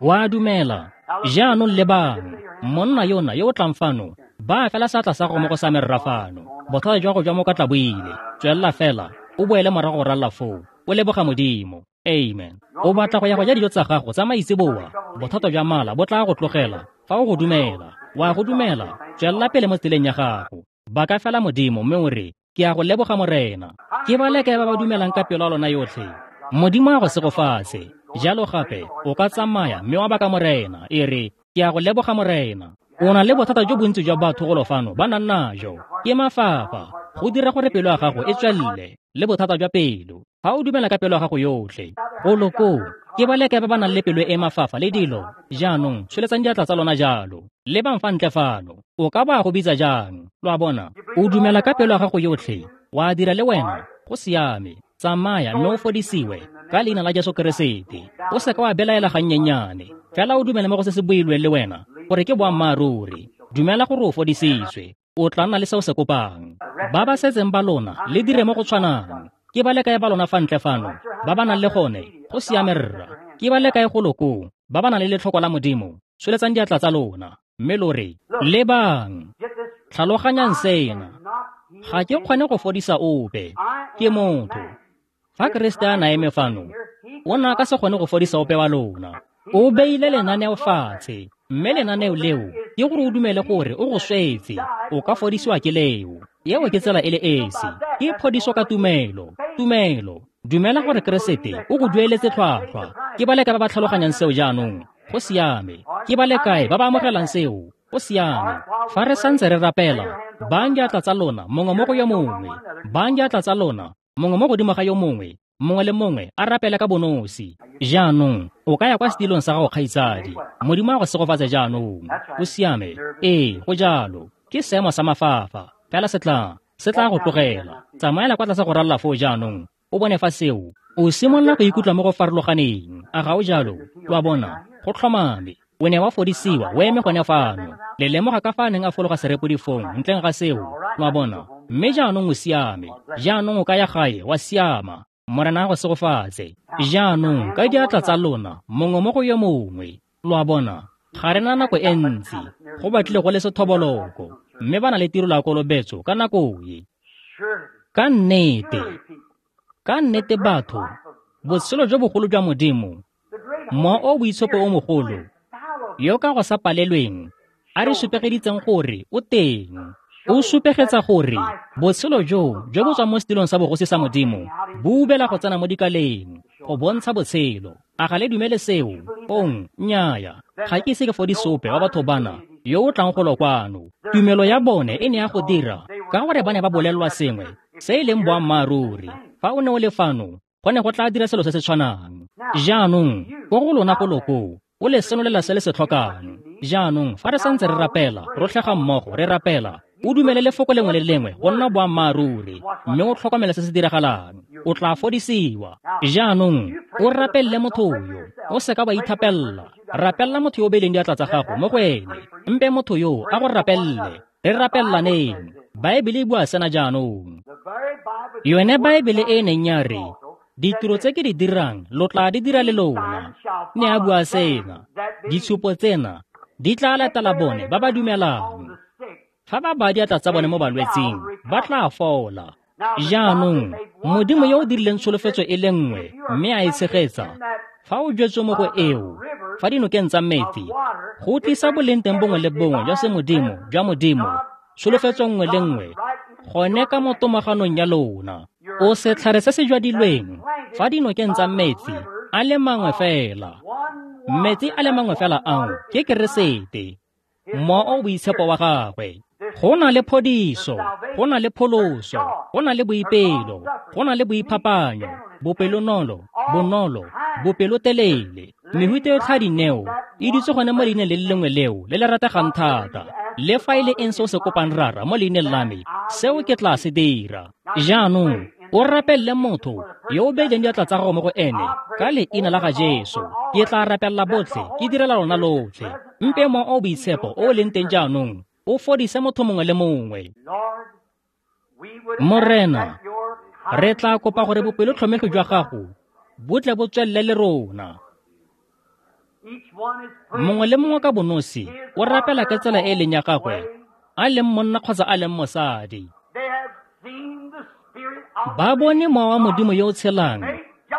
Wa dumela. Jaanong lebang, monna yona yo o tlang fano, ba fela seatla sa gago mo go sa me rra fano. Bothata jwa go jwa mo ka tla bo ile. Tswelela fela, o boele morago go ralla foo. O leboga Modimo. Amen. O batla go ya go ja dijo tsa gago tsa maitseboa. Bothata jwa mala bo tla go tlogela fa o go dumela. Wa go dumela, tswelela pele mo tseleng ya gago. Baka fela Modimo mme o re, ke a go leboga Morena. Ke ba le kae ba ba dumelang ka pelo ya lona yotlhe? Modimo a go segofatse. Jalo gape, o ka tsamaya mme wa baka Morena. E re, ke a go leboga Morena. O na le bothata jo bontsi jwa batho golo fano ba nang najo. Ke mafafa. Go dira gore pelo ya gago e tswelele le bothata jwa pelo. Fa o dumela ka pelo ya gago yotlhe, golo koo, ke ba le kae ba ba nang le pelo e mafafa le dilo? Jaanong, tsholetsang diatla tsa lona jalo. Lebang fa ntle fano. O ka ba go bitsa jang? Lo a bona? O dumela ka pelo ya gago yotlhe. Wa dira le wena. Go siame. Tsamaya mme o fodisiwe ka leina la Jesu Keresete. O seka wa belaela gannyenyane. Fela o dumele mo go se se builweng le wena gore ke boammaaruri. Dumela gore o fodisitswe. O tla nna le se o se kopang. Ba ba setseng ba lona le dire mo go tshwanang. Ke ba le kae ba lona fa ntle fano ba ba nang le gone? Go siame rra. Ke ba le kae golo koo ba ba nang le letlhoko la Modimo? Tsholetsang diatla tsa lona. mme lo re, lebang, tlhaloganyang sena. Ga ke kgone go fodisa ope, ke motho. Fa Keresete a na eme fano, o ne a ka se kgone go fodisa ope wa lona. O beile lenaneo fatshe, mme lenaneo leo ke gore o dumele gore o go swetse, o ka fodisiwa ke leo. Eo ke tsela e le esi, ke phodiso ka tumelo, tumelo. Dumela gore Keresete o go dueletse tlhwatlhwa. Ke ba le kae ba ba tlhaloganyang seo jaanong? Go siame. Ke ba le kae ba ba amogelang seo? Go siame. Fa re santse re rapela, bayang diatla tsa lona mongwe mo go yo mongwe. Bayang diatla tsa lona mongwe mo godimo ga yo mongwe. Mongwe le mongwe a rapele ka bonosi. Jaanong o ka ya kwa setilong sa gago, kgaitsadi. Modimo a go segofatse jaanong. O siame. Ee, go jalo. Ke seemo sa mafafa. Fela se tla, se tla go tlogela. Tsamaela kwa tlase go ralla foo jaanong. O bone fa seo. O simolola go ikutlwa mo go farologaneng. A ga o jalo? Lo a bona? Go tlhomame. O ne wa fodisiwa, o eme gone fano. Le lemoga ka fa a neng a fologa serepodifong ntleng ga seo. Lo a bona? Mme jaanong o siame. Jaanong o ka ya gae, wa siama. Morena a go segofatse. Jaanong ka diatla tsa lona, mongwe mo go yo mongwe. Lo a bona? Ga re na nako e ntsi. Go batlile go le sethoboloko. Mme ba na le tiro la kolobetso ka nako e. Ka nnete. Ka nnete batho, botshelo jo bogolo jwa Modimo, mowa o boitshepo o mogolo, yo ka go sa palelweng, a re supegeditseng gore o teng. O supegetsa gore botshelo jo jo bo tswang mo setilong sa bogosi sa Modimo bo ubela go tsena mo dikaleng go bontsha botshelo. A ga le dumele seo? Ong, nnyaya. Ga ke ise ke fodise ope wa batho bana yo o tlang golo kwano. Tumelo ya bone e ne ya go dira ka gore ba ne ba bolelelwa sengwe se e leng boammaaruri. Fa o ne o le fano, go ne go tla dira selo se se tshwanang. Jaanong, ko go lona golo koo, o le senolela se le se tlhokang. Jaanong, fa re santse re rapela, rotlhe ga mmogo re rapela, o dumele lefoko lengwe le lengwe go nna boammaaruri, mme o tlhokomele se se diragalang. O tla fodisiwa. Jaanong, o rapelele motho yo, o seka wa ithapella. Rapella motho yo o beileng diatla tsa gago mo go ene. Mpe motho yo a go rapelele. Re rapellaneng. Baebele e bua sena jaanong. Yone Baebele e neng ya re, ditiro tse ke di dirang lo tla di dira le lona. Ne a bua sena. Ditshupo tsena di tla latela bone ba ba dumelang. Fa ba baya diatla tsa bone mo balwetsing, ba tla fola. Jaanong, Modimo yo o dirileng tsholofetso e le nngwe mme a e tshegetsa, fa o jwetswe mo go eo, fa dinokeng tsa metsi, go tlisa boleng teng bongwe le bongwe jwa semodimo jwa Modimo, tsholofetso nngwe le nngwe, gone ka mo tomaganong ya lona. O setlhare se se jwadilweng fa dinokeng tsa metsi a le mangwe fela. Metsi a le mangwe fela ao ke Keresete, mowa o boitshepo wa gagwe. Go na le phodiso, go na le pholoso, go na le boipelo, go na le boiphapanyo, bopelonolo, bonolo, bopelotelele. Mehuta yotlhe ya dineo e dutse gone mo leineng le le lengwe leo le le rategang thata. Le fa e le eng se o se kopang Rara mo leineng la me, seo ke tla se dira. Jaanong, o rapelele motho yo o beileng diatla tsa gago mo go ene ka leina la ga Jesu. Ke tla rapella botlhe, ke direla lona lotlhe. Mpe mowa o boitshepo o o leng teng jaanong o fodise motho mongwe le mongwe. Morena, re tla kopa gore bopelotlhomegi jwa gago bo tle bo tswelele le rona. Mongwe le mongwe ka bonosi o rapela ka tsela e e leng ya gagwe, a leng monna kgotsa a leng mosadi. Ba bone mowa wa Modimo yo o tshelang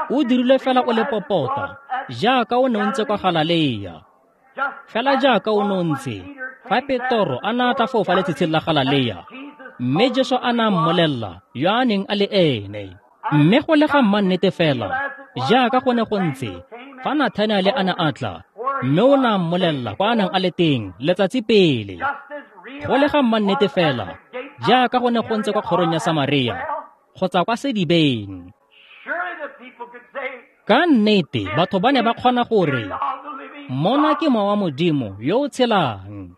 o dirilwe fela o le popota jaaka o ne o ntse kwa Galalea. Fela jaaka o ne o ntse fa Petoro a na a tla foo fa letshitshing la Galalea, mme Jesu a na mmolella yo a neng a le ene. Mme go le ga mmannete fela jaaka go ne go ntse fa Nathanaele a ne a tla, mme o ne a mmolella kwa a neng a le teng letsatsi pele. Go le ga mmannete fela jaaka go ne go ntse kwa kgorong ya Samaria kgotsa kwa sedibeng. Ka nnete batho ba ne ba kgona gore mona ke mowa wa Modimo yo o tshelang.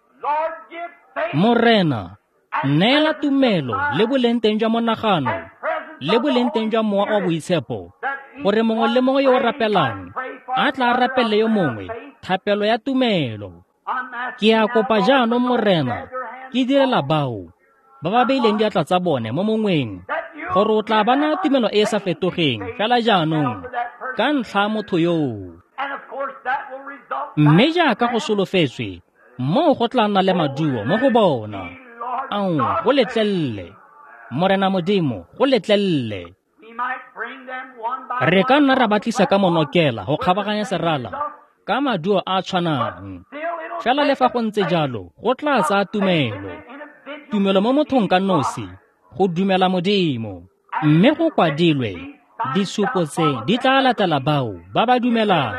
Morena, neela tumelo le boleng teng jwa monagano le boleng teng jwa mowa wa boitshepo, gore mongwe le mongwe yo o rapelang a tla rapelle yo mongwe thapelo ya tumelo. Ke a kopa jaanong Morena, ke direla bao ba ba beileng diatla tsa bone mo mongweng, gore o tla ba naya tumelo e e sa fetogeng fela jaanong ka ntlha motho yoo. Mme jaaka go solofetswe, Moo go tla nna le maduo mo go bona. Ao, go letlelele. Morena Modimo, go letlelele. Re ka nna ra ba tlisa ka monokela go kgabaganya serala ka maduo a a tshwanang. Fela le fa go ntse jalo, go tla tsaya tumelo. Tumelo mo mothong ka nosi, go dumela Modimo. Mme go kwadilwe, disupo tse di tla latela bao ba ba dumelang.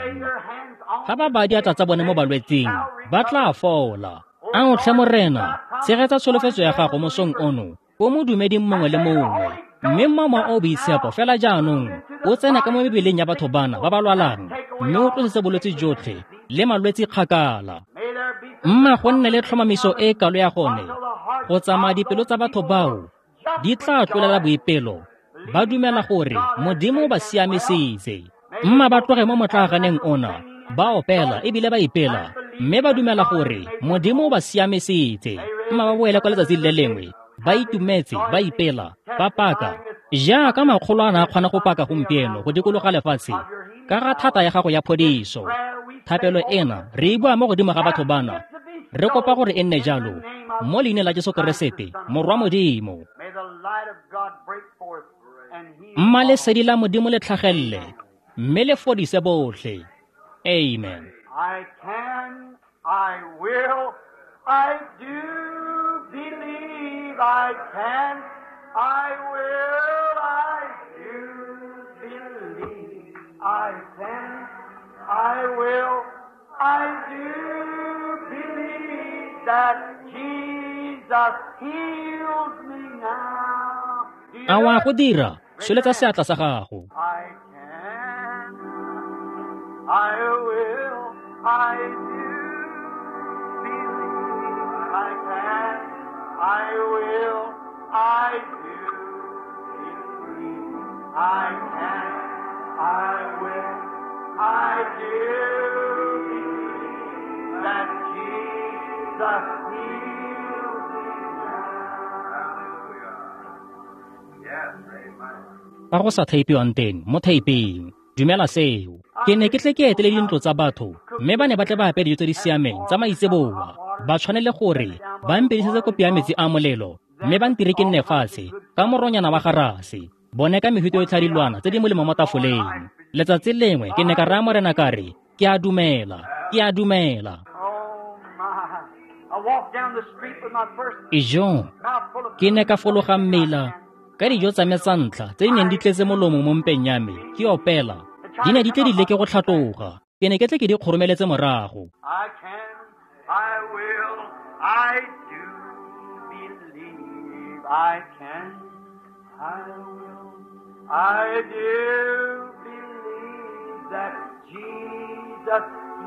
Ga ba baya diatla tsa bone mo balwetsing, ba tla fola. Ao tlhe Morena, tshegetsa tsholofetso ya gago mosong ono ko modumeding mongwe le mongwe. Mme mma o boitshepo fela jaanong o tsena ka mo mebeleng ya batho bana ba ba lwalang, mme o tlosetse bolwetse jotlhe le malwetse kgakala. Mma go nne le tlhomamiso e kalo ya gone go tsamaya dipelo tsa batho bao di tla tlolela boipelo, ba dumela gore Modimo o ba siamisitse. Mma ba tloge mo motlaaganeng ona, ba opela ebile ba ipela, mme ba dumela gore Modimo o ba siamisitse. Mma ba boele kwa letsatsing le lengwe, ba itumetse, ba ipela, ba paka jaaka makgolo a na a kgona go paka gompieno go dikologa lefatshe ka ga thata ya gago ya phodiso. Thapelo ena re e bua mo godimo ga batho bana, re kopa gore e nne jalo mo leineng la Jesu Keresete, Morwa Modimo. Mma lesedi la Modimo le tlhagelele mme le fodise botlhe. Amen. I can, I will, I do believe I can, I will, I do believe I can, I will, I do believe that Jesus heals me now. A wa go dira, tsholetsa seatla sa gago. I can, I will, I do believe I can, I will, I do believe I can, I will, I do believe that Jesus heals me now. Yes, amen. Fa go sa theipiwang teng mo theiping, dumela seo. Ke ne ke tle ke etele dintlo tsa batho, mme ba ne ba tle ba apere dijo tse di siameng tsa maitseboa. Ba tshwanele gore ba mpedisetse kopi ya metsi a molelo, mme ba ntire ke nne fatshe ka moronyana wa garase, bone ka mehuta yotlhe ya dilwana tse di molemo mo tafoleng. Letsatsi lengwe ke ne ka raya Morena ka re, ke a dumela, ke a dumela. Oh my. I walked down the street with my first Ijo, mouthful of ke ne ka fologa mmela ka dijo tsa me tsa ntlha tse di neng di tletse molomo mo mpeng ya me, ke opela. Di ne di tle di leke go tlhatloga, ke ne ke tle ke di kgoromeletse morago. I can, I will, I do believe I can, I will, I do believe that Jesus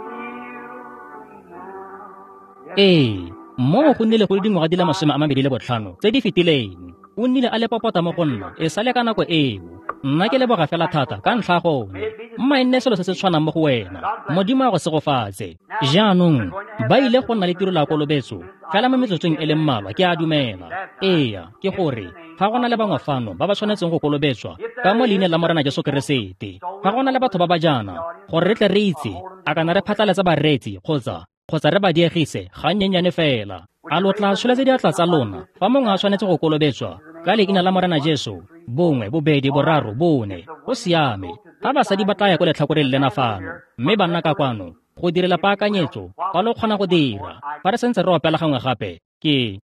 heals me now. Yes. Ee, moo go nnile go le dingwaga di le masome a mabedi le botlhano tse di fetileng. O nnile a le popota mo go nna e sale ka nako eo. Nna ke leboga fela thata ka ntlha ya gone. Mma e nne selo se se tshwanang mo go wena. Modimo a go segofatse. Jaanong ba ile go nna le tiro la kolobetso fela mo metsotsong e le mmalwa, ke a dumela. Ee, ke gore ga go na le bangwe fano ba ba tshwanetseng go kolobetswa ka mo leineng la Morena Jesu Keresete. Ga go na le batho ba ba jaana gore re tle re itse a kana re phatlalatsa bareetsi kgotsa kgotsa re ba diegise gannyenyane fela. A lo tla tsholetsa diatla tsa lona fa mongwe a tshwanetse go kolobetswa ka leina la Morena Jesu? Bongwe, bobedi, boraro, bone. Go siame. Ga basadi ba tla ya ko letlhakoreng lena fano, mme banna ka kwano go direla paakanyetso fa lo kgona go dira. Fa re santse re opela gangwe gape, ke